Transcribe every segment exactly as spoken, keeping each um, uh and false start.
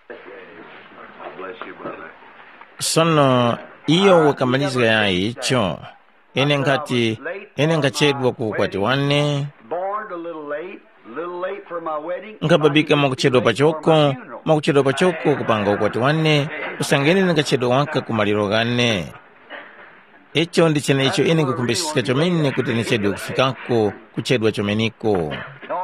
God bless you, brother. Sono iyo wakamalizga yayi icho. Ine nkhati, ine nkhachedwa ku ukwati wane, Born a little late, a little late for my wedding. Nkhababika mwakuchedwa pachoko, mwakuchedwa pachoko kupanga ukwati wane, usange ine nkhachedwa waka ku maliro ghane. Icho ndi cheneicho ine nkukhumbisiska chomene kuti ndichedwe kufikako, kuchedwa chomeneko.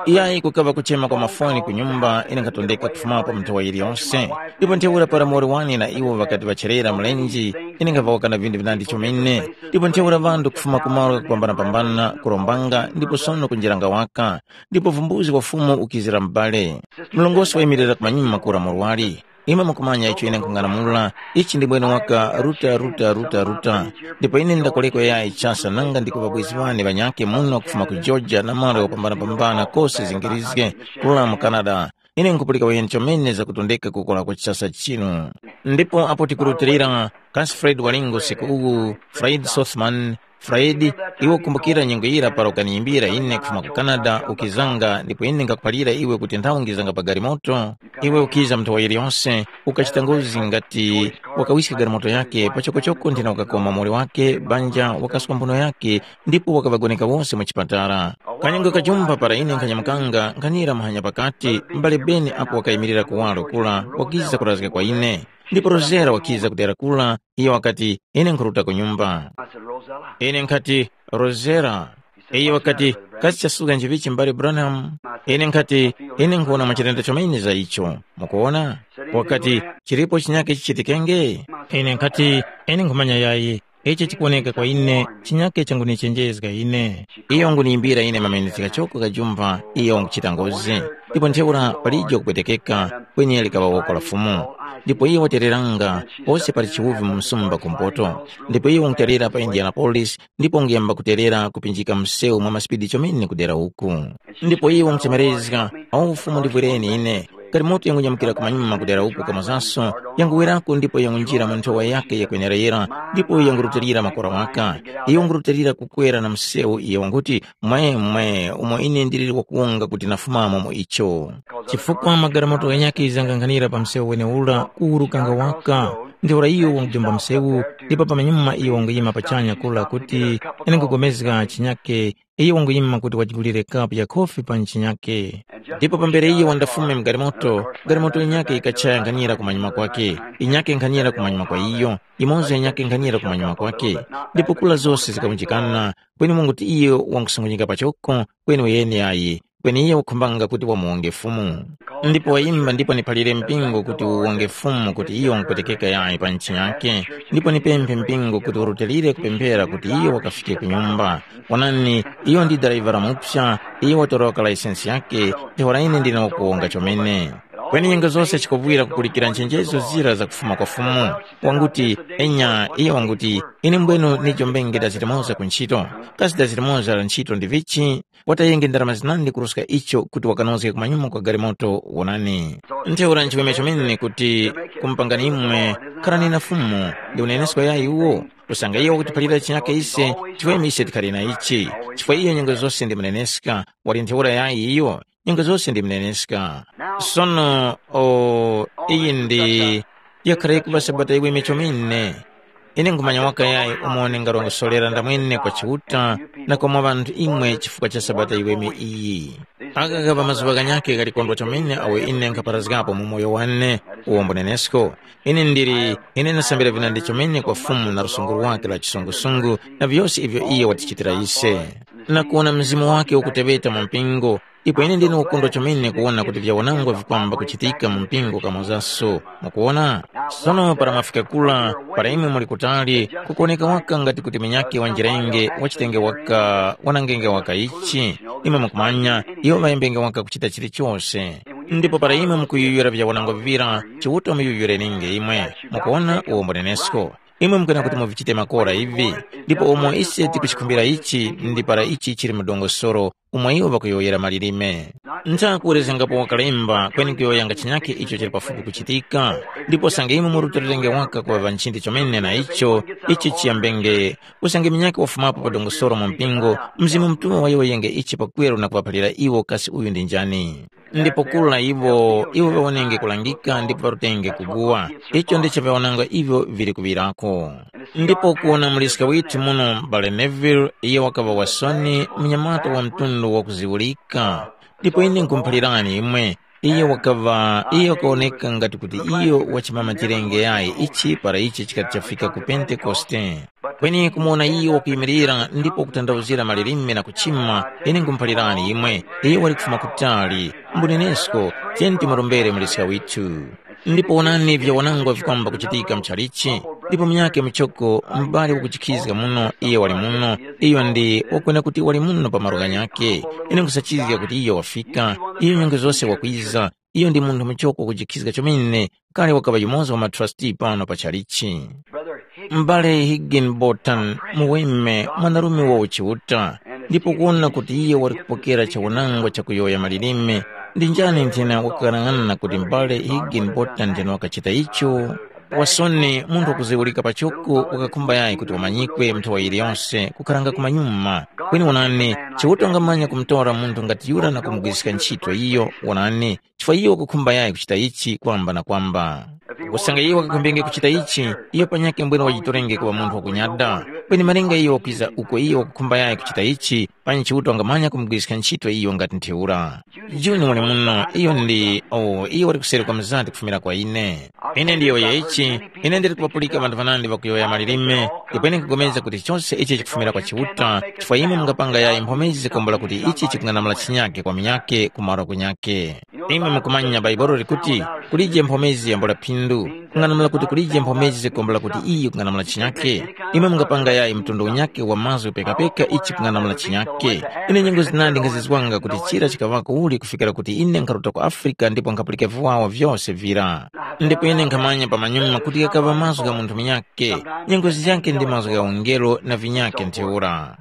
Iyayi, kukaŵa kuchema kwa mafoni ku nyumba, ine nkhatondeka kufumapo mu nthowa yiliyonse. Ndipo ntheura para muwoli wane na iwo ŵakati ŵacherera mlenje, ine nkhaŵawaka na vinthu vinandi chomene. Ndipo ntheura ŵanthu kufuma ku malo ghakupambanapambana kurombanga ndipo sono kunjeranga waka. Ndipo vumbuzi wa Fumu ukizira m'bale. Mlongosi wayimirira kumanyuma kura murwari. Imwe mukumanya icho ine nkhung'anamula, ichi ndi mwene waka ruta ruta ruta ruta. Ndipo ine ndakoleko yayi chasa nanga ndi ku ŵabwezi ŵane ŵanyakhe muno kufuma ku Georgia na malo ghapambanapambana kose zingirizge, kula mu Canada. Ine nkupulika wayeni chomene zakutondeka kukora kwa chichasa chinu. Ndipo apo tikurutilira, kasi Fred walingo usiku uwu, Fred Sothman, Fred, iwe ukumbukira nyengo yira para ukaniyimbira ine kufuma ku Canada ukizanga ndipo ine ngakuphalira iwe kuti nthawi ngizanga pa galimoto? Iwe ukiza mu nthowa yiliyonse, ukachita ngozi ngati wakawiska galimoto yake pachokocoko nthena ukakoma muli wake banja wakaswa mphuno yake ndipo wakaŵagoneka wose mu chipatala. Kanyengo kajumba para ine nkhanyamukanga nkhanira muhanya pakati, m'bale Beni apo wakayimirira kuwaro kula wakiza kurazga kwa ine. Ndipo Rosera wakiza kudera kula, iyo wakati, ine nkhuruta ku nyumba. I said, Rosella. Ine nkhati, Rosera. Iye wakati, kasi chasuka nchivichi m'bale Branham? Ine nkhati, ine nkhuwona machitenda chomene za icho. Mukuwona? Wakati, chilipo chinyake chichitikenge? Ine nkhati, ine nkhumanya yayi. Ichi chikuwoneka kwa ine, chinyake changunichenjezga ine. Iyo nguniyimbira ine mameneska choko kajumba, iyo nguchita ngozi. Ndipo ntheura palije kupwetekeka, kweni likaŵa woko la Fumu. Ndipo iyo watereranga, pose pali chiwuvi mu msumba kumpoto. Ndipo iyo wanguterera pa Indianapolis, ndipo nguyamba kuterera kupinjika msewu mwa masipidi chomene kudera uku. Ndipo iyo wanguchemerezga, awo Fumu ndivwireni ine. Galimoto yangunyamukira kumanyuma kudera uku kamozaso, yanguwerako ndipo yangunjira mu nthowa yake yakwenerera, ndipo yangurutilira makora waka. Iyo wangurutilira kukwera na msewu iyo wanguti, mwe, mwe, umo ine ndiliri wakuwonga kuti nafumamo mu icho. Chifukwa magalimoto ghanyakhe ghizanganghanira pa msewu wenewura kuwurukanga waka, ntheura iyo wangujomba msewu, ndipo pamanyuma iyo wanguyima pachanya kura kuti, ine nkugomezga chinyakhe, iyo wanguyima kuti wajigulire kapu ya khofi pa nchinyakhe. Ndipo pambere iyo wandafume mgalimoto, galimoto yinyakhe yikachaya nkhanira kumanyuma kwake, yinyakhe nkhanira kumanyuma kwa iyo, yimoza yinyakhe nkhanira kumanyuma kwake. Ndipo kula zose zikaunjikana, kweni munguti iyo wangusungunyika pachoko, kweni uyeni ayi, kweni iye wakhumbanga kuti wamuwonge Fumu. Ndipo wayimba ndipo niphalire mpingo kuti uwonge Fumu kuti iyo wangupwetekeka yayi pa ntchi yake, ndipo nipemphe mpingo kuti urutilire kupemphera kuti iyo wakafike ku nyumba. Wonani, iyo ndi darayiva la mupsa, iyo watoroka laisensi yake, ntheura ine ndine wakuwonga chomene. Kweni nyengo zose chikuvwira kupulikira nchenjezo zira zakufuma kwa Fumu. Wanguti, enya, iyo wanguti, ine mbwenu nijo mbenge dazirimoza ku nchito. Kasi dazirimoza la nchito ndi vichi? Watayenge ndarama zinandi kuruska icho kuti wakanozge kumanyuma kwa galimoto wonani. Ntheura nchiweme chomene kuti kumupangani imwe, kharani na Fumu, ndi unenesko yayi uwo. Kusanga iyo wakutiphalira chinyake ise, chiweme ise tikhali na ichi. Chifukwa iyo nyengo zose ndi muneneska, wali ntheura yayi iyo, nyengo zose ndi muneneska. Sono, o, iyi ndi, yakhara yikuŵa sabata iweme chomene. Ine nkhumanya waka yayi umo ningarongosorera ndamwene kwa Chiuta na kwa mwa ŵanthu imwe chifukwa cha Sabata yiweme iyi. Aka kaŵa mazuŵa ghanyakhe ghalikondwa chomene awo ine nkhaparazgapo mu moyo wane, uwombo nenesko. Ine ndili, ine ndasambira vinandi chomene kwa Fumu na lusungu lwakhe la chisungusungu na vyose ivyo iye watichitira ise. Na kuwona Mzimu wakhe ukuteŵeta mu mpingo, ipo ine ndine ukondwa chomene kuwona kuti vyawanangwa vikwamba kuchitika mu mpingo kamozaso. Mukuwona? Sono para mwafika kula, para imwe muli kutali, kukuwoneka waka ngati kuti munyakhe wanjirenge wachitenge waka wanangenge waka ichi. Imwe mukumanya, iwo ŵayembenge waka kuchita chilichose. Ndipo para imwe mukuyuyura vyawanangwa vivira, Chiuta muyuyureninge imwe. Mukuwona uwo mbunenesko. Imwe mukwena kuti muvichite makora ivi. Ndipo umo ise tikuchikhumbira ichi, ndi para ichi chili mu dongosolo, umo iwo ŵakuyowoyera malilime. Ntha kuwerezgangapo wakalemba kweni kuyowoyanga chinyakhe icho chili pafupi kuchitika, ndipo usange imwe muri utorerenge waka kuŵa ŵanchindi chomene na icho, ichi chiyambenge, usange minyakhe wafumapo pa dongosolo mu mpingo, Mzimu Mutuŵa wayowoyenge ichi pakweru na kuŵaphalira iwo kasi uyu ndi njani. Ndipo kula iwo, iwo ŵawonenge kulangika ndipo ŵarutenge kuguwa. Icho ndicho vyaonanga ivyo vili kuŵirako. Ndipo kuwona muliska withu muno m'bale Neville, iye wakaŵa wasoni, mnyamata wa mtundu wakuziwulika. Ndipo ine nkhumuphalirani imwe, iye wakaŵa, iye wakawoneka ngati kuti iyo wachimama chilenge yayi ichi para ichi chikati chafika ku Pentekoste. Kweni kumuwona iyo wakuyimirira ndipo kutanthauzira malilime na kuchima, ine nkhumuphalirani imwe, iyo wali kufuma kutali, mbunenesko, tiyeni timurombere muliska withu. Ndipo wonani vyawanangwa vikwamba kuchitika mchalichi, ndipo munyakhe muchoko mubali wakuchikhizga muno, iyo wali muno, iyo ndi wakwena kuti wali muno pa malo ghanyakhe. Ine nkhusachizga kuti iyo wafika, iyo nyengo zose wakwiza, iyo ndi munthu muchoko wakujikhizga chomene, kale wakaŵa yumoza wa matrasti pano pa chalichi. M'bale Higginbotham, muweme, mwanarume wa uchiuta, ndipo kuwona kuti iye wali kupokera chawanangwa chakuyowoya malilime, ndi njani nthena wakaghanag'ana kuti m'bale Higginbotham nthena wakachita icho? Wasoni munthu wakuziwulika pachoko wakakhumba yayi kuti wamanyikwe nthawa yiliyose kukharanga kumanyuma. Kweni wonani, Chiuta wangamanya kumutora munthu ngati yura na kumugwiriska ntchito iyo, wonani, chifukwa iyo wakukhumba yayi kuchita ichi kwamba na kwamba. Kusanga iyo wakakhumbenge kuchita ichi, iyo panyakhe mbwene wajitorenge kuŵa munthu wakunyada. Kweni malinga iyo wakwiza uko iyo wakukhumba yayi kuchita ichi, panyi Chiuta wangamanya kumugwiriska ntchito iyo ngati ntheura. Juni wali muno, iyo ndi, oh, iyo wali kuseri kwa mzati kufumira kwa ine. Ine ndiyowoya ichi, ine ndili kupapulika ŵanthu ŵanandi ŵakuyowoya malilime, ndipo ine nkupulikana kuti chose ichi chikufumira kwa Chiuta, chifukwa imwe mungapanga yayi mphomezi zikombola kuti ichi chikung'anamula chinyake kwa minyake ku malo kunyake. Imwe mukumanya Bhaibuli likuti, kulije mphomezi yambula phindu, kung'anamula kuti kulije mphomezi zikombola kuti iyi kung'anamula chinyake. Imwe mungapanga yayi mtundu unyake wa mazgu pekapeka ichi kung'anamula chinyake. Ine nyengo zinandi nkhazizwanga kuti chira chikaŵako uli kufikira kuti ine nkharuta ku Afrika ndipo nkhapulika viwawa vyose vira. Ndipo ine nkhamanya pamanyuma kuti ghakaŵa mazgu gha munthu munyakhe, nyengo ziyakhe ndi mazgu gha ungelo na vinyakhe ntheura.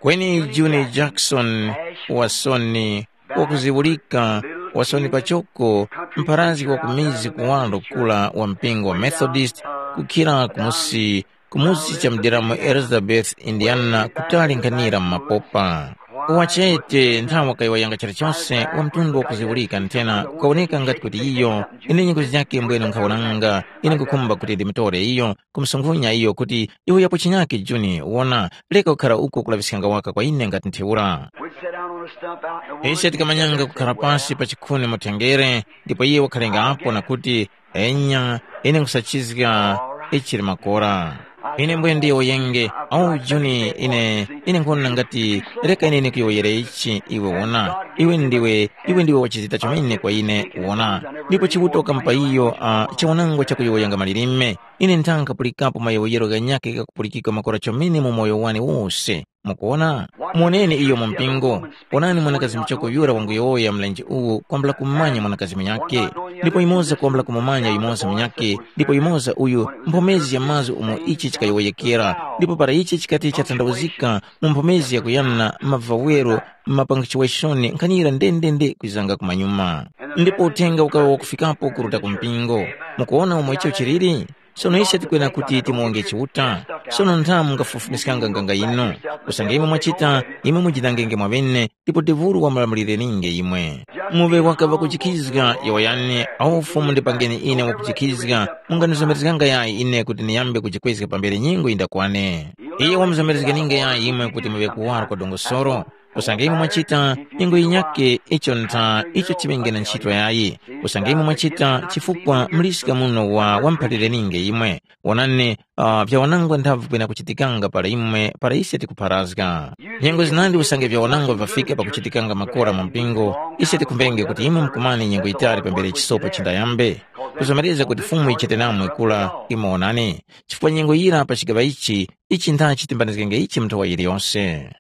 Kweni Juni Jackson, wasoni, wakuziwulika, wasoni pachoko, mpharazgi wa ku mizi kuwaro kura wa mpingo wa Methodist, kukhira kumusi, kumusi cha mdera mu Elizabeth, Indiana, kutali nkhanira mu mapopa. Wachete nthawi wakayowoyanga chilichose wa mtundu wakuziwulika nthena kukawoneka ngati kuti iyo, ine nyengo zake mbwene nkhawonanga, ine nkukhumba kuti ndimutore iyo, kumusunkhunya iyo kuti, iwe yapo chinyake Juni, wona, reka kukhara uko kulaŵiskanga waka kwa ine ngati ntheura. We'd sit down on a stump out in the Ise woods. Tikamanyanga kukhala pasi pa chikhuni mu thengere, ndipo iye wakhalengapo na kuti, enya, ine nkhusachizga ichili makora. Ine mbwe ndiyowoyenge, awu Juni, ine, ine nkhona ngati, reka ine ndikuyowoyere ichi, iwe wona, iwe ndiwe, iwe ndiwe wachizita chomene kwa ine, wona. Ndipo Chiuta wakamupa iyo, uh, chiwanango chakuyowoyanga malilime. Ine nthanga kapulikapo mayowoyero ghanyakhe ghakupulikika makora chomene mu moyo wane wose. Mukuwona? Muwoneni iyo mu mpingo. Wonani mwanakazi muchoko yura wanguyowoya mlenje uwu kwambula kumumanya mwanakazi munyakhe. Ndipo yumoza kwambula kumumanya yumoza munyakhe, ndipo yumoza uyu mphomezi ya mazgu umo ichi chikayowoyekera. Ndipo para ichi chikati chatandawuzika mu mphomezi yakuyana mavawero, mapangichiweshoni nkhanira ndendende kwizanga kumanyuma. Ndipo uthenga ukaŵa wakufikapo kuruta ku mpingo. Mukuwona umo icho chiliri? Sono ise tikwena kuti timuwonge Chiuta. Sono ntha mungafufumiskanga nganga yinu? Usange imwe mwachita, imwe mujinangenge mwaŵene, ndipo devulu wamulamulireninge imwe. Muŵe wakaŵa kujikhizga, yowoyani, awu Fumu ndipangeni ine wakujikhizga, mungandizomerezganga yayi ine kuti ndiyambe kujikwezga pambere nyengo yindakwane. Iye wamuzomerezgeninge yayi imwe kuti muŵe kuwara kwa dongosoro. Usange imwe mwachita, nyengo yinyakhe icho ntha icho chiŵenge na nchito yayi. Usange imwe mwachita, chifukwa muliska muno wa wamphalirenienge imwe. Wonani, uh, vyawanangwa nthavi kwena kuchitikanga para imwe, para ise tikupharazga. Nyengo zinandi usange vyawanangwa vafika pakuchitikanga makora mu mpingo, ise tikumbenge kuti imwe mukumane nyengo yitali pambere chisopo chindayambe. Kuzomereza kuti Fumu yichite namwe kula, imwe wonani. Chifukwa nyengo yira pa chigaŵa ichi, ichi ntha chitimbanizgenge ichi mu nthowa yiliyose.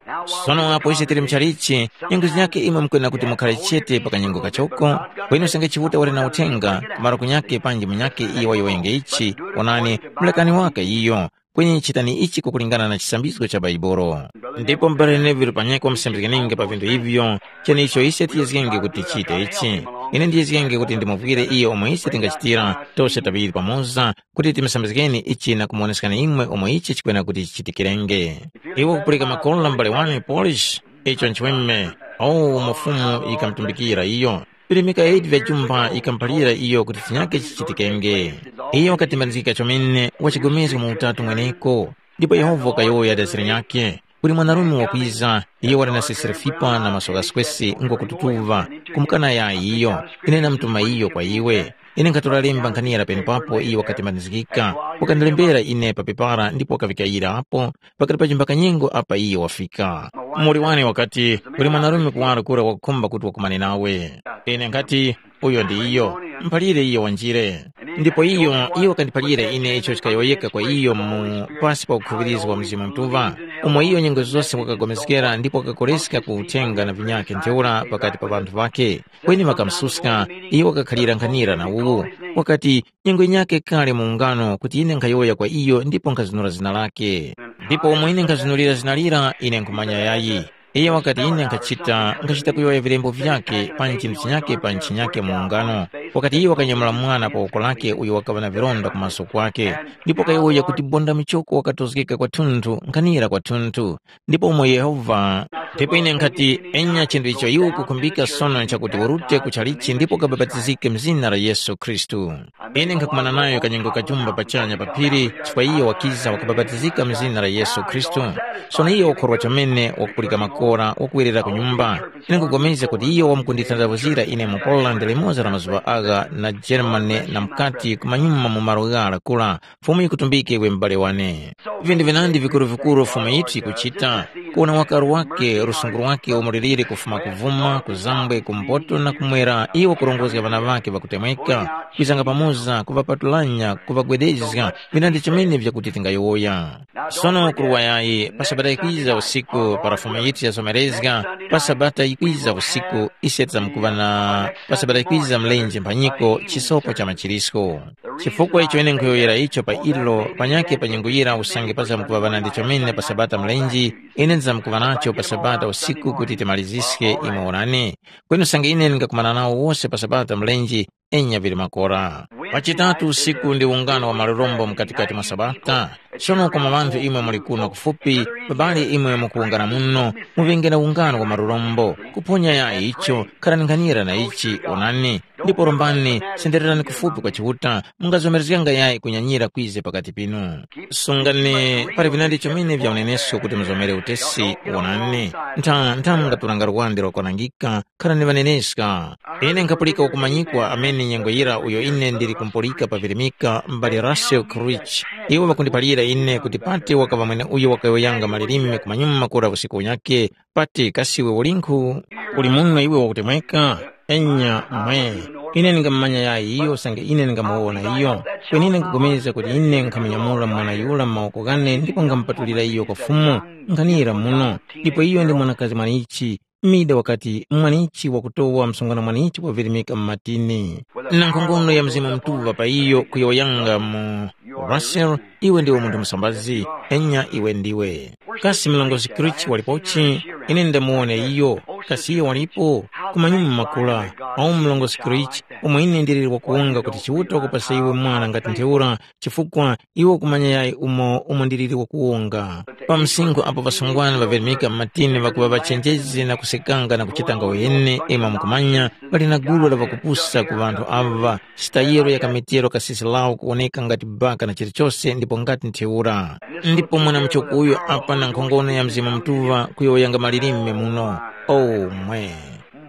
Sono apo ise tili muchalichi, nyengo zinyakhe imwe mukwena kuti mukhare chete pa kanyengo kachoko, kweni usange Chiuta wali na uthenga, ku maroku nyakhe panji munyakhe iyo wayowoyenge ichi, wonani, mulekani waka iyo, Kweni chitani ichi kukulingana na chisambizgo cha Baibolo. Ndipo m'bale Neville panyakhe wamusambizganenge pa vinthu ivyo, chenecho ise tiyezgenge kuti tichite ichi. Ine ndiyezgenge kuti ndimuvwire iyo umo ise tingachitira, tose taŵiri pamoza, kuti timusambizgeni ichi na kumuwoneskani imwe umo ichi chikwena kuti chichitikirenge. Iwe kupulika makola m'bale wane Polish, icho nchiweme, awo umo Fumu yikamutumbikira iyo. Virimika eight vya jumba yikamuphalira iyo kuti chinyake chichitikenge. Iyo wakatembanizgika chomene, wachigomezga mu Utatu mweneko. Ndipo Yehova wakayowoya dazira nyakhe, kuli mwanarume wakwiza, iyo wali na sesere fipa na maso ghaswesi ngwakututuva, kumukana yayi iyo, ine namutuma iyo kwa iwe. Ine nkhatora lemba nkhaniya penepapo iyo wakatembanizgika, wakandilembera ine pa pepara ndipo wakavika ira apo, pakati pa chimbakanyengo apa iyo wafika. Muwoli wane wakati, kuli mwanarume kuwaro kura wakukhumba kuti wakumane nawe. Ine nkhati, uyo ndi iyo, mphalire iyo wanjire. Ndipo iyo, iyo wakandiphalira ine icho chikayowoyeka kwa iyo mu pasi pa ukhuŵirizwa wa Mzimu Mutuŵa, umo iyo nyengo zose wakagomeskera ndipo wakakoleska ku uthenga na vinyakhe ntheura pakati pa ŵanthu ŵakhe. Kweni ŵakamususka, iyo wakakhalira nkhanira na uwu, wakati, nyengo yinyakhe kale mu ungano kuti ine nkhayowoya kwa iyo ndipo nkhazunura zina lakhe. Ndipo umo ine nkhazunulira zina lira, ine nkhumanya yayi. Iyo wakati ine nkhachita, nkhachita kuyowoya vilembo vyakhe pa chinthu chinyakhe pa chinyakhe mu ungano. Wakati iyo wakanyamula mwana pa woko lakhe uyo wakaŵa na vilonda ku maso kwakhe, ndipo wakayowoya kuti bonda michoko wakatozgeka kwathunthu, nkhanira kwathunthu. Ndipo umo Yehova, ndipo ine nkhati, enya chinthu icho iwe ukukhumbika sono nchakuti urute ku chalichi ndipo ukabapatizike mu zina la Yesu Khristu. Ine nkhakumana nayo kanyengo kachumba pachanya pa phiri chifukwa iyo wakiza wakabapatizika mu zina la Yesu Khristu. Sono iyo wakhorwa chomene wakupulika makora wakuwerera ku nyumba. Ine nkupulikana kuti iyo wamkundithandavuzira ine mu Poland limoza la mazuŵa agha na Germany na mukati kumanyuma mu malo ghara kura, Fumu yikutumbike iwe m'bale wane. Vinthu vinandi vikuru-vikuru Fumu yithu yikuchita, kuwona wakaru wake, lusungu lwake umo liliri kufuma kuvuma, kuzambwe, kumpoto na kumwera, iyo wakurongozga ŵana ŵakhe ŵakutemweka, kwizanga pamoza, kuŵapatulanya, kuŵagwedezga, vinandi chomene vyakuti tingayowoya. Sono kuruwayayi, pa Sabata yikwiza usiku, para Fumu yithu yazomerezga, pa Sabata yikwiza usiku, ise tizamkuŵa na pa Sabata yikwiza mlenje mphanyiko chisopo cha machirisko. Chifukwa icho ine nkhuyowoyera icho pa ilo, panyakhe pa nyengo yira usange pazamkuŵa ŵanandi chomene pa Sabata mlenje, ine ndizamkuŵa nacho pa Sabata usiku kuti timaliziske imwe wonani. Kweni usange ine ndingakumana nawo wose pa Sabata mlenje, enya vili makora. Pa chitatu usiku ndi ungano wa malurombo mkatikati mwa Sabata. Sono koma ŵanthu imwe muli kuno kufupi, babale imwe mukuwungana muno, muŵenge na ungano wa malurombo. Kuphonya yayi icho, kharani nkhanira na ichi, onani, ndipo rombani, sendererani kufupi kwa Chiuta, mungazomerezganga yayi kunyanyira kwize pakati pinu. Sungani, pali vinandi chomene vya unenesko kuti muzomere utesi, wonani, ntha ntha mungaturanga luwande lwakwanangika, kharani ŵaneneska. Ine nkhapulika wakumanyikwa amene nyengo yira uyo ine ndili kumpulika pa virimika, m'bale Russell Creech. Iwo ŵakundiphalira ine kuti pati wakaŵa mweneuyo wakayowoyanga malilime kumanyuma kura usiku unyakhe, pati kasi iwe ulinkhu? Uli muno iwe wakutemweka? Enya mwe. Ine ndingamumanya yayi iyo usange ine ndingamuwona iyo. Kweni ine nkugomezga kuti ine nkhamunyamula mwana yura mu mawoko ghane ndipo nkhamupatulira iyo kwa Fumu. Nkhanira muno. Ndipo iyo ndi mwanakazi mwanichi. Mida wakati, mwanichi wakutowa msungwana mwanichi wavirimika mu matini. Na nkhongono ya Mzimu Mutuŵa pa iyo kuyowoyanga mu, Russell, iwe ndiwe munthu musambazi, enya iwe ndiwe. Kasi mlongozi Creech walipochi? Ine ndamuwona iyo. Kasi iyo walipo? Kumanyuma makula, awu mlongozi Creech, umo ine ndiliri wakuwunga kuti Chiuta wakupasa iwe mwana ngati ntheura, chifukwa iwe ukumanya yayi umo umo ndiliri wakuwunga. Pa msinkhu apo ŵasungwana ŵavirimika m'matini ŵakuŵa ŵachenjezi na kusekanga na kuchitanga uheni, imwe mukumanya, pali na gulu la ŵakupusa ku ŵanthu aŵa, sitayero ya kamitero kasisi lawo kuwoneka ngati baka na chilichose ndipo ngati ntheura. Ndipo mwanamuchoko uyo apa na nkhongono ya Mzimu Mutuŵa kuyowoyanga malilime muno. Oh, mwe!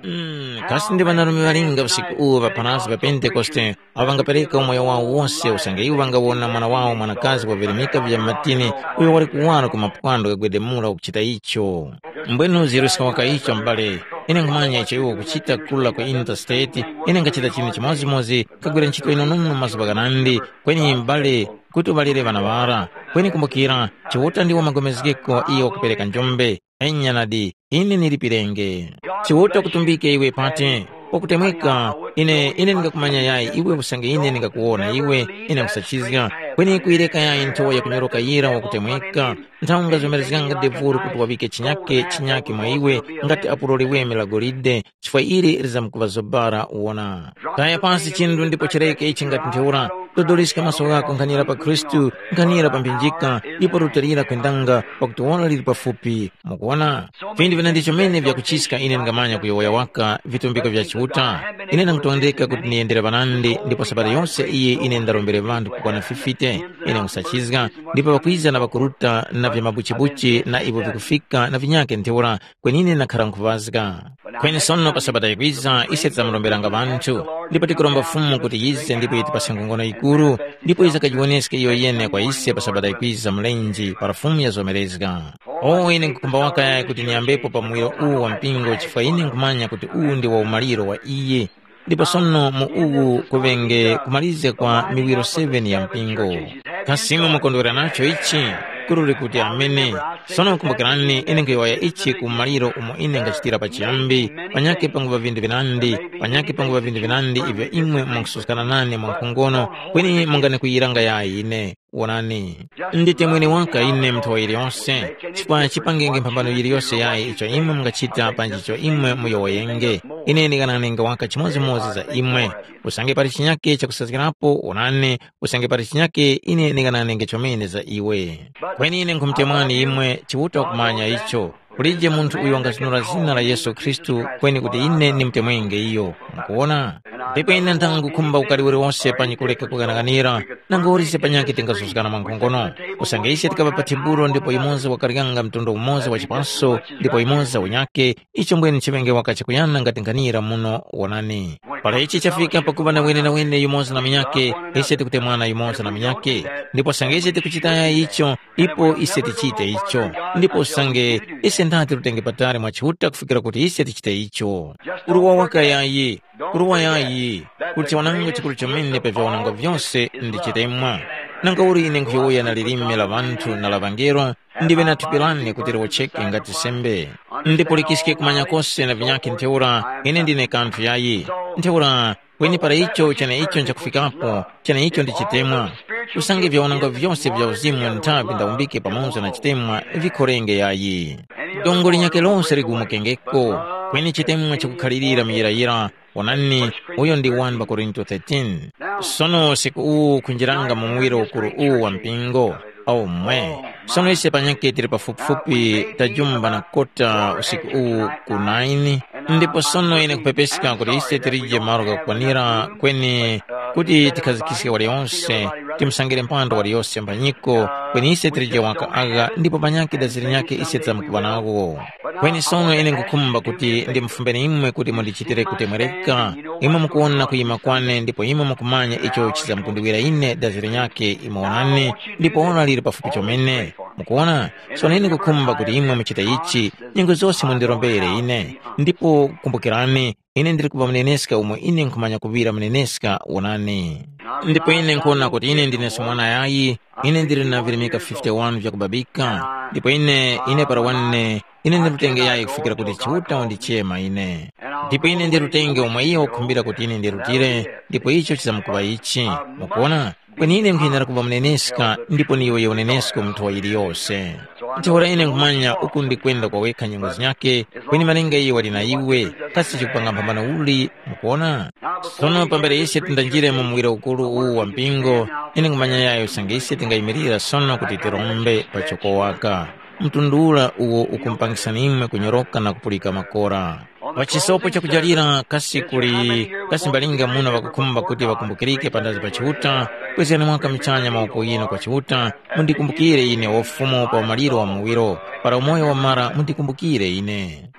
Mm, kasi ndi ŵanarume ŵalinga usiku uwu ŵa pharazgi pa Pentekoste awo ŵangapereka umoyo wawo wose usange iwo ŵangawona mwana wawo mwanakazi wavirimika vya matini uyo wali kuwara ku mapwando ghagwedemula ukuchita icho. Mbwenu ziruska waka icho m'bale, ine nkhumanya icho iwe ukuchita kula ku interstate, ine nkhachita chinthu chimodzimodzi, nkhagwira ntchito yinonono mazuŵa ghanandi, kweni m'bale, kuti uŵalire ŵana ŵara. Kweni kumbukira, Chiuta ndiwo magomezgeko iyo wakupereka njombe. Enya nadi, ine ndilipirenge. Chiuta kutumbike iwe pati, Wakutemweka, ine ine ndingakumanya yayi iwe usange ine ndingakuwona iwe, ine nkhusachizga. Kweni kuyireka yayi nthowa yakunyoroka yira wakutemweka, nthawi ungazomerezganga devuru kuti waŵike chinyake chinyake mwa iwe, ngati apo loliweme la golide, chifukwa ili lizamkuŵa zobara uwona. Kaya pansi chindu ndipo chireke ichi ngati ntheura, dodoliska maso ghako nkhanira pa Khristu, nkhanira pa mphinjika, ndipo lutalira kwendanga, pakuti ora lili pafupi. Mukuwona, vinthu vina ndi chomene vyakuchiska ine ndingamanya kuyowoya waka vitumbiko vya Chiuta. Ine ndangutondeka kuti niyendere ŵanandi ndipo sabata yose iyi ine ndarombere ŵanthu kukwana fifite. Ine nkhusachizga, ndipo ŵakwiza na ŵakuruta na vya mabuchibuchi na ivo vikufika na vinyake ntheura, kweni ine ndakhara nkhuŵazga. Kweni sono pa sabata yikwiza ise tidzamuromberanga ŵanthu, ndipo tikuromba Fumu kuti yize ndipo yitipase nkhongono yikuru, ndipo yizakajiwoneske iyo yene kwa ise pa sabata yikwiza mlenje para Fumu yazomerezga. O ine nkhukhumba waka yayi kuti niyambepo pa muwiro uwu wa mpingo chifukwa ine nkhumanya kuti uwu ndi wa umaliro wa iye. Ndipo sono mu uwu kuŵenge kumalizika kwa miwiro seven ya mpingo. Kasi imwe mukondwera nacho ichi? Kuruli kuti amene. Sono kumbukirani ine nkhuyowoya ichi ku maliro umo ine ngachitira pachiyambi, panyakhe panguŵa vinthu vinandi, panyakhe panguŵa vinthu vinandi ivyo imwe mungasuzgana nane mwankhongono, kweni mungandikwiyiranga yayi ine. Wonani, ndite mwene waka ine mnthowa yiliyonse, chifukwa chipangenge mphambano yiliyonse yayi icho imwe mungachita panji icho imwe muyowoyenge. Ine nding'ananenge waka chimodzimodzi za imwe. Usange pali chinyake chakusazgirapo, wonani, usange pali chinyake ine nding'ananenge chomene za iwe. Kweni ine nkhumutemwani imwe, Chiuta wakumanya icho. Kulije munthu uyo wangazunura zina la Yesu Khristu kweni kuti ine ndimutemwenge iyo. Mukuwona? Ndipo ine nthangukhumba ukari uliwose panyi kuleka kuganaganira, nangori ise panyakhe tingazuzgana mwa nkhongono. Usange ise tikaŵa pa thibulo ndipo yumoza wakaryanga mtundu umoza wa chipaso ndipo yumoza unyakhe, icho mbwene chiŵenge waka chakuyana ngati nkhanira muno wonani. Para ichi chafika pakuŵa na wenenawene yumoza na munyakhe, ise tikutemwana yumoza na munyakhe. Ndipo usange ise tikuchitaya icho, ipo ise tichite icho. Ndipo usange ise ndati tutenge patali mwa Chiuta kufikira kuti ise tichite icho. Kuruwa waka yayi, kuruwa yayi, kuti chawananga chikuru chomene pa vyawananga vyose ndi chitemwa. Nanga uli ine nkhuyowoya na lilime la ŵanthu na la ŵangelo, ndiŵe na thupi lane kuti liwocheke ngati sembe. Ndipo likiske kumanya kose na vinyakhe ntheura, ine ndine kanthu yayi. Ntheura, kweni para icho cheneicho nchakufikapo, cheneicho ndi chitemwa. Usange vyaonanga vyose vya uzimu nthawi ndawumbike pamoza na chitemwa vikhorenge yayi. Dongo linyakhe lose ligumukengeko, kweni chitemwa chikukhalirira muyirayira. Wonani, uyo ndi wani pa Korinto thirteen. Sono usiku uwu kunjiranga mu muwiro ukuru uwu wa mpingo. Omwe. Sono ise panyakhe tili pafupifupi tajumba na kota usiku uwu ku nine. Ndipo sono ine kupepeska kuti ise tilije malo ghakukwanira kweni kuti tikhazikiske waliyonse, timusangire mpando waliyose mbanyiko, kweni ise tilije waka agha ndipo panyakhe dazi linyakhe ise tizamukuŵa nawo. Kweni sono ine nkhukhumba kuti ndimufumbeni imwe kuti mundichitire kutemwereka. Imwe mukuwona kuyima kwane ndipo imwe mukumanya icho chizamkundiwira ine dazi linyakhe imwe wonani, ndipo ora liri pafupi chomene. Mukuwona? Sono ine nkhukhumba kuti imwe muchite ichi, nyengo zose mundirombere ine. Ndipo kumbukirani, ine ndiri kuŵa muneneska umo ine nkhumanya kuŵira muneneska wonani. Ndipo ine nkhona kuti ine ndineso mwana yayi, ine ndili na virimika fifty-one vyakubabika. Ndipo ine ine para wane ine ndilutenge yayi kufikira kuti Chiuta wandichema ine. Ndipo ine ndilutenge omwe iyo wakukhumbira kuti ine ndirutire, ndipo icho chizamkuŵa ichi. Mukuona? Kweni ine nkhuyenera kuŵa muneneska ndipo ni iwe unenesko mu nthowa yiliyose. Ntheura ine nkhumanya uku ndikwenda kwa wekha nyengo zinyakhe, kweni malinga iyo wali na iwe, kasi chikupanga mphambano uli? Mukuona? Sono pambere ise tindanjire mu muwiro ukuru uwu wa mpingo, ine nkhumanya yayo usange ise tingayimirira sono kuti tirombe pa chokowaka. Mtundu ula uwo ukumpangisani imwe kunyoroka na kupulika makora. Pa chisopo chakujalira kasi kuli kasi mbalinga muno ŵakukhumba kuti ŵakumbukirike pandazi pa Chiuta, kwezgani mwaka muchanya mawoko ghinu kwa Chiuta, mundikumbukire ine wa Ufumu pa umaliro wa muwiro, para umoyo wamara mundikumbukire ine.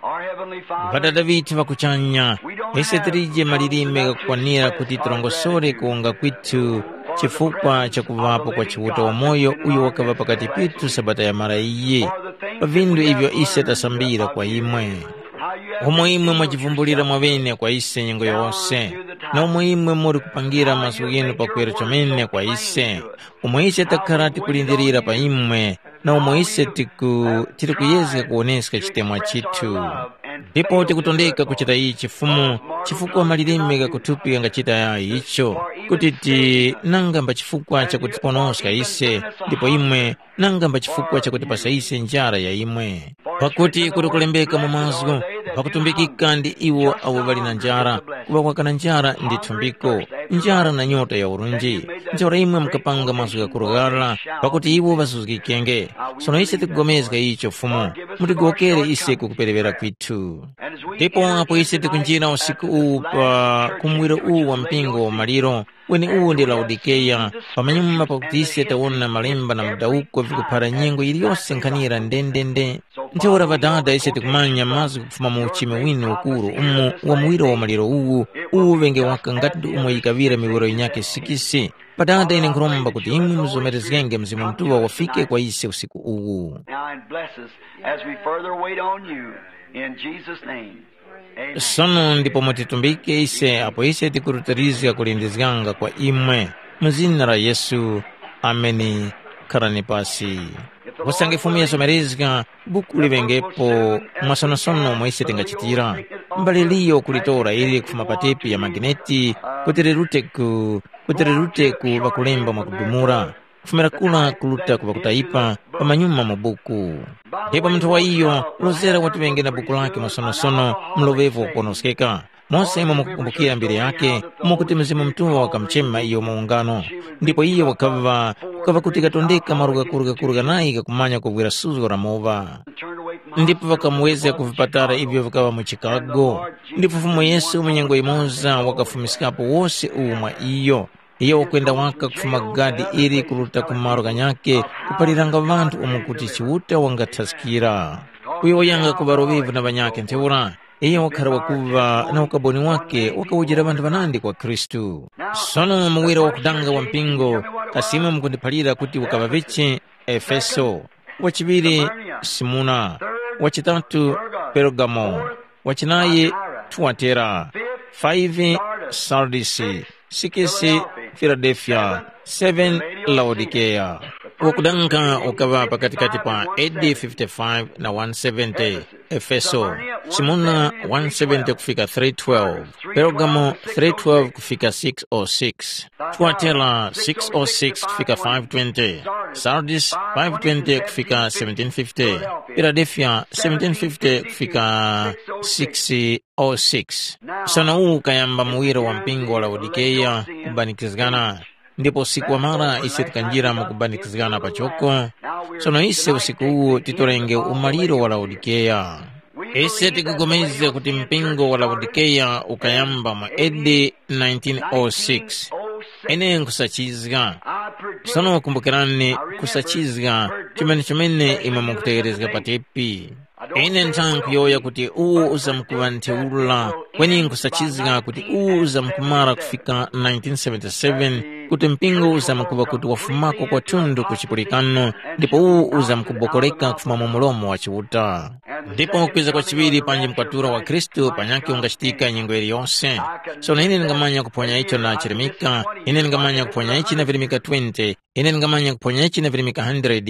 Ŵadada ŵithu ŵa kuchanya, ise tilije malilime ghakukwanira kuti tirongosore kuwonga kwithu chifukwa cha kuŵapo kwa Chiuta wamoyo uyo wakaŵa pakati pithu sabata yamara iyi. Pa vindu ivyo ise tasambira kwa imwe. Umo imwe mwajivumbulira mwaŵene kwa ise nyengo yose, na umo imwe muri kupangira mazgu ghinu pakwera chomene kwa ise, umo ise takhara tikulindirira pa imwe, na umo ise tiku, tiri kuyezga kuwoneska chitemwa chithu. Ndipo tikutondeka kuchita ichi Fumu, chifukwa malilime ghakuthupi ghangachita yayi icho, kuti ti nanga mba chifukwa chakutiponoska ise, ndipo imwe nanga mba chifukwa chakutipasa ise njara ya imwe. Pakuti kuti kulembeka mu mazgu, pakutumbikika ndi iwo awo ŵali na njara, kuŵa kwaka na njara ndi thumbiko, njara na nyota ya urunji. Ntheura imwe mukapanga mazgu ghakurughala, pakuti iwo ŵasuzgikenge. Sono ise tikupulikana icho Fumu, mutigowokere ise ku kuperewera kwithu. Ndipo apo ise tikunjira usiku uwu pa kumwiro uwu wa mpingo wa maliro, kweni uwu ndi Laodikeya, pamanyuma pakuti ise tawona malemba na mudawuko vikuphara nyengo yiliyose nkhanira ndendende. Ntheura Ŵadada ise tikumanya mazgu kufuma mu uchime winu ukuru umo wa muwiro wa maliro uwu, uwu ŵenge waka ngati ndi umo yikaŵira miwiro yinyakhe sikisi. Ŵadada ine nkhuromba kuti imwe muzomerezgenge Mzimu Mutuŵa wafike kwa ise usiku uwu. Now and bless us as we further wait on you. In Jesus' name. Amen. Sono ndipo mutitumbike ise apo ise tikurutirizga kulindizganga kwa imwe. Mu zina la Yesu. Ameni. Kharani pasi. Usange Fumu yasomerezga, buku liŵengepo mwasonosono mwa ise tingachitira. Mbali liyo kulitora ili kufuma pa tepi ya magineti kuti lirute ku kuti lirute ku ŵakulemba mwakudumula, kufumira kura kuruta ku ŵakutayipa pamanyuma mu buku. Ndipo munthu wa iyo lozera watiŵenge na buku lake mwasonosono mloŵevu wakuponoskeka. Mose imwe mukukumbukira mbiri yake, umo kuti Mzimu Mutuŵa wakamuchema iyo mu ungano, ndipo iyo wakaŵa, kukaŵa kuti katondeka malo ghakuru ghakuru ghanayi ghakumanya kuvwira suzgo la mowa. Ndipo ŵakamuwezga ku vipatala ivyo vikaŵa mu Chicago. Ndipo Fumu Yesu mu nyengo yimoza wakafumiskapo wose uwu mwa iyo. Iyo wakwenda waka kufuma gadi ili kuruta ku malo ghanyakhe kupaliranga ŵanthu umo kuti Chiuta wangathaskira. Uyo wayanga kuŵa loŵevu na ŵanyakhe ntheura, iyo wakhara wakuŵa na ukaboni wake wakawujira ŵanthu ŵanandi kwa Khristu. Sono muwiro wakudanga wa mpingo, kasi imwe mukundiphalira kuti ukaŵa vichi? Efeso, wachiŵiri Simuna, wachitatu Pergamo, wachinayi Tuatera, five Sardisi, six Filadelfiya, seven Laodikeya. Wakudanga ukaŵa pakatikati pa A D fifty-five na one seventy. Efeso, Simuna one seventy kufika three twelve, Pergamo three twelve kufika six oh six, Tuatera six oh six kufika five twenty, Sardis five twenty kufika seventeen fifty, Filadelfiya seventeen fifty kufika six oh six. Sono uwu ukayamba muwiro wa mpingo wa Laodikeya kubanikizgana, ndipo usiku wamara ise tikanjira mu kubanikizgana pachoko. Sono ise usiku uwu titorenge umaliro wa Laodikeya. Ise tikupulikana kuti mpingo wa Laodikeya ukayamba mu A D nineteen oh six. Ine nkhusachizga. Sono kumbukirani, kusachizga chomene chomene imwe mukutegherezga pa tepi. Ine nthani nkuyowoya kuti uwu uzamkuŵa ntheura, kweni nkhusachizga kuti uwu uzamkumara kufika nineteen seventy-seven, kuti mpingo uzamkuŵa kuti wafumako kwathunthu ku chipulikano, ndipo uwu uzamkubokoleka kufuma mu mulomo wa Chiuta. Ndipo kwiza kwachiŵiri panji mkwaturo wa Khristu panyakhe ungachitika nyengo yiliyose. Sono ine ndingamanya kuphonya icho na chirimika, ine ndingamanya kuphonya ichi na virimika twenty, ine ndingamanya kuphonya ichi na virimika hundred.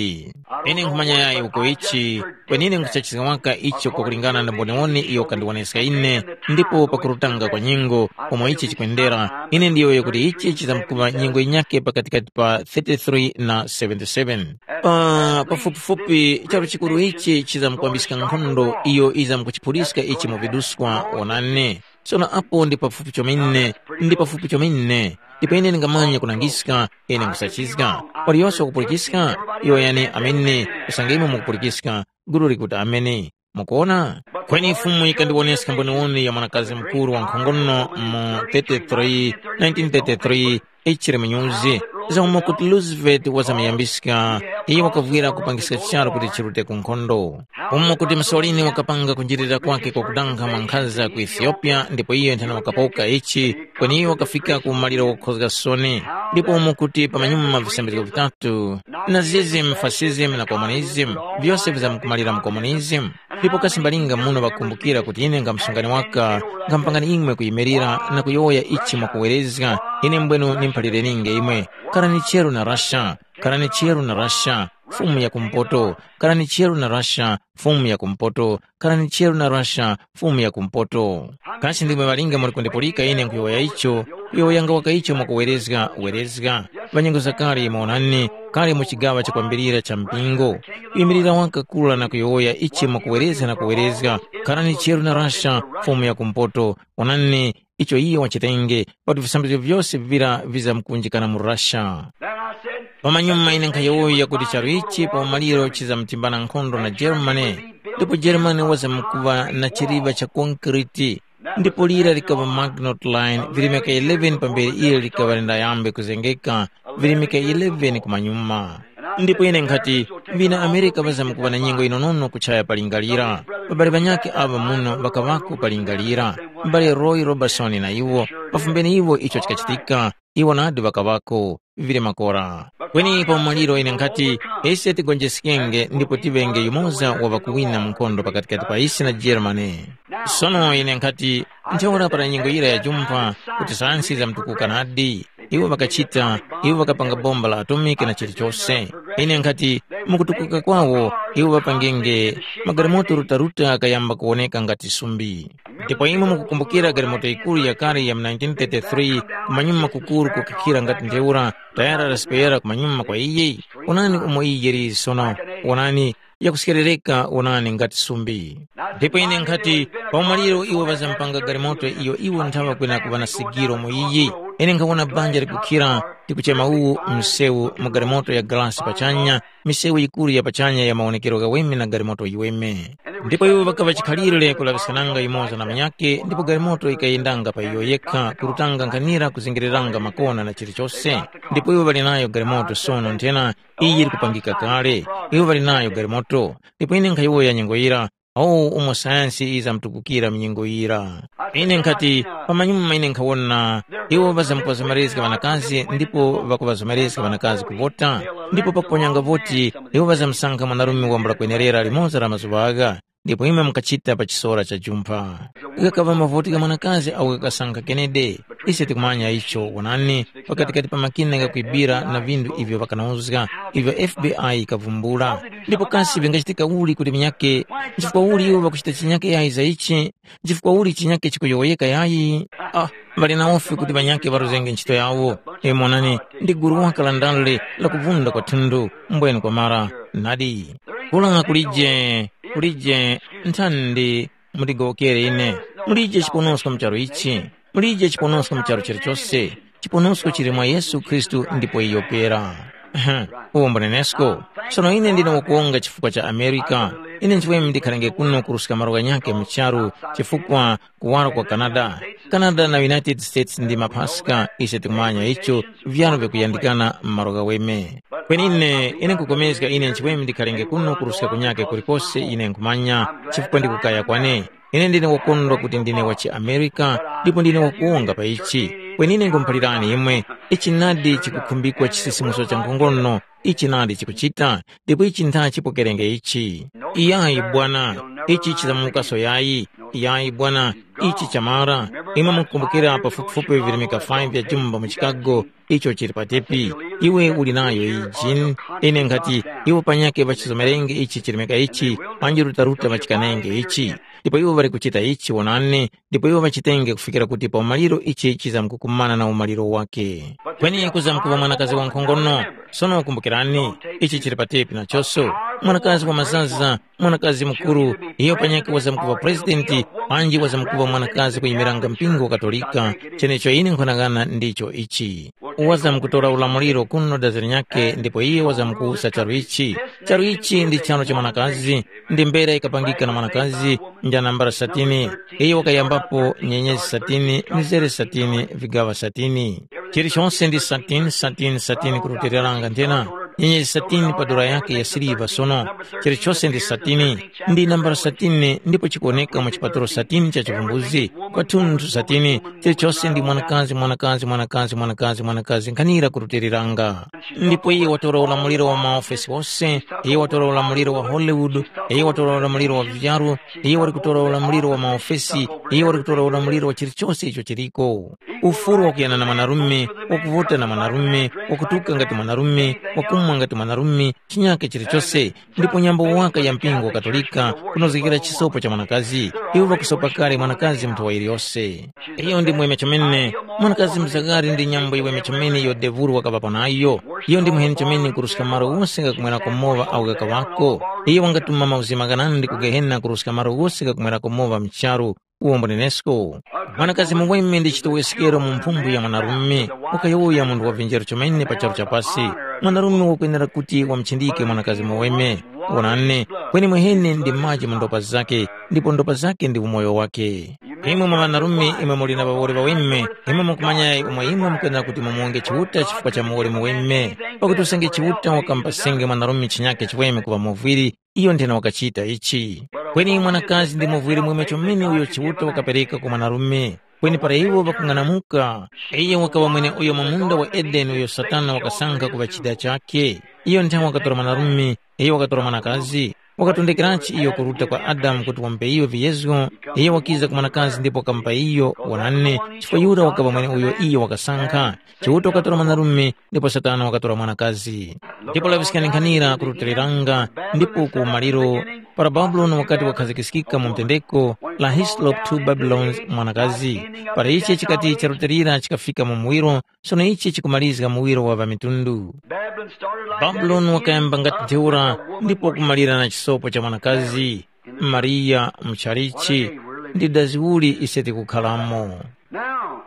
Ine nkhumanya yayi uko ichi, kweni ine nkuchachizga waka icho kwakulingana na mboniwoni iyo kandiwoneska ine, ndipo pakurutanga kwa nyengo, umo ichi chikwendera, ine ndiyowoye kuti ichi chizamkuŵa nyengo yinyakhe pakatikati pa thirty-three na seventy-seven. Pa pafupifupi charu chikuru ichi chizamkwambiska nkhondo iyo izamkuchiphuliska ichi mu viduswa wonani. Sono apo ndi pafupi chomene, ndi pafupi chomene. Ndipo ine ndingamanya kunangiska, ine nkusachizga. Waliyose wakupulikiska, yowoyani amene, usange imwe mukupulikiska, gulu likuti amene. Mukuona? Kweni Fumu yikandiwoneska mboniwoni ya mwanakazi mukuru wankhongono mu thirty-three, nineteen thirty-three, ichiri mu nyuzi, za umo kuti Roosevelt wazamuyambiska, iyo wakavwira kupangiska charu kuti chirute ku nkhondo. Umo kuti Mussolini wakapanga kunjirira kwake kwakudanga mwankhaza ku Ethiopia, ndipo iyo nthena wakapoka ichi, kweni iyo wakafika ku maliro wakukhozga soni. Ndipo umo kuti pamanyuma visambizgo vitatu, Nazism, fascism na communism, vyose vizamkumalira mu communism. Ndipo kasi mbalinga muno ŵakumbukira kuti ine nga msungani waka, ngampangani imwe kuyimirira na kuyowoya ichi mwakuwerezga, ine mbwenu nimphalirenienge imwe. Karani cheru na Russia, karani cheru na Russia, Fumu ya kumpoto, khalani cheru na Russia, Fumu ya kumpoto, khalani cheru na Russia, Fumu ya kumpoto. Kasi ndimwe ŵalinga muli kundipulika ine nkhuyowoya icho, kuyowoyanga waka icho mwakuwerezga, werezga. Ŵanyengo zakale, monani, kale mu chigaŵa chakwambirira cha mpingo. Kuyimirira waka kula na kuyowoya ichi mwakuwerezga na kuwerezga, khalani cheru na Russia, Fumu ya kumpoto, onani, icho iyo wachitenge, pakuti visambizgo vyose vira vizamkunjikana mu Russia. Then I said, pamanyuma ine nkhayowoya kuti charu ichi pa umaliro chizamtimbana nkhondo na Germany, ndipo Germany wazamkuva na chiliva cha konkriti, ndipo lira likaŵa Maginot Line virimika eleven pambere ile likaŵa lindayambe kuzengeka, virimika eleven kumanyuma. Ndipo ine nkhati, mbina Amerika ŵazamkuva na nyengo inonono kuchaya palingalira. Pabali ŵanyakhe aŵa muno ŵakaŵako palingalira, m'bale Roy Robertson na iwo, pafumbeni iwo icho chikachitika, iwo nadi ŵakaŵako, vivire makora. Kweni pa umaliro ine nkhati, ise tigonjeskenge ndipo tiŵenge yumoza wa ŵakuwina mu nkhondo pakatikati pa ise na Germany. Sono ine nkhati, ntheura para nyengo yira yajumpha, kuti sayansi zamtukuka nadi. Iwo ŵakachita, iwo ŵakapanga bomba la atomiki na chilichose. Ine nkhati, mukutukuka kwawo, iwo ŵapangenge magalimoto rutaruta ghakayamba kuwoneka ngati sumbi. Ndipo imwe mukukumbukira galimoto yikuru yakale ya mu nineteen thirty-three, kumanyuma kukuru kukakhira ngati ntheura, tayara lasipeyera kumanyuma kwa iye? Onani umo iye yiliri sono, onani, yakuskerereka, onani ngati sumbi. Ndipo ine nkhati, pa umaliro iwo ŵazampanga galimoto iyo iwo nthawa kwena kuŵa na sigiro mu iyi. Ine nkhawona banja likukhira, tikuchema uwu msewu mu galimoto ya galasi pachanya, misewu yikuru ya pachanya ya mawonekero ghaweme na galimoto yiweme. Ndipo iwo ŵakaŵa chikhalire kulaŵiskananga yumoza na munyakhe, ndipo galimoto yikayendanga pa iyo yekha, kurutanga nkhanira kuzingiriranga makona na chilichose. Ndipo iwo ŵali nayo galimoto sono nthena, iyi likupangika kale. Iwo ŵali nayo galimoto. Ndipo ine nkhayowoya nyengo yira, awo umo sayansi yizamtukukira mu nyengo yira. Ine nkhati, pamanyuma ine nkhawona, iwo ŵazamkuŵazomerezga ŵanakazi ndipo ŵakuŵazomerezga ŵanakazi kuvota, ndipo pakuponyanga voti, iwo ŵazamsankha mwanarume wambula kwenerera limoza la mazuŵa agha, ndipo imwe mukachita pa chisora cha jumpha. Ghakaŵa mavoti gha mwanakazi awo ghakasankha Kennedy. Ise tikumanya icho, wonani, pakatikati pa makina ghakuibira na vinthu ivyo ŵakanauzga, ivyo F B I yikavumbula. Ndipo kasi vingachitika uli kuti vinyake, nchifukwa uli iwo ŵakuchita chinyake yayi za ichi? Nchifukwa uli chinyake chikuyowoyeka yayi? Ah, ŵali na ufi kuti ŵanyake ŵaruzenge ntchito yawo. Imwe onani, ndi gulu waka la ndale la kuvunda kwa thundu, mbwene kwamara. Nadi. Kula kulije, kulije nthandi mutigowokere ine. Mulije chiponosko mu charu ichi. Mulije chiponosko mu charu chilichose. Chiponosko chili mwa Yesu Khristu ndipo iyo pera. Ehe, uwo mbunenesko. Sono ine ndine wakuwonga chifukwa cha Amerika. Ine nchimwemwe ndikhalenge kuno kuruska malo ghanyakhe mu charu chifukwa kuwaro kwa Canada. Canada na United States ndi maphaska, ise tikumanya icho, vyaro vikuyandikana m'malo ghaweme. Kweni ine, ine nkupulikana ine nchimwemwe ndikhalenge kuno kuruska kunyakhe kulikose ine nkhumanya, chifukwa ndikukaya kwane. Ine ndine wakondwa kuti ndine wa chiAmerika, ndipo ndine wakuwonga pa ichi. Kweni ine nkhumuphalirani imwe, ichi nadi chikukhumbikwa chisisimuso cha nkhongono, ichi nadi chikuchita, ndipo ichi ntha chipokerenge ichi. Iyayi bwana, ichi chizamukaso yayi. Iyayi bwana, ichi chamara. Imwe mukukumbukira pafupifupi virimika five vya jumba mu Chicago, icho chili pa tepi. Iwe uli nayo iyi jini. Ine nkhati, iwo panyakhe ŵachizomerenge ichi chirimika ichi, panji rutaruta ŵachikanenge ichi. Ndipo iwo ŵali kuchita ichi wonani, ndipo iwo ŵachitenge kufikira kuti pa umaliro ichi chizamkukumana na umaliro wake. Kweni kuzamkuŵa mwanakazi wankhongono. Sono kumbukirani, ichi chili pa tepi nachonso. Mwanakazi wa mazaza, mwanakazi mukuru, iyo panyakhe wazamkuŵa presidenti, panji wazamkuŵa mwanakazi kuyimiranga mpingo wa Katolika, chenecho ine nkhwanang'ana ndicho ichi. Wazamkutora ulamuliro kuno dazi linyakhe ndipo iye wazamkuwusa charu ichi. Charu ichi ndi charo cha mwanakazi, ndi mbera ikapangika na mwanakazi, nja nambala satini, iyo wakayambapo nyenyezi satini, mizere satini, vigaŵa satini. Chilichonse ndi satini, satini, satini kurutiliranga nthena. Nyenyezi satini pa dora yake ya siliva sono. Chilichonse ndi satini, ndi nambala satini ndipo chikuwoneka mu chipaturo satini cha chivumbuzi. Kwathunthu satini, chilichonse ndi mwanakazi, mwanakazi, mwanakazi, mwanakazi, mwanakazi, nkhanira kurutiliranga. Ndipo iye watora ulamuliro wa maofesi wose, iye watora ulamuliro wa Hollywood, iye watora ulamuliro wa vyaru, iye wali kutora ulamuliro wa maofesi, iye wali kutora ulamuliro wa chilichonse icho chiliko. Ufuru wakuyana na mwanarume, wakuvuta na mwanarume, wakutuka ngati mwanarume, wakumwa mwangati mwanarume chinyake chilichose, ndipo nyambo waka ya mpingo wa Katolika kunozgekera chisopo cha mwanakazi. Iwo ŵakusopa kale mwanakazi munthu wa yiliyose. Iyo ndi mweme chomene. Mwanakazi mzagari ndi nyambo yiweme chomene iyo devulu wakaŵapo nayo. Iyo ndi muheni chomene kuruska malo wose ghakumwerako moŵa awo ghakaŵako. Iyo wangatuma mauzima ghanandi ku Gehena kuruska malo wose ghakumwerako moŵa mu charu. Uwo mbunenesko. Mwanakazi muweme ndi chitoweskero mu mphumbu ya mwanarume. Wakayowoya munthu wa vinjero chomene pa charu cha pasi. Mwanarume wakwenera kuti wamuchindike mwanakazi muweme. Wonani, kweni mwehene ndi maji mu ndopa zake, ndipo ndopa zake ndi umoyo wake. Imwe mwa ŵanarume imwe muli na ŵawoli ŵaweme, imwe mukumanyayi umo imwe mukwenera kuti mumuwonge Chiuta chifukwa cha muwoli muweme. Pakuti usange Chiuta wakamupasenge mwanarume chinyake chiweme kuŵa muvwiri, iyo nthena wakachita ichi. Kweni mwanakazi ndi muvwiri mweme chomene uyo Chiuta wakapereka ku mwanarume. Kweni para iwo ŵakung'anamuka, iyo wakaŵa mweneuyo mu munda wa Edeni uyo Satana wakasankha kuŵa chida chakhe. Iyo nthawe wakatora mwanarume, iyo wakatora mwanakazi, wakatondekerachi iyo kuruta kwa Adamu kuti wamupe iyo viyezgo, iyo wakiza ku mwanakazi ndipo wakamupa iyo, wonani, chifukwa yura wakaŵa mweneuyo iyo wakasankha. Chiuta wakatora mwanarume, ndipo Satana wakatora mwanakazi. Ndipo laŵiskani nkhanira kurutiliranga, ndipo ku umaliro, para Babuloni wakati wakhazikiskika mu mtendeko, la Hislop two Babylons mwanakazi, para ichi chikati charutilira chikafika mu muwiro, sono ichi chikumalizga muwiro wa ŵamitundu. Babylon started like that. Babuloni wakayamba ngati ntheura, ndipo kumalira na chisopo cha mwanakazi, Mariya muchalichi, ndi dazi uli ise tikukhalamo. Now,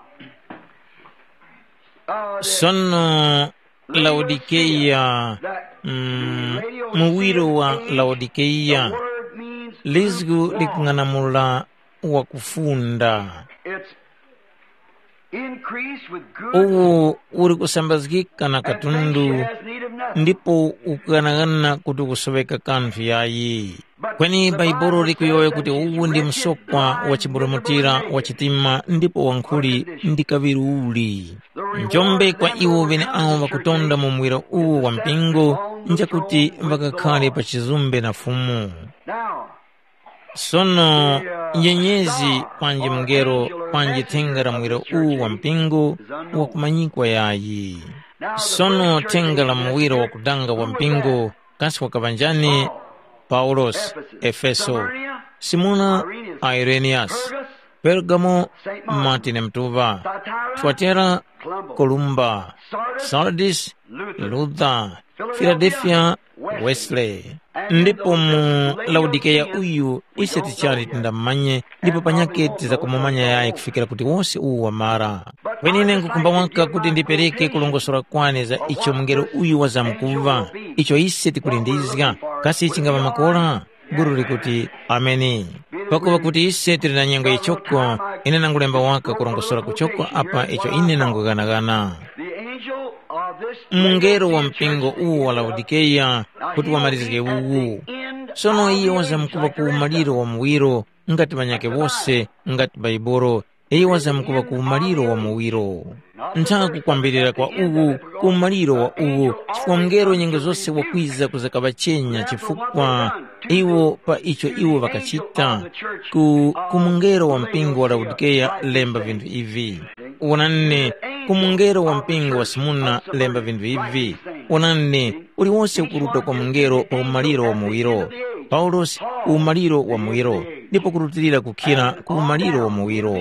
uh, the Sono Laodikeya, mm, muwiro wa Laodikeya, lizgu likung'anamula wakufunda. It's increased with good. Uwu uli kusambazgika na katundu, ndipo ukughanaghana kuti ukusoŵeka kanthu yayi. Kweni Baibuli likuyowoya kuti uwu ndi msokwa wa chiburumutira wa chitima ndipo wankhuli ndi kaŵiri uli. Njombe kwa iwo ŵeneawo ŵakutonda mu muwiro uwu wa mpingo, njakuti ŵakakhare pa chizumbe na Fumu. Now, Sono nyenyezi panji mungelo panji thenga la muwiro uwu wa mpingo wakumanyikwa yayi. Sono thenga la muwiro wakudanga wa mpingo kasi wakaŵa njani? Paulos, Efeso, Simuna, Ireniyasi, Pergamo, Martini Mtuŵa, Tuatera, Kolumba, Sardis, Luther, Filadelfiya, Wesley. Ndipo mu Laodikeya uyu ise tichali tindamumanye, ndipo panyakhe tizakumumanya yayi kufikira kuti wose uwu wamara. Kweni ine nkhukhumba waka kuti ndipereke kulongosora kwane za icho mungelo uyu wazamkuŵa, icho ise tikulindizga, kasi chingaŵa makora? Guru likuti, “Ameni.” Pakuŵa kuti ise tili na nyengo yichoko, ine nangulemba waka kurongosora kuchoko apa icho ine nangughanaghana. Mungelo wa mpingo uwu wa Laodikeya kuti wamalizge uwu. Sono iyo wazamkuŵa ku umaliro wa muwiro, ngati ŵanyakhe wose, ngati Baibolo, iyo wazamkuŵa ku umaliro wa muwiro. Ntha kukwambirira kwa uwu, ku umaliro wa uwu, chifukwa mungelo nyengo zose wakwiza kuzakaŵachenya chifukwa iwo pa icho iwo ŵakachita. Ku, ku mungelo wa mpingo wa Laodikeya lemba vinthu ivi. Wonani, ku mungelo wa mpingo wa Simuna lemba vinthu ivi. Wonani, uliwose ukuruta kwa mungelo pa umaliro wa muwiro. Paulosi ku umaliro wa muwiro, ndipo kurutilira kukhira ku umaliro wa muwiro.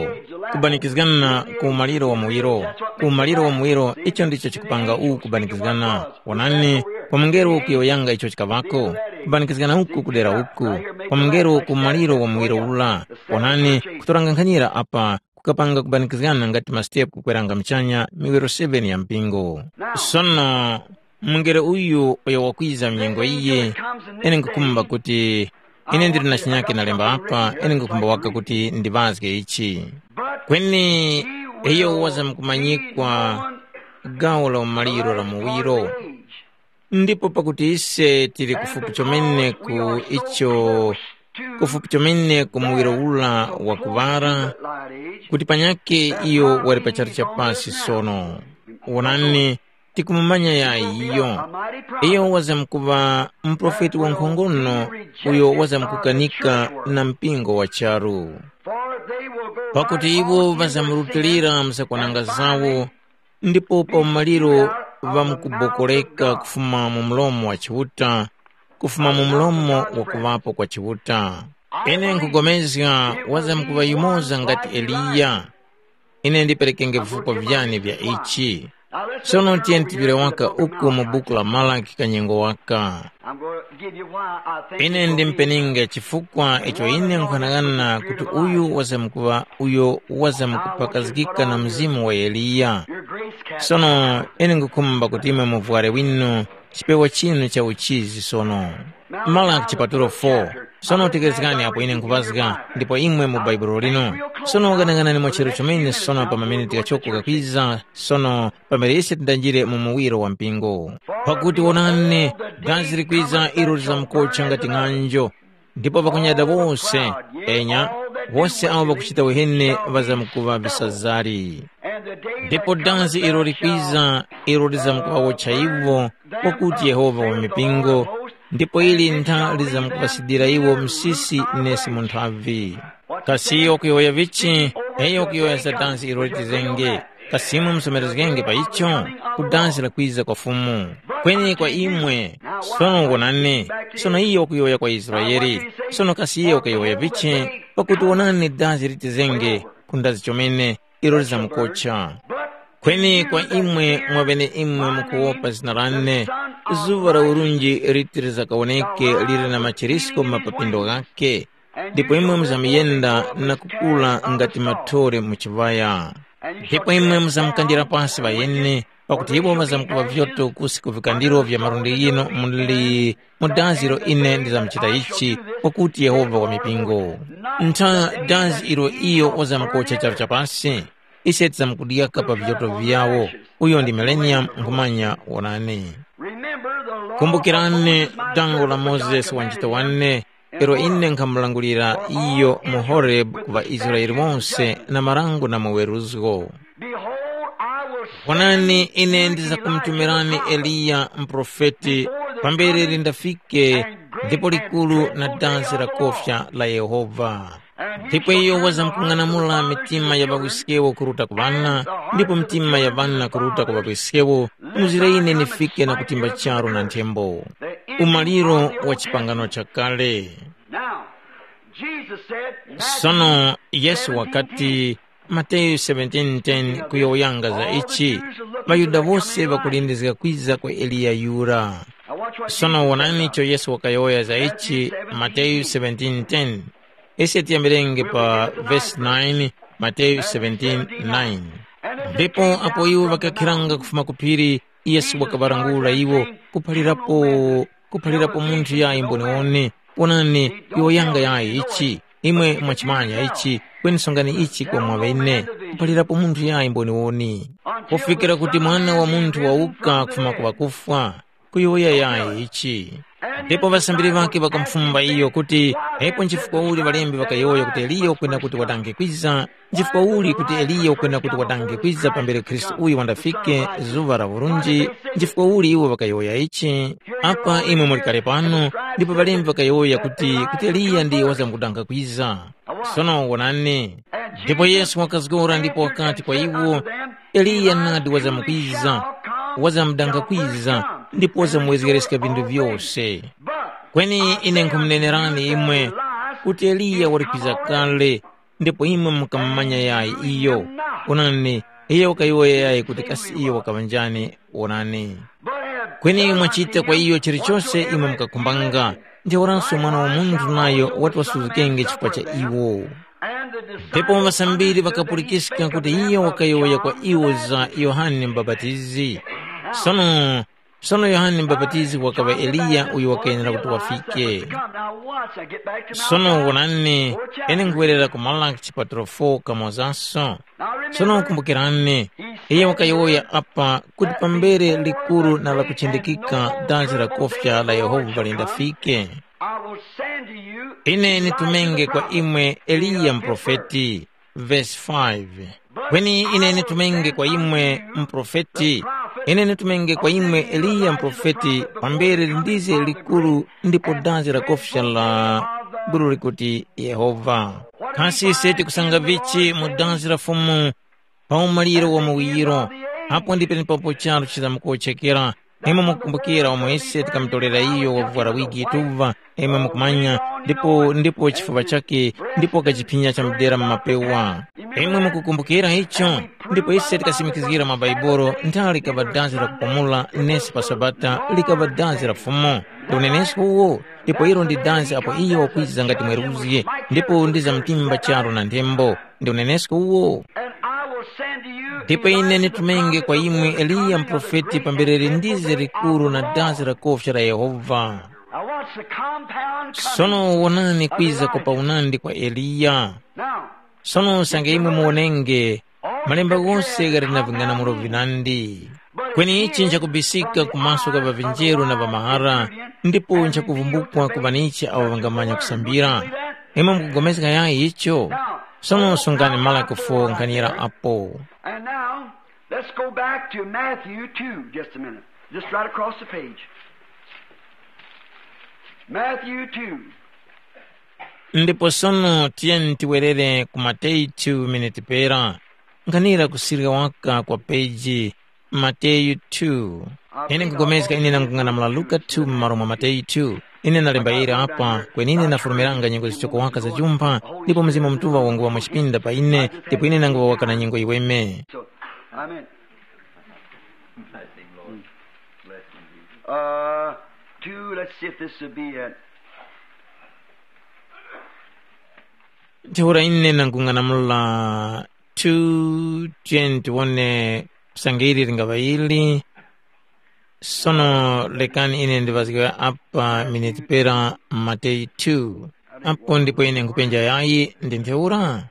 Kubanikizgana ku umaliro wa muwiro. Ku umaliro wa muwiro, icho ndicho chikupanga uwu kubanikizgana. Wonani, kwa mungelo kuyowoyanga icho chikaŵako, kubanikizgana uku kudera uku, kwa mungelo ku umaliro wa muwiro ura. Wonani, kutoranga nkhanyira apa, kukapanga kubanikizgana ngati masitepu kukweranga muchanya miwiro seven ya mpingo. Sono, mungelo uyu uyo wakwiza mnyengo iyi, ine nkukhumba kuti ine ndili na chinyake nalemba apa, ine nkukhumba waka kuti ndiŵazge ichi. Kweni iyo wazamkumanyikwa gawo la umaliro la muwiro. Ndipo pakuti ise tili kufupi chomene ku icho, kufupi chomene ku muwiro ula wa kuŵala, kuti panyakhe iyo wali pa charu cha pasi sono. Wonani, tikumumanya yayi iyo. Iyo wazamkuŵa muprofeti wankhongono uyo wazamkukanika na mpingo wa charu. Pakuti iwo ŵazamurutilira mzakwananga zawo, ndipo pa umaliro ŵamkubokoleka kufuma mu mlomo wa Chiuta, kufuma mu mlomo wa kuŵapo kwa Chiuta. Ine nkhupulikana wazamkuŵa yumoza ngati Eliya. Ine ndiperekenge vifukwa vyane vya ichi. Sono tiyeni tiŵire waka uku mu buku la Malaki kanyengo waka. I'm going to give you why I think ine it will be. Ndimpeninge chifukwa icho ine nkhanang'ana kuti uyu wazamkuŵa uyo wazamkupakazgika na mzimu wa Eliya. Your grace cast sono ine ngukhumba kuti imwe muvware winu chipewa chinu cha uchizi sono. Malaki chipatulo four. Sono tekerezgani apo ine nkupazga ndipo imwe mu baibulo lino. Sono ghanaghanani mwa chero chomene sono pa mamene tikachokoka kwiza sono pamene ise tindanjire mu muwiro wa mpingo. Pakuti wonani, dazi likwiza ilo lizamkotcha ngati ng'anjo, ndipo ŵakunyada wose, enya, wose awo ŵakuchita uheni ŵazamkuŵa visazari. Ndipo dazi ilo likwiza ilo lizamkuŵawotcha iwo, kwakuti Yehova wa mipingo, ndipo ili ntha lizamkuŵasidira iwo msisi nesi mu nthavi. Kasi iyo kuyowoya vichi? Iyo kuyowoya za dansi ilo litizenge. Kasi imwe musomerezgenge pa icho? Ku dansi la kwiza kwa Fumu. Kweni kwa imwe, sono wonani, sono iyo kuyowoya kwa Israele. Sono kasi iyo kuyowoya vichi? Pakuti wonani dansi litizenge, ku ndazi chomene, ilo lizamukotcha. Kweni kwa imwe mwa beneimwe mukuwopa zina lane, zuŵa la urunji liti lizakawoneke lili na machirisko mu mapapindo ghakhe, ndipo imwe muzamuyenda na kukula ngati mathore mu chiŵaya. Ndipo imwe muzamukandira pasi ŵayeni, pakuti iwo ŵazamkuŵa vyoto kusi ku vikandiro vya malundi ghino muli mu dazi ilo ine ndizamuchita ichi, pakuti Yehova wa mipingo. Ntha dazi ilo iyo wazamkocha charu chapasi, ise tizamkudyaka pa vyoto vyawo. Uyo ndi Millennium nkhumanya wonani. Remember the law. Kumbukirani of Moses, my dango la servant, Mozesi John wanchito Canaan, wane, ilo ine nkhamulangulira iyo mu Horeb ku ŵaIsraele wonse na marango na muweruzgo. Behold, I will send Wonani, ine you ndizakumutumirani Elijah the prophet Eliya mprofeti before the pambere coming lindafike, and great ndipo and likulu dreadful na day dansi of la the Lord. Kofya la Yehova. Ndipo iyo wazamkung'anamula mitima ya ŵawiskewo kuruta ku ŵana, ndipo mitima ya ŵana kuruta ku ŵawiskewo, muzire ine nifike na kutimba charu na nthembo. Umaliro wa chipangano chakale. Now, Jesus said, Sono Yesu wakati, Mateyu seventeen ten kuyowoyanga za ichi, ŵaYuda wose ŵakulindizga kwiza kwa Eliya yura. Sono wonani icho Yesu wakayowoya za ichi, Mateyu seventeen ten. Ise tiyambirenge pa vesi nine, Mateyu seventeen nine. Ndipo apo iwo ŵakakhiranga kufuma ku phiri, Yesu wakaŵalangula iwo, kuphalirapo, kuphalirapo munthu yayi mboniwoni. Wonani, iwo yanga yayi ichi, imwe mwachimanya ichi, kweni songani ichi kwa mwaŵene, kuphalirapo munthu yayi mboniwoni. Kufikira kuti Mwana wa Munthu wawuka kufuma ku ŵakufwa, kuyowoya yayi ichi. Ndipo ŵasambiri ŵakhe ŵakamufumba iyo kuti, ipo nchifukwa uli ŵalembi ŵakayowoya kuti Eliya ukwenda kuti wadange kwiza? Nchifukwa uli kuti Eliya ukwenda kuti wadange kwiza pambere Khristu uyu wandafike, zuŵa la urunji? Nchifukwa uli iwo ŵakayowoya ichi? Apa imwe muli kale pano, ndipo ŵalembi ŵakayowoya kuti, kuti Eliya ndiyo wazamkudanga kwiza. Sono wonani. Ndipo Yesu wakazgora ndipo wakati kwa iwo, Eliya nadi wazamkwiza, wazamdanga kwiza, ndipo wazamuwezgereska vinthu vyose. Kweni ine nkhumunenerani imwe, kuti Eliya wali kwiza kale, ndipo imwe mukamumanya yayi iyo. Onani, iyo wakayowoya yayi kuti kasi iyo wakaŵa njani. Onani. Kweni mwachita kwa iyo chilichose imwe mukakhumbanga, ntheuraso Mwana wa Munthu nayo wati wasuzgikenge chifukwa cha iwo. Ndipo ŵasambiri ŵakapulikiska kuti iyo wakayowoya kwa iwo za Yohane Mubapatizi. Sono, sono Yohane Mubapatizi wakaŵa Eliya uyo wakayenera kuti wafike. Sono wonani, ine nkhuwerera ku Malaki chipatulo four kamozaso. Sono kumbukirani, iye wakayowoya apa kuti pambere likuru na lakuchindikika dazi la kofya la Yehova lindafike, I will send to you ine nitumenge kwa imwe Eliya muprofeti. Verse five. Kweni ine nitumenge kwa imwe muprofeti, ine nitumenge kwa imwe Eliya muprofeti pambere lindize likuru ndipo dazi la kofya la gulu likuti Yehova. Kasi ise tikusanga vichi mu dazi la Fumu pa umaliro wa muwiro? Apo ndi penepapo charu chizamukochekera. Imwe mukukumbukira umo ise tikamutorera iyo wakuvwara wigi yituva, imwe mukumanya, ndipo ndipo chifuŵa chake, ndipo wakachiphinya chamudera mu mapewa. Imwe mukukumbukira icho? Ndipo ise tikasimikizgira mwa Bhaibuli, nthawi likaŵa dazi la kupumula, nesi pa Sabata likaŵa dazi la Fumu. Ndi unenesko uwo, ndipo ilo ndi dazi apo iyo wakwiza ngati mweruzgi, ndipo ndi za mtimba charu na nthembo. Ndi unenesko uwo. And I will send to you Ndipo ine Elijah the nitumenge kwa prophet imwe before the Eliya coming of the mprofeti great pambere and lindize terrible day likuru of na the dazi Lord. La kofya la Yehova. Now watch the compound coming Sono wonani of kwiza kwa Elijah. Paunandi kwa Eliya. Now, Sono usange imwe muwonenge, malemba ghose ghali na ving'anamulo vinandi. Kweni ichi nchakubisika kumaso ka ŵavinjeru na ŵamahara, ndipo nchakuvumbukwa ku ŵanichi awo ŵangamanya kusambira. Imwe mukupulikana yayi icho? Sono sungani Malaki four nkhanira apo. And now, let's go back to Matthew two, just a minute. Just right across the page. Matthew two. Ndipo sono tiyeni tiwerere ku Mateyu two minute pera. Nkhanira kusirika waka kwa peji Mateyu two. Ine nkugomezga ine nangung'anamula Luka two m'malo mwa Mateyu two. Ine nalemba iri apa, kweni ine nafulumiranga nyengo zichoko waka za chumpha, ndipo Mzimu Mutuŵa wanguŵa mwa chipinda pa ine, ndipo ine nanguŵa waka na nyengo yiweme. So, I mean, uh, two, let's see if this would be it. Ntheura ine nangung'anamula two twenty-one, kusanga ili lingaŵa ili. Sono lekani ine ndiŵazge apa miniti pera Mateyu two. Apo ndipo ine nkupenja yayi ndi ntheura.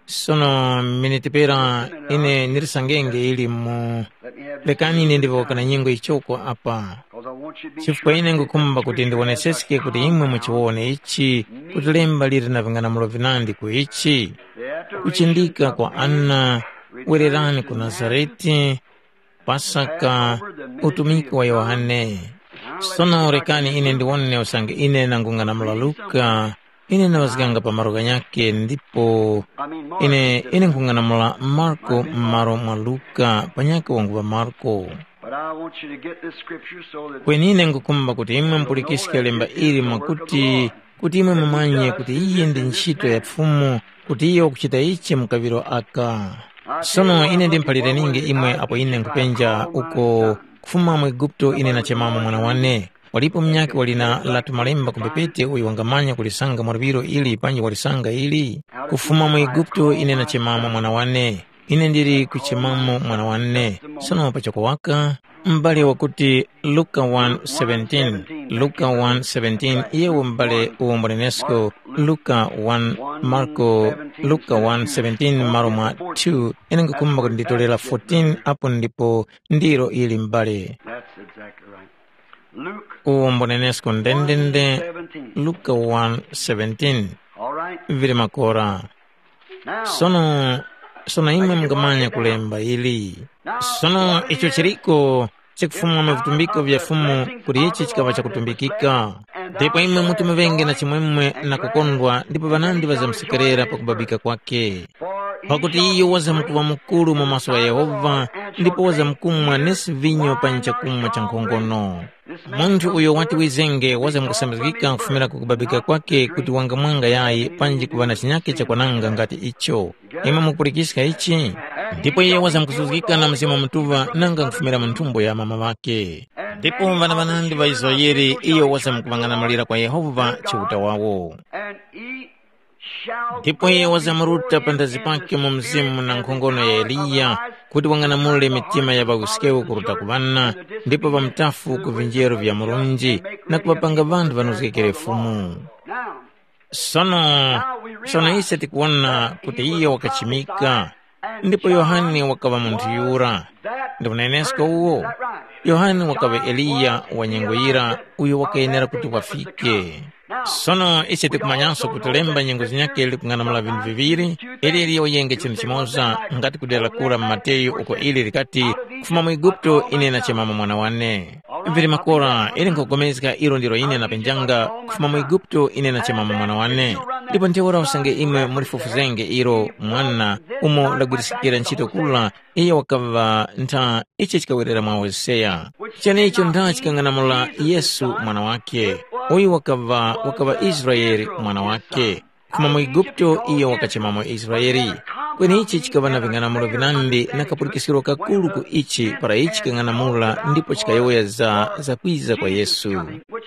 Sono miniti pera ine ndilisangenge ili mu. Lekani ine ndiŵoka na nyengo ichoko apa. Chifukwa ine ngukhumba kuti ndiwoneseske kuti imwe muchiwone ichi, kuti lemba liri na ving'anamulo vinandi ku ichi. Kuchindika kwa Ana, wererani ku Nazarete, Pasaka, utumiki wa Yohane. Sono rekani ine ndiwone usange ine nangung'anamula Luka, ine ndawazganga pa malo ghanyakhe ndipo ine ine nkhung'anamula Marko m'malo mwa Luka panyakhe wanguŵa Marko. But I want you to get this scripture so that Kweni ine ngukhumba kuti imwe mupulikiske lemba ili mwakuti kuti imwe mumanye kuti iyi ndi ntchito ya Fumu, kuti iyo wakuchita ichi mu kaŵiro aka. Sono ine ndimphalire ningi imwe apo ine nkhupenja uko kufuma mu Eguputo ine nachemamo mwana wane. Walipo munyakhe wali na latu malemba ku mbepete uyo wangamanya kulisanga mwa luŵiro ili panji walisanga ili? Kufuma mu Eguputo ine nachemamo mwana wane. Ine ndili kuchemamo mwana wane. Sono pachoko waka, m'bale wakuti Luka one seventeen, Luka one seventeen, iyewo m'bale uwombolenesko Luka one, Marko, Luka one seventeen, malo mwa two, ine nkukhumba kuti nditolera fourteen, apo ndipo ndilo ili m'bale. That's exactly right. Luke Uwombolenesko ndendende, seventeen. Luka one seventeen. All right. Vili makora. Now, Sono, sono imwe mungamanya kulemba ili. Sono icho chiliko chikufuma mu vitumbiko vya Fumu kuti ichi chikaŵa chakutumbikika. Ndipo imwe muti muvenge na chimwemwe na kukondwa ndipo ŵanandi ŵazamsekerera pakubabika kwake. Pakuti iyo wazamkuŵa mukuru mu maso gha Yehova ndipo wazamkumwa nesi vinyo pa chakumwa cha nkhongono. Munthu uyo wati wizenge wazamkusambizgika kufumira ku kubabika kwake kuti wangamwanga yayi panji kuŵa na chinyakhe chakwananga ngati icho. Imwe mukupulikiska ichi? Ndipo iye wazamkusuzgika na Mzimu Mutuŵa nanga nkufumira mu nthumbo ya mama ŵakhe. Ndipo ŵana ŵanandi ŵa Israele iyo wazamkuŵang'anamulira kwa Yehova Chiuta wawo. And he shall Ndipo iye wazamuruta pa ndazi pake mu mzimu na nkhongono ya Eliya, kuti wang'anamule mitima ya ŵawiskewo kuruta ku ŵana, ndipo ŵamutafu ku vinjeru vya Murunji, na kuŵapanga ŵanthu ŵanozgekere Fumu. Now, Sono, sono ise tikuwona kuti iye wakachimika, ndipo Yohane wakaŵa munthu yura. Ndi unenesko uwo? Yohane wakaŵa Eliya wa nyengo yira uyo wakayenera kuti wafike. Sono ise tikumanyanso kuti lemba nyengo zinyakhe likung'anamula vinthu viŵiri, ili liyenge chinthu chimoza, ngati kudera kura mu Mateyu uko ili likati, kufuma mu Eguputo ine nachemamo mwana wane. Vili makora, ili nkhupulikana ilo ndilo ine napenjanga, kufuma mu Eguputo ine nachemamo mwana wane. Ndipo ntheura usange imwe mulifufuzenge ilo mwana umo lagwiriskira ntchito kula, iyo wakaŵa ntha icho chikawerera mwa Hoseya. Chenecho ntha chikang'anamula Yesu mwana wake, uyu wakaŵa wakaŵa Israeli mwana wake. Koma mu Eguputo iyo wakachemamo Israeli. Kweni ichi chikaŵa na ving'anamulo vinandi na kapulikiskiro kakuru ku ichi para ichi kang'anamula ndipo chikayowoya za zakwiza kwa Yesu,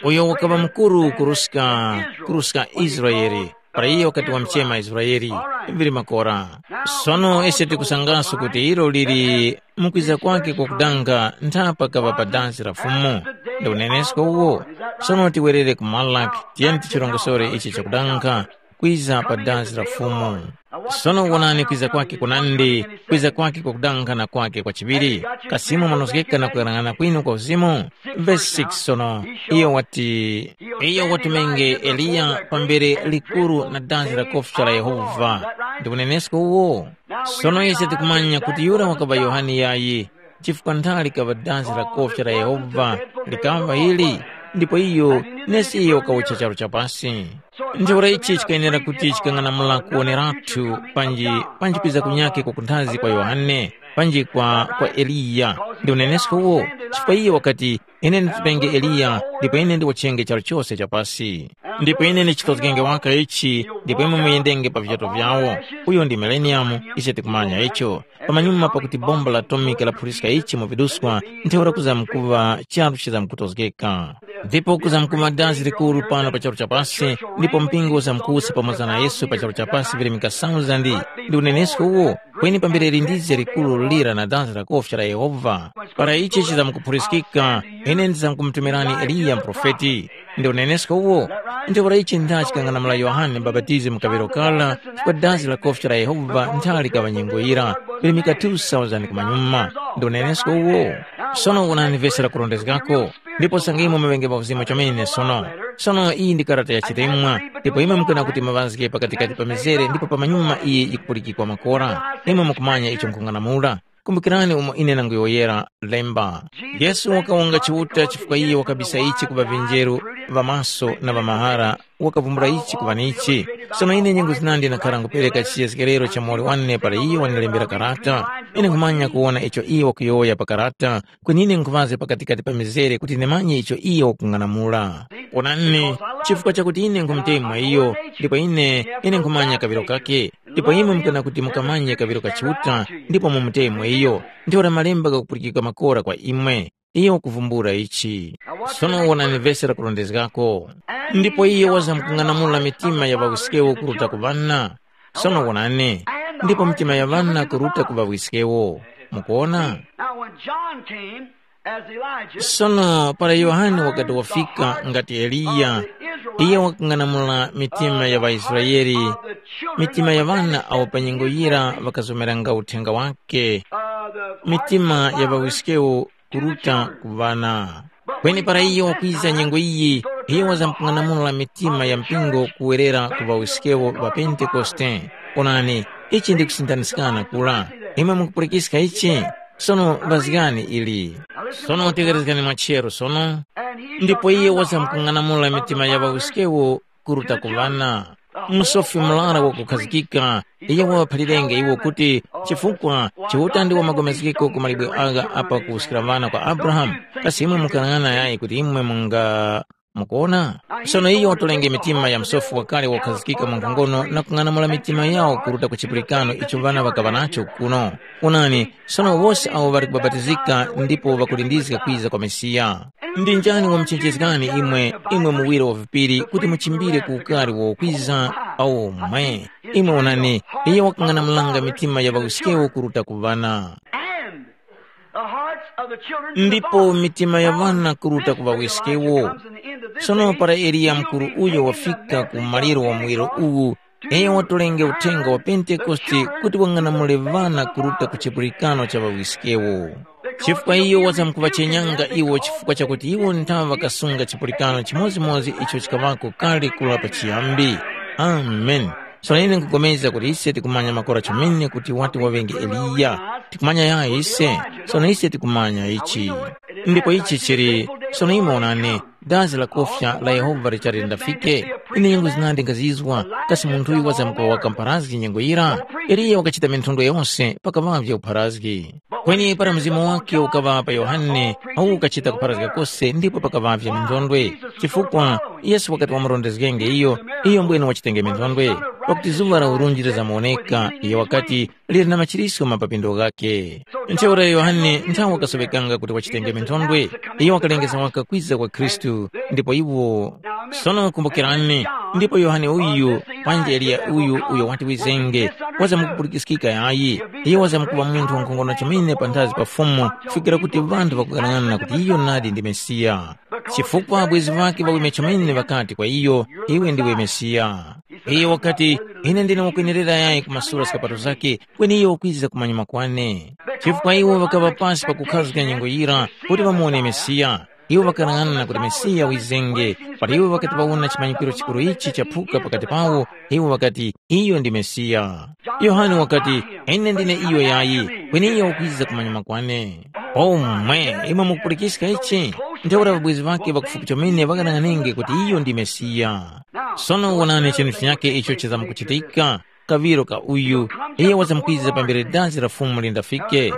uyo wakaŵa mukuru kuruska kuruska Israeli. Para iye wakati wamchema Israeli, vili makora. Sono ise tikusangaso kuti ilo lili mukwiza kwake kwakudanga nthapa kaŵa pa dansi la Fumu. Ndi unenesko uwo. Sono tiwerere ku Malaki, tiyeni tichirongosore ichi chakudanga kwiza pa dansi la Fumu. Sono wonani kwiza kwake kunandi, kwiza kwake kwakudanga na kwake kwa chiŵiri. Kasi imwe mwanozgeka na kuyang'ana kwinu kwa uzimu? Vesi six sono, iyo wati, iyo watumenge Eliya pambere likuru na danzi la kofcha la Yehova. Ndi unenesko uwo? Sono ise tikumanya kuti yura wakaŵa Yohane yayi, chifukwa nthali kaŵa danzi la kofcha la Yehova likaŵa ili, ndipo iyo nesi iyo wakawucha charu cha pasi. Ntheura ichi chikayenera kuti chikang'anamula kuwoneratu panji panji kwiza kunyakhe kwakunthazi kwa Yohane, panji kwa kwa Eliya. Ndi unenesko uwo, chifukwa iye wakati, ine nditupenge Eliya, ndipo ine ndiwachenge charu chose cha pasi. Ndipo ine ndichitozgenge waka ichi, ndipo imwe muyendenge pa vichato vyawo. Uyo ndi mileniyamu, ise tikumanya icho. Pamanyuma pakuti bomba la atomika laphuliska ichi mu viduswa, ntheura kuzamkuŵa charu chizamkutozgeka. Ndipo kuzamkuŵa dazi likuru pano pa charu cha pasi, ndipo mpingo uzamkuwusa pamoza na Yesu pa charu cha pasi virimika sauzandi. Ndi unenesko uwo, kweni pambere lindizge likuru lira na danzi la kofya la Yehova. Para ichi chizamkuphuliskika, ine ndizamkumutumirani Eliya muprofeti. Ndi unenesko uwo, ntheura ichi ndha chikang'anamula Yohane Mubapatizi mu kaŵiro kara, chifukwa dazi la kofya la Yehova nthali kaŵa nyengo yira, virimika two thousand kumanyuma. Ndi unenesko uwo. Sono wonani vesi lakurondezgako. Ndipo sangimo maŵenge pa uzimu chomene sono. Sono iyi ndi karata ya chitemwa, ndipo imwe mukana kuti maŵazge pakatikati pa mizere ndipo pamanyuma iyi yikupulikikwa makora. Imwe mukumanya icho nkhung'anamula. Kumbukirani umo ine nanguyowoyera lemba. Yesu wakawonga Chiuta chifukwa iye wakabisa ichi ku ŵavinjeru ŵa maso na ŵa mahara, wakavumbula ichi ku ŵanichi. Sono ine nyengo zinandi ndakhara ngupereka chiyezgerero cha muwoli wane para iye wanilembera karata. Ine nkhumanya kuwona icho iye wakuyowoya pa karata, kweni ine nkhuŵazga pakatikati pa mizere kuti ndimanye icho iye wakung'anamula. Wonani, chifukwa chakuti ine nkhumutemwa iyo, ndipo ine ine nkhumanya kaŵiro kake, ndipo imwe mukana kuti mukamanye kaŵiro ka Chiuta, ndipo mumutemwe iyo, ntheura malemba ghakupulikika makora kwa imwe. Iyo wakuvumbula ichi. Sono wonani vesi lakurondezgako. Ndipo iyo wazamkung'anamula mitima ya ŵawiskewo kuruta ku ŵana. Sono wonani, ndipo mitima ya ŵana kuruta ku ŵawiskewo. Mukuona? Now, when John came, as Elijah, sono para Yohane wakati wafika ngati Eliya, iye wakang'anamula mitima ya ŵaIsraele, mitima ya ŵana awo pa nyengo yira ŵakazomeranga uthenga wake, mitima ya ŵawiskewo kuruta ku ŵana. Kweni para iyo wakwiza nyengo iyi, iyo wazamkung'anamula mitima ya mpingo kuwerera ku ŵawiskewo ŵa Pentekoste. Onani, ichi ndi kusindaniskana kura. Imwe mukupulikiska ichi? Sono ŵazgani ili. Sono tegherezgani mwachero sono. Ndipo iye wazamkung'anamula mitima ya ŵawiskewo kuruta ku ŵana. Musofi murara wakukhazikika, iye waŵaphalirenge iwo kuti, chifukwa Chiuta ndi wamagomezgeko ku malibwe agha apa kuwuskira ŵana kwa Abrahamu. Kasi imwe mukalang'ana yayi kuti imwe munga mukuona? Sono iyo watolenge mitima ya msofi wakale wakukhazikika mu nkhongono na kung'anamula mitima yawo kuruta ku chipulikano icho ŵana ŵakaŵa nacho kuno. Onani, sono wose awo ŵali kubapatizika ndipo ŵakulindizga kwiza kwa Mesiya. Ndi njani wamuchenjezgani imwe, imwe muwiro wa vipiri kuti muchimbire ku ukari wokwiza? Awo mwe. Imwe onani, iyo wakung'anamulanga mitima ya ŵawiskewo kuruta ku ŵana. And the hearts of the children to the ndipo fathers. Mitima ya ŵana kuruta ku ŵawiskewo. Sono para Eliya mukuru uyo wafika ku maliro wa muwiro uwu, iyo watolenge uthenga wa Pentekoste kuti wang'anamule ŵana kuruta ku chipulikano cha ŵawiskewo. Chifukwa iyo wazamkuŵachenyanga iwo chifukwa chakuti iwo nthawa ŵakasunga chipulikano chimodzimodzi icho chikaŵako kale kura pachiyambi. Amen. Sono ine nkupulikana kuti ise tikumanya makora chomene kuti wati waŵenge Eliya. Tikumanya yayi ise. Sono ise tikumanya ichi. Ndipo ichi chili, sono imwe onani, dazi la kofya la Yehova lichali lindafike. Ine nyengo zinandi nkazizwa, kasi munthu uyu wazamkuŵa waka mpharazgi nyengo yira? Eliya wakachita minthondwe yose pakaŵavye upharazgi. Kweni para mzimu wake ukaŵa pa Yohane, awu ukachita kupharazga kose ndipo pakaŵavye minthondwe. Chifukwa Yesu wakati wamurondezgenge iyo, iyo mbwene wachitenge minthondwe. Pakuti zuŵa la urunji lizamuwoneka, iyo wakati, lili na machiriso ma papindo ghakhe. Ntheura Yohane nthawe wakasoŵekanga kuti wachitenge minthondwe, iyo wakalengeza waka kwiza kwa Khristu, ndipo iwo. Sono kumbukirani, ndipo Yohane uyu, panji Eliya uyu uyo wati wizenge, wazamkupulikiskika yayi, iyo wazamkuŵa munthu wankhongono chomene panthazi pa Fumu, kufikira kuti ŵanthu ŵakughanag'ana kuti iyo nadi ndi Mesiya. Chifukwa abwezi ŵake ŵaweme chomene ŵakati kwa iyo, iwe ndiwe Mesiya. Iyo wakati, ine ndine wakwenerera yayi kumasula zikapato zake, kweni iyo wakwiza kumanyuma kwane. Chifukwa iwo ŵakaŵa pasi pakukhazga nyengo yira kuti ŵamuwone Mesiya. Iwo ŵakanang'ana kuti Mesiya wizenge, para iwo ŵakati ŵawona chimanyikiro chikuru ichi chaphuka pakati pawo, iwo ŵakati, iyo ndi Mesiya. Yohane wakati, ine ndine iyo yayi, kweni iyo wakwiza kumanyuma kwane. Omwe, imwe mukupulikiska ichi? Ntheura ŵabwezi ŵake ŵakufupi chomene ŵakanang'anenge kuti iyo ndi Mesiya. Sono wonani chinthu chinyakhe icho chizamkuchitika, kaŵiro ka uyu, iye wazamkwiza pambere dazi la Fumu lindafike.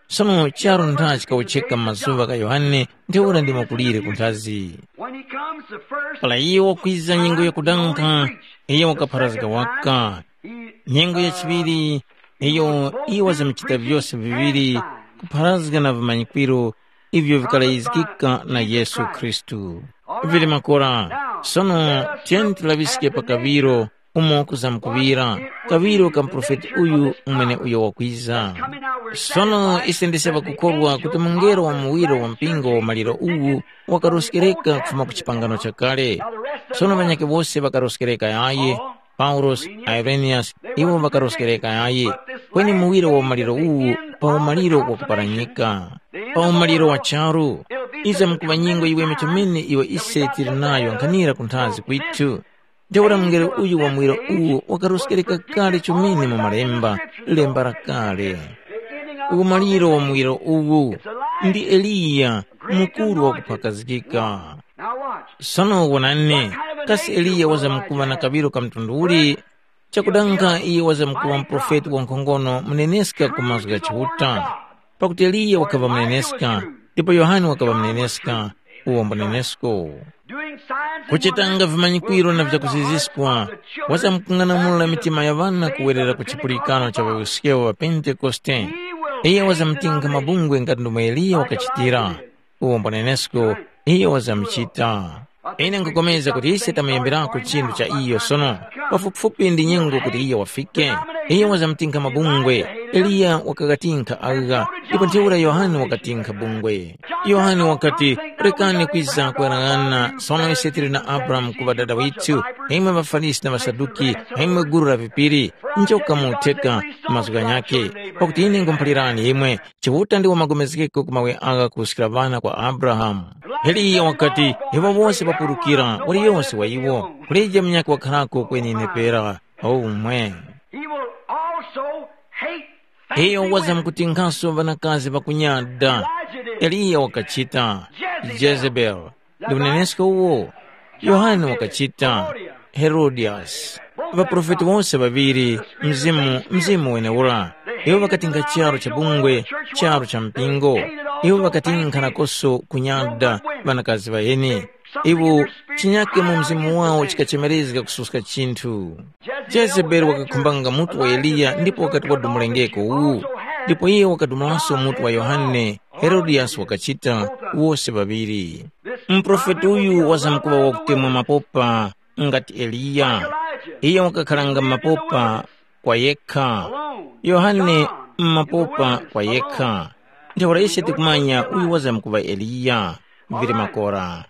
Sono charu ntha chikawucheka m'mazuŵa gha Yohane ntheura ndi makulire ku nthazi. When he comes the first Para iye wakwiza nyengo yakudankha, iye wakapharazga waka. He Nyengo ya chiŵiri, iyo iye wazamchita vyose viŵiri, kupharazga na vimanyikwiro ivyo vikalayizgika na Yesu Khristu. Vili makora, sono tiyeni tilaŵiske pa kaŵiro umo kuzamkuŵira, kaŵiro ka muprofeti uyu umweneuyo wakwiza. Sono ise ndise ŵakukhorwa kuti mungelo wa muwiro wa mpingo wa maliro uwu wakaroskereka kufuma ku chipangano chakale. Sono ŵanyakhe wose ŵakaroskereka yayi, Paulosi, Ireniyasi, iwo ŵakaroskereka yayi, kweni muwiro wa umaliro uwu pa umaliro wa kuparanyika. Pa umaliro wa charu, iza mkuŵa nyengo yiweme chomene iyo ise tili nayo nkhanira kunthazi kwithu. Ntheura mungelo uyu wa muwiro uwu wakaroskereka kale chomene mu malemba, lemba la kale. Umaliro wa muwiro uwu ndi Eliya, mukuru wakuphakazgika. Now watch. Sono wonani, kasi Eliya wazamkuŵa na kaŵiro ka mtundu uli? Chakudanga iye wazamkuŵa muprofeti wankhongono muneneska ku mazgu gha Chiuta. Pakuti Eliya wakaŵa muneneska, ndipo Yohane wakaŵa muneneska, uwo mbunenesko. Doing signs and kuchitanga vimanyikwiro na vyakuziziskwa, wazamkung'anamula mitima ya ŵana kuwerera ku chipulikano cha ŵawiskewo ŵa Pentekoste. Iye wazamtinga mabungwe ngati ndomwe Eliya wakachitira. Uwo mbonenesko, iyo wazamuchita. Ine nkhupulikana kuti ise tamuyemberako chinthu cha iyo sono, pafupifupi ndi nyengo kuti iyo wafike. Iyo wazamtinkha mabungwe, Eliya wakakatinkha agha, ndipo ntheura Yohane wakatinkha bungwe. Yohane wakati, rekani kwiza kuyang'ana, sono ise tili na Abrahamu kuŵa dada withu, imwe ŵaFarisi na ŵaSaduki, imwe gulu la vipiri, njoka mutheka mazgu ghanyakhe, pakuti ine nkhumuphalirani imwe, Chiuta ndi wamagomezgeko ku mawe agha kuruskira ŵana kwa Abrahamu. Eliya wakati, iwo wose ŵapulukira, waliyose wa iwo, kulije munyakhe wakharako kweni ine pera. Omwe. He will also hate Iyo faithful women. Wazamkutinkhaso ŵanakazi ŵakunyada. Elijah did. Eliya wakachita. Jezebel. Jezebel. Ndi unenesko uwo? Yohane wakachita. Herodias. Ŵaprofeti wose ŵaŵiri, mzimu mzimu wenewura. Iwo ŵakatinga charu cha bungwe, charu cha mpingo. Iwo ŵakatinkha nakoso kunyada ŵanakazi ŵaheni. Iwo chinyake mu mzimu wawo chikachemerezga kususka chinthu. Jezebeli wakakhumbanga mutu wa Eliya ndipo wakati wadumulengeko uwu. Ndipo iye wakadumulanso mutu wa Yohane. Herodias wakachita, wose ŵaŵiri. Muprofeti uyu wazamkuŵa wakutemwa mapopa ngati Eliya. Iye wakakharanga mapopa kwa yekha. Yohane m'mapopa kwa yekha. Ntheura ise tikumanya uyu wazamkuŵa Eliya. Vili makora.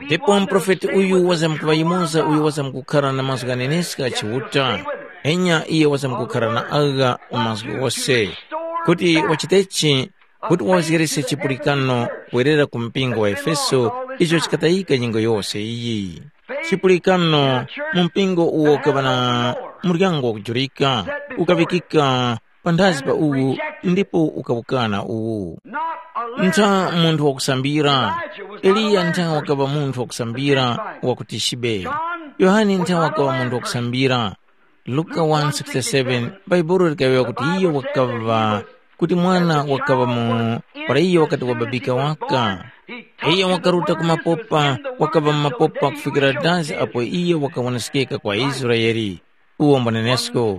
Ndipo muprofeti uyu wazamkuŵa yumoza uyo wazamkukhara na mazgu ghaneneska gha Chiuta. Enya iye wazamkukhara na agha mazgu ghose. Kuti wachitechi? Kuti wawezgerese chipulikano kwerera ku mpingo wa Efeso icho chikatayika nyengo yose iyi. Chipulikano mu mpingo uwo ukaŵa na muryango wakujurika, ukaŵikika panthazi pa uwu ndipo ukawukana uwu. Ntha munthu wakusambira. Eliya ntha wakaŵa munthu wakusambira wakuti chibe. Yohane ntha wakaŵa munthu wakusambira. Luka one sixty-seven, Bhaibuli likayowoya kuti iyo wakaŵa, kuti mwana wakaŵa mu para iyo wakati wababika waka. Iyo wakaruta ku mapopa, wakaŵa mu mapopa kufikira dazi apo iyo wakawonesekeka kwa Israele. Uwo mbonenesko.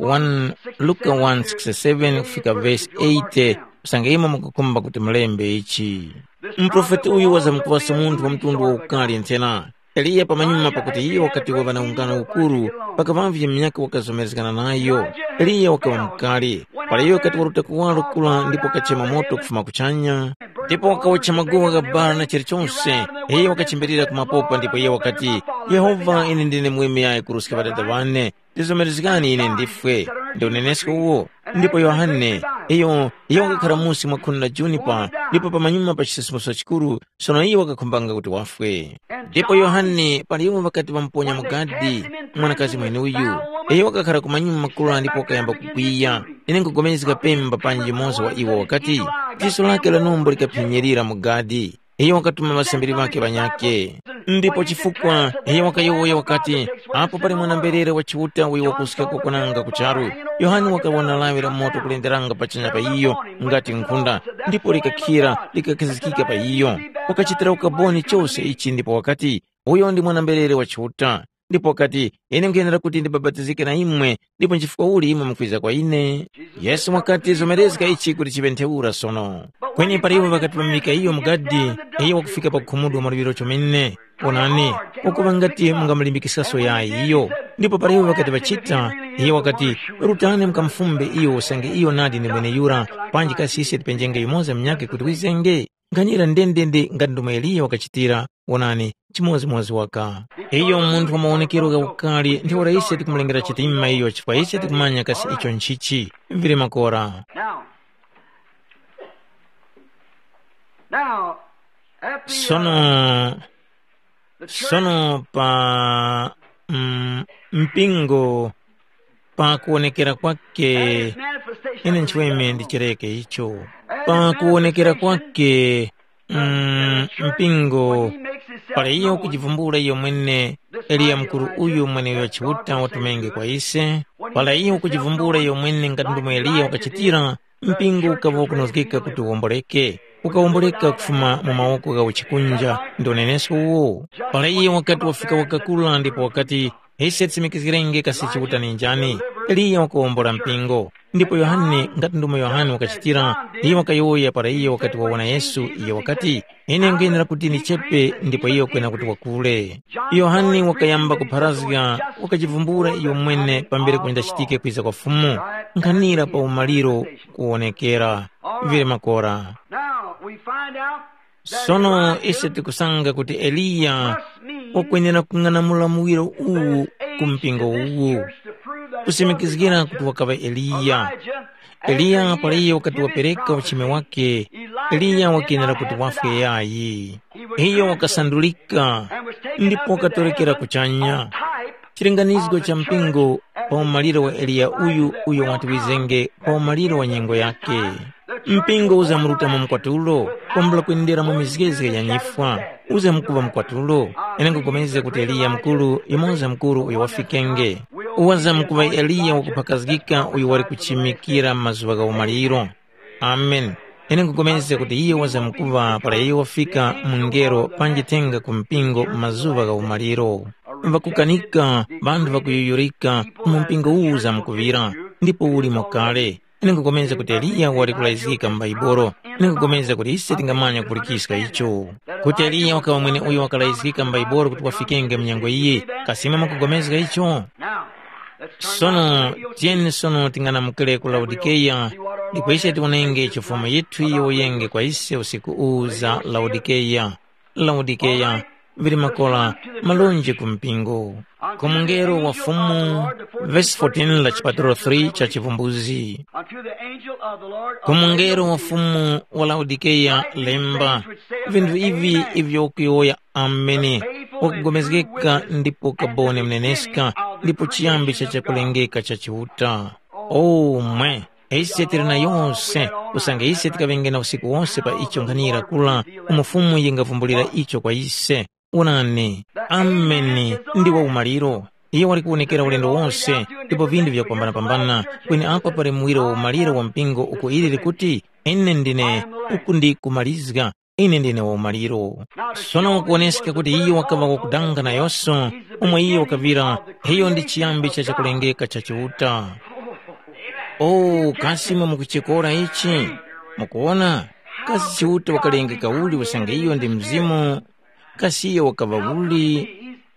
One, Luka one sixty-seven kufika vesi eighty. Usange imwe mukukhumba kuti mulembe ichi. Muprofeti uyu wazamkuŵaso munthu wa mtundu wa ukali nthena. Eliya pamanyuma pakuti iyo wakati waŵa na ungano ukuru, pakaŵavye munyakhe wakazomerezgana nayo. Eliya wakaŵa mukali. Para iyo wakati waruta kuwaro kura ndipo wakachema moto kufuma kuchanya, ndipo wakawotcha maguwa gha bara na chilichonse. Iyo wakachimbilira ku mapopa ndipo iyo wakati, “Yehova, ine ndine muweme yayi kuruska ŵadada ŵane. Tizomerezgani ine ndifwe.” Ndi unenesko uwo. Ndipo Yohane, iyo, iyo wakakhara musi mwa khuni la junipa, ndipo pamanyuma pa chisisimuso chikuru, sono iyo wakakhumbanga kuti wafwe. Ndipo Yohane, pali iwo ŵakati ŵamuponya mu gadi, mwanakazi mweneuyu, iyo wakakhara kumanyuma makula ndipo wakayamba kukwiya. Ine nkugomezga pemba panji yumoza wa iwo wakati, diso lake la numbo likaphenyerera mu gadi. Iyo wakatuma ŵasambiri ŵakhe ŵanyakhe. Ndipo chifukwa iyo wakayowoya wakati, apo pali mwana-mberere wa Chiuta uyo wakuska kukwananga ku charu, Yohane wakawona lawi la moto kulenderanga pachanya pa iyo ngati nkhunda, ndipo likakhira likakhazikika pa iyo. Wakachitira ukaboni chose ichi ndipo wakati, uyo ndi mwana-mberere wa Chiuta. Ndipo wakati, ine nkhuyenera kuti ndibapatizike na imwe, ndipo nchifukwa uli imwe mukwiza kwa ine? Yesu wakati, zomerezga ichi kuti chiŵe ntheura sono. Kweni para iwo ŵakati ŵamuyika iyo mu gadi, iyo wakufika pakukhumudwa mwaluŵiro chomene. Onani, ukuŵa ngati mungamulimbikiskaso yayi iyo. Ndipo para iwo ŵakati ŵachita, iyo wakati, rutani mukamufumbe iyo usange iyo nadi ndi mweneyura, panji kasi ise tipenjenge yumoza munyakhe kuti wizenge? Nkhanira ndendende ngati ndomwe Eliya wakachitira, wonani, chimodzimodzi waka. Iyo munthu wa mawonekero gha ukali ntheura ise tikumulengera chitima iyo chifukwa ise tikumanya kasi icho nchichi. Vili makora. Now, now, after the, uh, sono the church sono pa mm, mpingo pa kuwonekera kwake. Ine nchiweme ndichereke icho. Pa kuwonekera kwake, mm, mpingo, pali iyo kujivumbula iyo mwene, Eliya mukuru uyu mweneuyo Chiuta watumenge kwa ise. Pala iyo kujivumbula iyo mwene ngati ndomwe Eliya wakachitira, mpingo ukaŵa kunozgeka kuti uwomboleke. Ukawomboleka kufuma mu mawoko gha uchikunja. Ndi unenesko uwo. Pala iyo wakati wafika wakakula ndipo wakati, ise tisimikizgirenge kasi Chiuta ni njani. Eliya wakawombola mpingo. Ndipo Yohane ngati ndomwe Yohane wakachitira, iyo wakayowoya para iyo wakati wawona Yesu, iyo wakati, ine nkwenera kuti ndichepe ndipo iyo kwena kuti wakule. Yohane wakayamba kupharazga, wakachivumbula iyo mwene pambere kunjachitike kwiza kwa Fumu, nkhanira pa umaliro kuwonekera. Vile makora. Now we find out that Sono Elijah ise tikusanga kuti Eliya must mean wakwenera kung'anamula muwiro uwu ku mpingo uwu, kusimikizgira kuti wakaŵa Eliya. Eliya pala iyo wakati wapereka uchime wake, Eliya wakenera kuti wafwe yayi. Iyo wakasandulika ndipo wakatorekera kuchanya. Chilinganizgo cha mpingo pa umaliro wa Eliya uyu uyo wati wizenge pa umaliro wa nyengo yake. Mpingo uzamuruta mu mkwatulo, kwambula kwendera mu mizgezge ya nyifwa. Uzamukuŵa mkwatulo. Ine nkupulikana kuti Eliya mukuru yumoza mukuru uyo wafikenge. Uwazamkuŵa Eliya wakuphakazgika uyo wali kuchimikira mazuŵa gha umaliro. Amen. Ine nkupulikana kuti iyo wazamkuŵa para iyo wafika mungelo panji thenga ku mpingo mu mazuŵa gha umaliro. Ŵakukanika, ŵanthu ŵakuyuyurika, mu mpingo uwu uzamkuŵira, ndipo ulimo kale. Ine nkupulikana kuti Eliya wali kulayizgika mu Baibolo. Ine nkupulikana kuti ise tingamanya kupulikiska icho. Kuti Eliya wakaŵa mwene uyo wakalayizgika mu Baibolo kuti wafikenge mu nyengo iyi, kasi imwe mukupulikana icho? Sono, tiyeni sono ting'anamukire ku Laodikeya, ndipo ise tiwonenge icho Fumu yithu yiyowoyenge kwa ise usiku uwu za Laodikeya. Laodikeya, vili makora, malonje ku mpingo. Ku mungelo wa Fumu, vesi fourteen la chipatulo three cha Chivumbuzi. Ku mungelo wa Fumu wa Laodikeya lemba, vinthu ivi ivyo ukuyowoya Ameni, wakugomezgeka ndipo kaboni mneneska, ndipo chiyambi cha chakulengeka cha Chiuta. Omwe, Ise tili na yose, usange ise tikaŵenge na usiku wose pa icho nkhanira kula, umo Fumu yingavumbulira icho kwa ise. Onani, ameni ndi wa umaliro. Iyo wali kuwonekera ulendo wonse, ndipo vindu vyakupambana-pambana, kweni apa pali muwiro wa umaliro wa mpingo uko ili likuti, ine ndine uku ndi kumalizga, ine ndine wa umaliro. Sono wakuwoneska kuti iyo wakaŵa wakudanga nayonso, umo iyo wakaŵira, iyo ndi chiyambi cha chakulengeka cha Chiuta. O, kasi imwe mukuchikora ichi? Mukuwona? Kasi Chiuta wakalengeka uli usange iyo ndi Mzimu? Kasi iyo wakaŵa uli?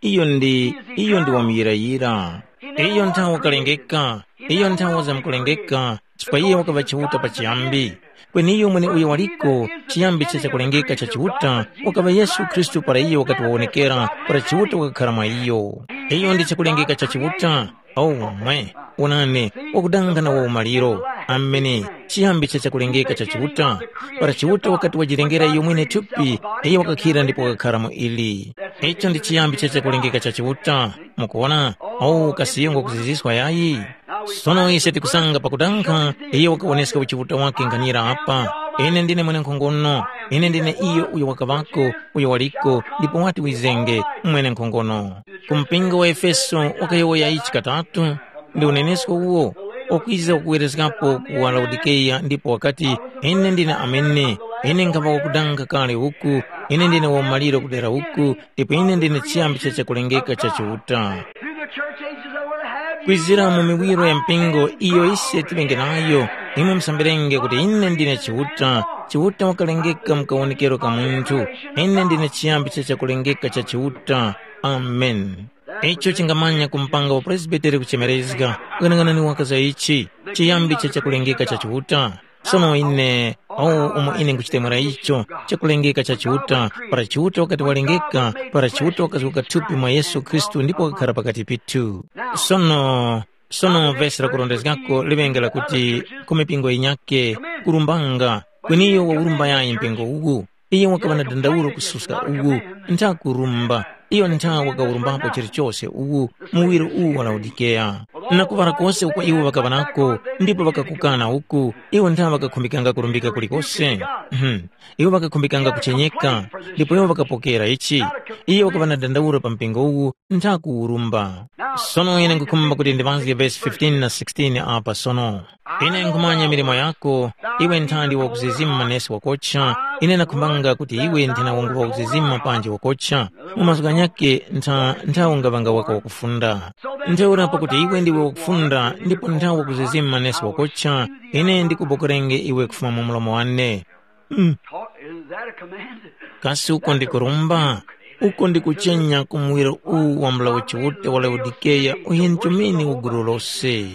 Iyo ndi, iyo ndi wamuyirayira. Iyo nthawe wakalengeka, iyo nthawe wazamkulengeka, chifukwa iye wakaŵa Chiuta pachiyambi. Kweni iyo mweneuyo waliko, chiyambi cha chakulengeka cha Chiuta, wakaŵa Yesu Khristu para iyo wakati wawonekera, para Chiuta wakakhara mwa iyo. Iyo ndi chakulengeka cha Chiuta. Aumwe, onani, wakudanga na wa umaliro. Ameni. Chiyambi cha chakulengeka cha Chiuta. Para Chiuta wakati wajilengera iyo mwene thupi, iyo wakakhira ndipo wakakhara mu ili. Icho ndi chiyambi cha chakulengeka cha Chiuta. Mukuwona? Awu kasiyongo kuziziswa yayi. Sono ise tikusanga pakudanga, iyo wakawoneska uchiuta wake nganira apa. Ine ndine mwenenkhongono. Ine ndine iyo uyo wakaŵako, uyo waliko, ndipo wati wizenge, mwenenkhongono. Ku mpingo wa Efeso wakayowoya ichi katatu, ndi unenesko uwo, ukwiza kuwerezgapo ku wa Laodikeya ndipo wakati, ine ndine amene, ine nkhaŵa wakudanga kale uku, ine ndine wamaliro kudera uku, ndipo ine ndine chiyambi cha chakulengeka cha Chiuta. Through the church ages I will have you. Kwizira mu miwiro ya mpingo iyo ise tilenge nayo, imwe musambirenge kuti ine ndine Chiuta. Chiuta wakalengeka mu kawonekero ka munthu, ine ndine chiyambi cha chakulengeka cha Chiuta. Amen. Icho chingamanya kumpanga upresbiteri kuchemerezga. Ghanaghanani waka za ichi, chiyambi cha chakulengeka cha Chiuta. Sono ine, o umo ine nkuchitemwera icho, chakulengeka cha Chiuta, para Chiuta wakati walengeka, para Chiuta wakazuka thupi mwa Yesu Khristu ndipo wakakhara pakati pithu. Sono, sono vesi lakurondezgako liŵenge lakuti, ku mipingo yinyake, kurumbanga, kweniyo waurumba yayi mpingo uwu. Iyo wakaŵa na dandauro kususka uwu, ntha kurumba, iyo ntha wakawurumbapo chilichose uwu, muwiro uwu wa Laodikeya. Na kuŵala kose uko iwo ŵakaŵa nako, ndipo ŵakakukana uku, iwo ntha ŵakakhumbikanga kurumbika kulikose. Mhm. Iwo ŵakakhumbikanga kuchenyeka, ndipo iwo ŵakapokera ichi. Iyo wakaŵa na dandauro pa mpingo uwu, ntha kuwurumba. Sono ine nkhukhumba kuti ndiŵazge vesi fifteen na sixteen apa sono. Ine nkhumanya milimo yako, iwe nthandi wakuzizima nesi wakocha, ine nakhumbanga kuti iwe nthena wangu wakuzizima panji wakocha, mu mazgu ghanyakhe ntha nthawi ungaŵanga waka wakufunda. Ntheura pakuti iwe ndiwe wakufunda ndipo nthawi wakuzizima nesi wakocha, ine ndikubokerenge iwe kufuma mu mlomo wane. Mm. Talk, isn't that a command? Kasi uko ndi kurumba? Uko ndi kuchenya ku muwiro uwu wa mulawi Chiuta wa Laodikeya uyenchomeni wa gulu lose.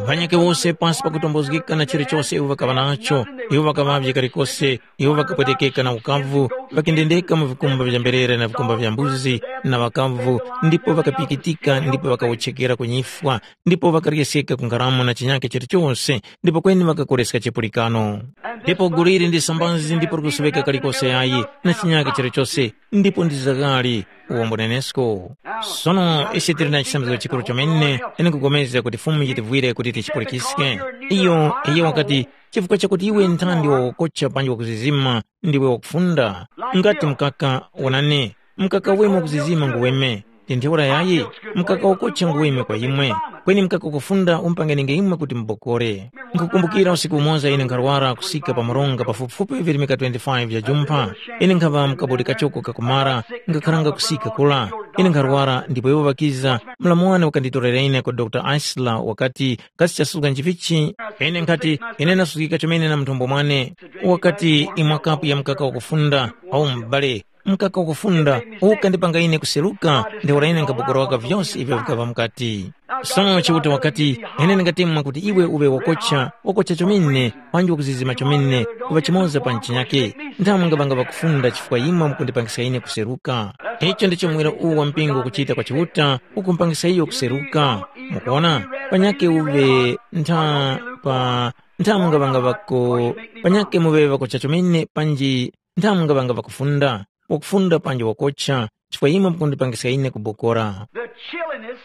Ŵanyakhe wose pasi pakutombozgeka na chilichose iwo ŵakaŵa nacho, iwo ŵakaŵavye kalikose, iwo ŵakapwetekeka na ukavu, ŵakendendeka mu vikumba vya mberere na vikumba vya mbuzi na ŵakavu, ndipo ŵakapikitika ndipo ŵakawotchekera ku nyifwa, ndipo ŵakaryeskeka ku ngaramu na chinyakhe chilichose, ndipo kweni ŵakakoreska chipulikano. Ndipo gulu ili ndi sambazi ndipo likusuŵeka kalikose yayi na chinyakhe chilichose, ndipo ndi zaghali uwombo nenesko. Sono ise tili na chisambizgo chikuru chomene, ine nkupulikana kuti Fumu yitivwire kuti tichipulikiske. Iyo, iyo wakati, chifukwa chakuti iwe nthandi wakokocha panji wakuzizima, ndiwe wakufunda. Ngati mkaka, wonani, mkaka weme wakuzizima nguweme, ndi ntheura yayi, mkaka wakocha nguweme kwa imwe, kweni mkaka wakufunda umpangenenge imwe kuti mubokore. Nkukumbukira usiku umoza ine nkharwara kusika pa maronga pafupifupi virimika twenty-five vya jumpha. Ine nkhava mukabuli kachoko kakumara, ngakharanga kusika kula. Ine nkharwara ndipo iwo ŵakiza, mlamu wane wakanditorera ine kwa Dr. Isler wakati, kasi chasuka nchivichi? Ine nkhati, ine nasukika chomene na mthombo mwane. Wakati, imwa kapu ya mkaka wakufunda, au m'bale, mkaka wakufunda ukandipanga ine kuseruka, ntheura ine nkabokoroka vyose ivyo vikava mukati. Sono Chiuta wakati, ine ndingatemwa kuti iwe uŵe wakocha, wakocha chomene, panji wakuzizima chomene, kuŵa chimoza pa nchinyake. Nthawe mungaŵanga ŵakufunda chifukwa imwe mukundipangiska ine kuseruka. Icho ndicho muwiro uwu wa mpingo ukuchita kwa Chiuta, ukumpangisa iyo kuseruka. Mukuona? Panyake uŵe ntha pa ntha mungaŵanga ŵako, panyake muŵe ŵakocha chomene panji ntha mungaŵanga ŵakufunda, wakufunda panji wakocha, chifukwa imwe mukundipangiska ine kubokora. The chilliness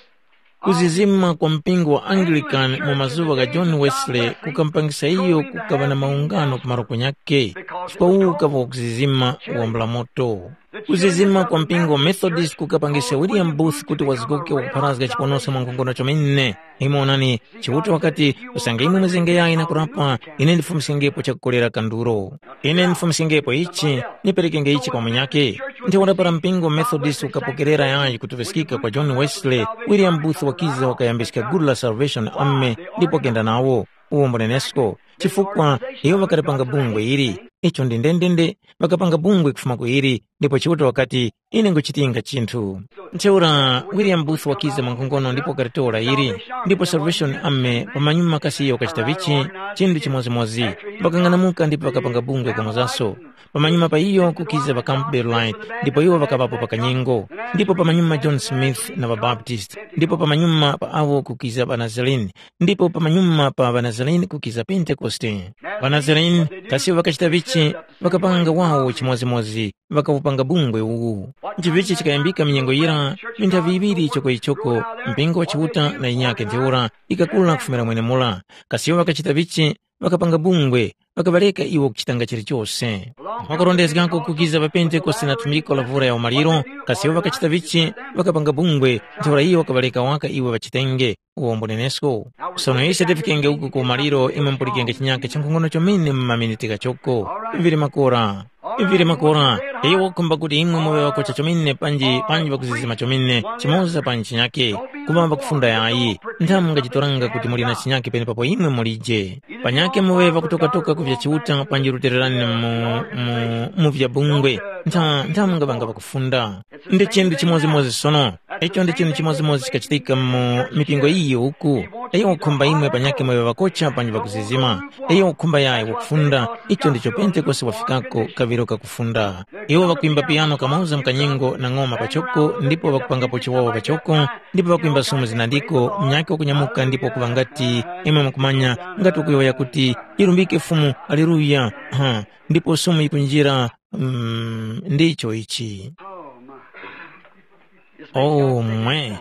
Kuzizima kwa mpingo wa Anglican mu mazuŵa gha John Wesley kukampangisa iyo kukaŵa na maungano ku malo kunyakhe, chifukwa uwu ukaŵa wakuzizima wambula moto. Kuzizima kwa mpingo wa Methodist kukapangisa William Booth kuti wazgoke wakupharazga chiponoso mwa nkhongono chomene. Imwe onani, Chiuta wakati, usange imwe mwizengeyayi na kurapa, ine ndifumiskengepo chakukolera kanduro. Ine ndifumiskengepo ichi, niperekenge ichi kwa munyakhe. Ntheura para mpingo wa Methodist ukapokerera yayi kutuŵiskika kwa John Wesley, William Booth wakiza wakayambiska gulu la Salvation Army ndipo wakenda nawo. Uwo mbunenesko, chifukwa iwo ŵakalipanga bungwe ili. Icho ndi ndendende, ŵakapanga bungwe kufuma ku ili, ndipo Chiuta wakati, ine nguchitinga chinthu. Ntheura William Booth wakiza mwankhongono ndipo wakalitora ili, ndipo Salvation Army pamanyuma kasi iyo wakachita vichi, chinthu chimodzimodzi, ŵakang'anamuka ndipo ŵakapanga bungwe kamozaso. Pamanyuma pa iyo kukiza ŵa Campbell Light, ndipo iwo ŵakaŵapo pa kanyengo, ndipo pamanyuma John Smith na ŵaBaptist, ndipo pamanyuma pa awo kukiza ŵaNazarene, ndipo pamanyuma pa ŵaNazarene kukiza Pentekoste. །ޣaNazarene kasi ŵakachita vichi, ŵakapanga wawo chimodzimodzi, ŵakawupanga bungwe uwu. Nchivichi chikayambika minyengo yira, minthavi yiŵiri ichoko ichoko, mpingo wa Chiuta na yinyakhe ntheura ikakula kufumira mwenemura. Kasi iwo ŵakachita vichi, ŵakapanga bungwe, ŵakaŵareka iwo kuchitanga chilichose. Mwakurondezgako kukiza pa Pentekoste na thumbiko la vura ya umaliro, kasi iwo ŵakachita vichi, ŵakapanga bungwe, ntheura iyo wakaŵareka waka iwo ŵachitenge. Uwo mbunenesko. Sono ise tifikenge uku ku umaliro imwe mupulikenge chinyakhe cha nkhongono chomene mu maminiti ghachoko. Vili makora. Vili makora. Iyo wakukhumba kuti imwe muŵe ŵakocha chomene panji panji ŵakuzizima chomene chimoza panji chinyakhe. Kuŵa ŵakufunda yayi. Nthamu mungachitoranga kuti muli na chinyakhe penepapo imwe mulije. Panyakhe muŵe ŵakutokatoka ku vya Chiuta panji lutererani mu, mu, mu vya bungwe. Ntha, nthamu mungaŵanga ŵakufunda. Ndi chinthu chimodzimodzi sono. Icho ndi chinthu chimodzimodzi chikachitika mu mipingo iyi uku. Iyo wakhumba imwe panyakhe mwaŵe ŵakocha panji ŵakuzizima. Iyo wakhumba yayi wakufunda. Icho ndicho Pentekoste wafikako kaŵiro kakufunda. Iwo ŵakwimba piyano kamoza mkanyengo na ng'oma pachoko ndipo ŵakupangapo chiwawa pachoko ndipo ŵakwimba sumu zinandiko mnyake wakunyamuka ndipo kuŵa ngati imwe mukumanya ngati ukuyowoya kuti ilumbike Fumu, aleluya. Ha, ndipo sumu yikunjira. Mm, ndicho ichi. Oh my. Oh mwe.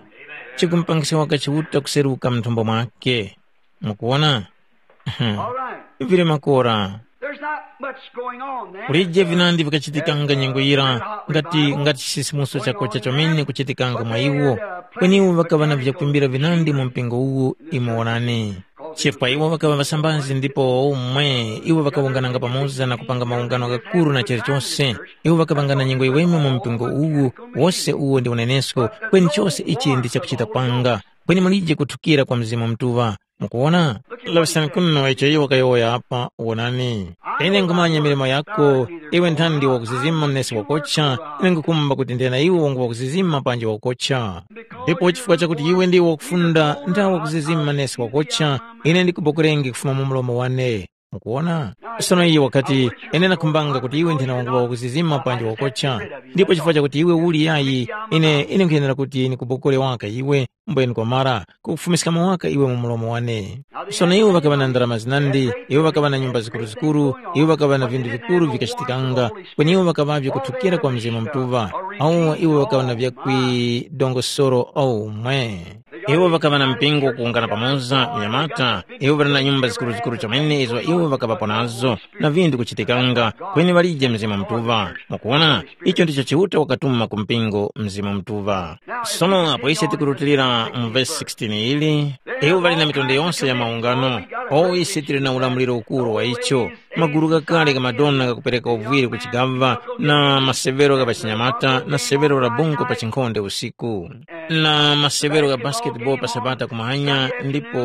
Chikumupangisa waka Chiuta kuseruka mthumbo mwake. Mukuwona? All right. Vili makora. There's not much going on there. Kulije vinandi vikachitikanga nyengo yira ngati ngati chisisimuso chako chachomene kuchitikanga mwa iwo. Kweni iwo ŵakaŵa na vyakwimbira vinandi mu mpingo uwu. Imuwonani. Chifukwa iwo ŵakaŵa ŵasambazi ndipo umwe iwo ŵakawungananga pamoza na kupanga maungano ghakuru na chilichonse. Iwo ŵakapangana nyengo yiweme mu mpingo uwu. Wose uwo ndi unenesko. Kweni chose ichi ndi chakuchita kwanga. Kweni mulije kuthukira kwa Mzimu Mutuŵa. Mukuwona? Laŵiskani kuno icho iwo wakayowoya apa, wonani. Ine nkhumanya milimo yako, iwe nthandi wakuzizima nesi wakocha, ine nkhukhumba kuti ndili na iwe wangu wakuzizima panji wakocha. Ndipo chifukwa chakuti iwe ndiwe wakufunda nthawe wakuzizima nesi wakocha, ine ndikubokerenge kufuma mu mlomo wane. Mukuwona? Sono iye wakati, ine ndakhumbanga kuti iwe nthena wangu wakuzizima panji wakocha. Ndipo chifukwa chakuti iwe uli yayi, ine ine nkhuyenera kuti ndikubokore waka iwe, mbweni kwamara, kukufumiskamo waka iwe mu mlomo wane. Sono iwo ŵakaŵa na ndarama zinandi, iwo ŵakaŵa na nyumba zikuruzikuru, iwo ŵakaŵa na vinthu vikuru vikachitikanga, kweni iwo ŵakaŵavye kuthukira kwa Mzimu Mutuŵa, awo iwo ŵakaŵa na vyakwidongosoro omwe. Iwo ŵakaŵa na mpingo kuwungana pamoza, vinyamata, iwo ŵali na nyumba zikuruzikuru chomene izo iwo ŵakaŵapo nazo, na vinthu kuchitikanga, kweni ŵalije Mzimu Mutuŵa. Mukuwona, icho ndicho Chiuta wakatuma ku mpingo Mzimu Mutuŵa. Sono apo ise tikurutilira mu vesi sixteen ili, iwo ŵali na mitundu yonse ya maungano, o ise tili na ulamuliro ukuru wa icho, magulu ghakale gha madona ghakupereka uvwiri ku chigaŵa, na masevero gha pachinyamata, na severo la bungwe pa chinkhonde usiku, na masevero gha basketball pa Sabata kumahanya, ndipo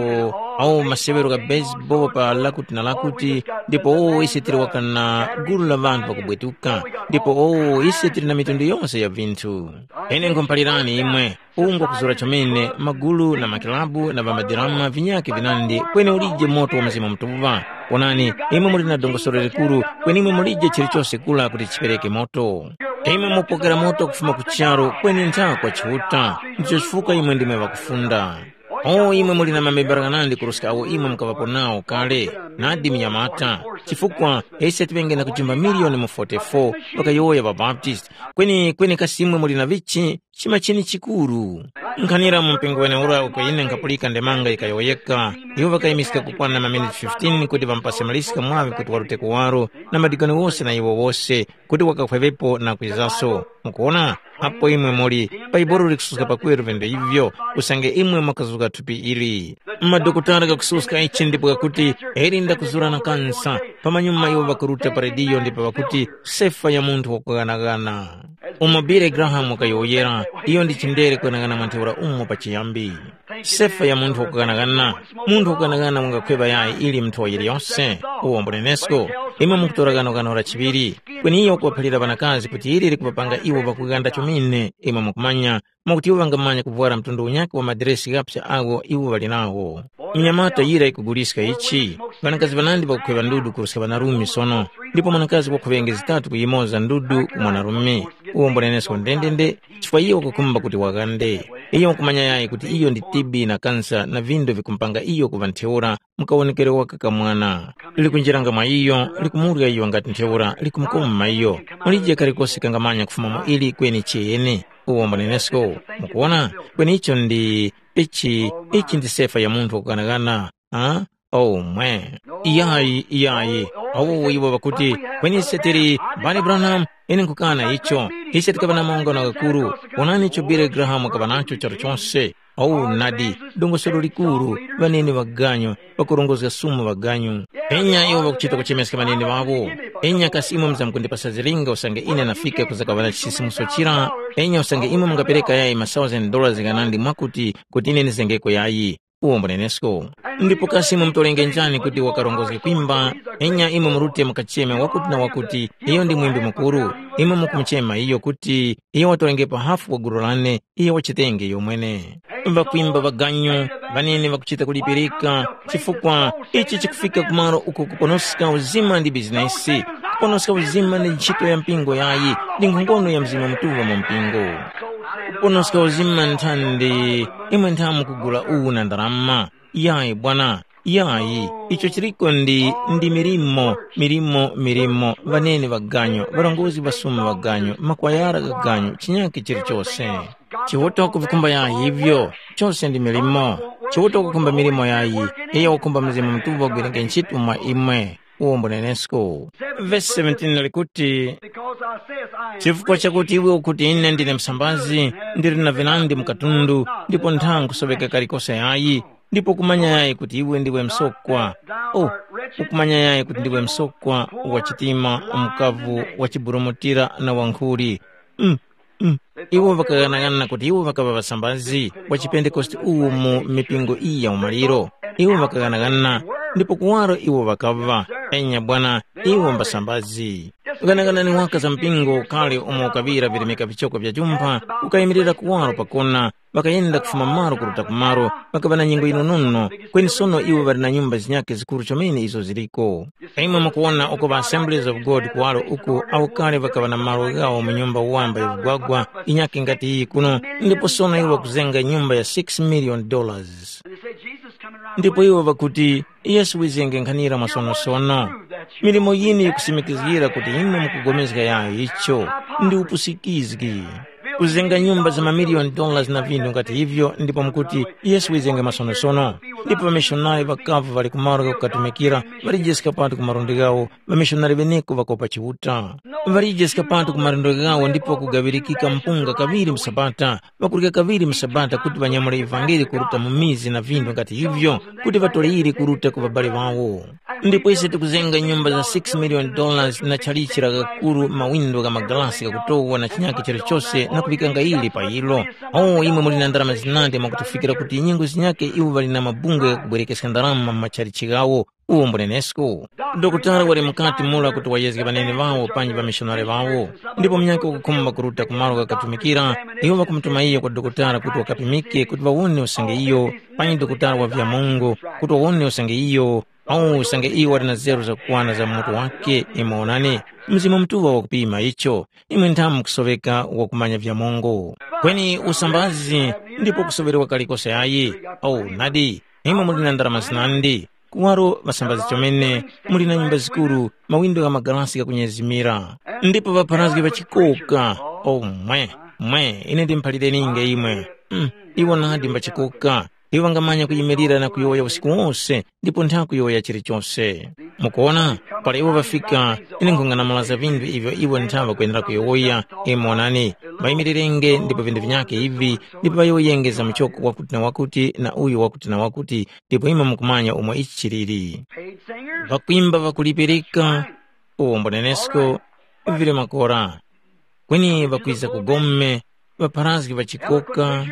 awo masevero gha baseball pa lakuti na lakuti, ndipo owo ise tili waka na gulu la ŵanthu ŵakubwetuka, ndipo owo ise tili na mitundu yonse ya vinthu. Ine nkhumuphalirani imwe, uwu ngwakuzura chomene, magulu na makilabu na ŵamadirama vinyakhe vinandi, kweni ulije moto wa Mzimu Mutuŵa. Wonani, imwe muli na dongosolo likuru, kweni imwe mulije chilichose kula kuti chipereke moto. Imwe mupokera moto kufuma ku charu, kweni ntha kwa Chiuta. Ndicho chifukwa imwe ndimwe ŵakufunda. O imwe muli na mamembala ghanandi kuruska awo imwe mukaŵapo nawo kale, nadi munyamata, chifukwa ise tiŵenge na kujimba miliyoni mu forty-four, ŵakayowoya ŵaBaptist. Kweni kweni kasi imwe muli na vichi? chima chini chikuru. Nkhanira mu mpingo weneura uko ine nkhapulika ndemanga yikayowoyeka, iwo ŵakayimiska kukwana maminiti fifteen kuti ŵamupase Maliska mwaŵi kuti warute kuwaro na madikoni wose na iwo wose kuti wakakhweŵepo na kwizaso. Mukuwona? Apo imwe muli, Baibuli likususka pakweru vinthu ivyo, usange imwe mwakazuka thupi ili. Madokotala ghakususka ichi ndipo ghakuti, eri ndakuzura na kansa, pamanyuma iwo ŵakuruta pa rediyo ndipo ŵakuti, sefa ya munthu wakughanagana. Umo Billy Graham wakayowoyera, iyo ndi chindere kughanagana mwa ntheura umo pachiyambi. Sefa ya munthu wakughanagana, munthu wakughanagana wangakhweva yayi ili mnthowa yiliyose, uwo mbunenesko, imwe mukutora gano gano la chiŵiri, kweni iyo wakuphalira ŵanakazi kuti ili likupapanga iwo pakughanda chomene, imwe mukumanya, mwakuti iwo ŵangamanya kuvwara mtundu unyakhe wa madiresi ghapsa agho iwo ŵali nagho. Mnyamata yira ikuguliska ichi, ŵanakazi ŵanandi ŵakukhweŵa ndudu kuruska ŵanarume sono, ndipo mwanakazi wakhuŵenge zitatu kuyimoza ndudu ku mwanarume. Uwo mbunenesko ndendende, chifukwa iyo wakukhumba kuti waghande. Iyo wakumanya yayi kuti iyo ndi T B na kansa na vindo vikumupanga iyo kuŵa ntheura mu kawonekero waka ka mwana. Likunjiranga mwa iyo, likumurya iyo ngati ntheura, likumukoma iyo. Mulije kalikose kangamanya kufuma mu ili kweni chiyeni. Uwo mbunenesko, mukuwona? Kweni icho ndi, ichi, ichi ndi sefa ya munthu wakughanaghana. Ah? Oh, mwe. Iyayi, iyayi. Awo iwo ŵakuti, kweni ise tili, Bali Branham, ine nkhukana icho. Ise tikaŵa na maungano ghakuru. Wonani icho Billy Graham wakaŵa nacho charu chose. Oh, nadi, dongosolo likuru, ŵanene ŵaganyu, ŵakurongozga sumu ŵaganyu. Enya iwo ŵakuchita kuchemeska ŵanene ŵawo. Enya kasi imwe muzamkundipasa zilinga usange ine nafika kuzakaŵa na chisisimuso chira? Enya usange imwe mungapereka yayi ma thousand dollars ghanandi mwakuti, kuti ine nizengeko yayi. Uwo mbunenesko. Ndipo kasi imwe mutorenge njani kuti wakarongozge kwimba? Enya imwe murute mukacheme wakuti na wakuti, iyo ndi mwimbi mukuru. Imwe mukumuchema iyo kuti, iyo watorengepo hafu wa gulu lane, iyo wachitenge iyo mwene. Ŵakwimba ŵaganyu, ŵanene ŵakuchita kulipirika, chifukwa ichi chikufika kumalo uko kuponoska uzima ndi bizinesi, kuponoska uzima ndi ntchito ya mpingo yayi, ndi nkhongono ya Mzimu Mutuŵa mu mpingo. Kuponoska uzima nthandi, imwe nthamu kugula uwu na ndarama. Yayi bwana, yayi, icho chiliko ndi, ndi milimo, milimo, milimo, ŵanene ŵaganyu, ŵarongozgi ŵasuma ŵaganyu, makwayara ghaganyu, chinyakhe chilichose. Chiuta kuvikhumba yayi ivyo, chose ndi milimo. Chiuta kukhumba milimo yayi, iyo wakhumba Mzimu Mutuŵa ugwirenge ntchito mwa imwe. Uwo mbunenesko. Vesi seventeen likuti, chifukwa chakuti iwe ukuti ine ndine msambazi, ndili na vinandi mu katundu, ndipo ntha nkusoŵeka kalikose yayi, ndipo kumanya yayi kuti iwe ndiwe msokwa. Oh, ukumanya yayi kuti ndiwe msokwa wa chitima, mkavu wa chiburumutira na wankhuli. Mm, mm. Iwo ŵakaghanaghanana kuti iwo ŵakaŵa ŵasambazi wa chipentekoste uwu mu mipingo iyi ya umaliro. Iwo ŵakaghanaghanana, ndipo kuwaro iwo ŵakaŵa, enya bwana, iwo mbasambazi. Ghanaghanani waka za mpingo ukale umo ukaŵira virimika vichoko vya jumpha, ukayimirira kuwaro pakona, ŵakayenda kufuma malo kuruta kumalo, ŵakaŵa na nyengo yinonono, kweni sono iwo ŵali na nyumba zinyakhe zikuru chomene izo ziliko. Imwe mukuwona uko ŵa Assemblies of God kuwaro uku awo kale ŵakaŵa na malo ghawo mu nyumba wamba ya vugwagwa inyakhe ngati iyi kuno, ndipo sono iwo ŵakuzenga nyumba ya six million dollars. Ndipo iwo ŵakuti, Yesu wizenge nkhanira mwasonosono. Milimo yinu yikusimikizgira kuti imwe mukupulikana yayo icho ndi upusikizgi. Kuzenga nyumba za mamiliyoni dollars na vinthu ngati ivyo ndipo mukuti, Yesu wizenge masonosono. Ndipo ŵamishonari ŵakavu ŵali kumalo ghakukatumikira, ŵalijeska pati ku malundi ghawo, ŵamishonari ŵeneko ŵakopa Chiuta. Ŵalijeska pati ku malundi ghawo ndipo kugaŵirikika mpunga kaŵiri mu sabata, ŵakurya kaŵiri mu sabata kuti ŵanyamule ivangeli kuruta mu mizi na vinthu ngati ivyo, kuti ŵatoleyire kuruta ku ŵabali ŵawo. Ndipo ise tikuzenga nyumba za six million dollars na chalichi la kakuru mawindo gha magalasi ghakutowa na chinyakhe chilichose na kuŵikanga ili pa ilo. Oh, imwe muli na ndarama zinandi mwakutufikira kuti nyengo zinyakhe iwo ŵali na mabungwe ghakubwerekeska ndarama mu machalichi ghawo. Uwo mbunenesko. Dokotala wali mukati mura kuti wayezge ŵanene ŵawo panji ŵamishonari ŵawo. Ndipo munyakhe wakukhumba kuruta ku malo ghakatumikira, iwo ŵakumutuma iyo kwa dokotala kuti wakapimike kuti ŵawone usange iyo, panji dokotala wa vyamungu, kuti wawone usange iyo, au usange iyo wali na zeru zakukwana za mu mutu wake. Imwe wonani, Mzimu Mutuŵa wakupima icho. Imwe nthamu mukusoŵeka wakumanya vyamungu. Kweni usambazi ndipo kusoŵerewa kalikose ayi. Au nadi, imwe muli na ndarama zinandi. Kuwaro ŵasambazi chomene, muli na nyumba zikuru, mawindo gha magalasi ghakunyezimira. Ndipo ŵapharazgi ŵachikoka, omwe. Mwe, ine ndimuphalireni'nge imwe. Mm, iwo nadi mbachikoka. Iwo ŵangamanya kuyimirira na kuyowoya usiku wose, ndipo ntha kuyowoya chilichose. Mukuwona, para iwo ŵafika, ine nkhung'anamulaza vinthu ivyo iwo ntha ŵakwenera kuyowoya. Imwe wonani, ŵayimirirenge ndipo vinthu vinyakhe ivi, ndipo ŵayowoyenge za muchoko wakuti na wakuti na uyu wakuti na wakuti, ndipo imwe mukumanya umo ichi chiliri. Paid singers? Ŵakwimba ŵakulipirika, uwombo nenesko, vili makora. Kweni ŵakwiza ku gome, ŵapharazgi ŵachikoka,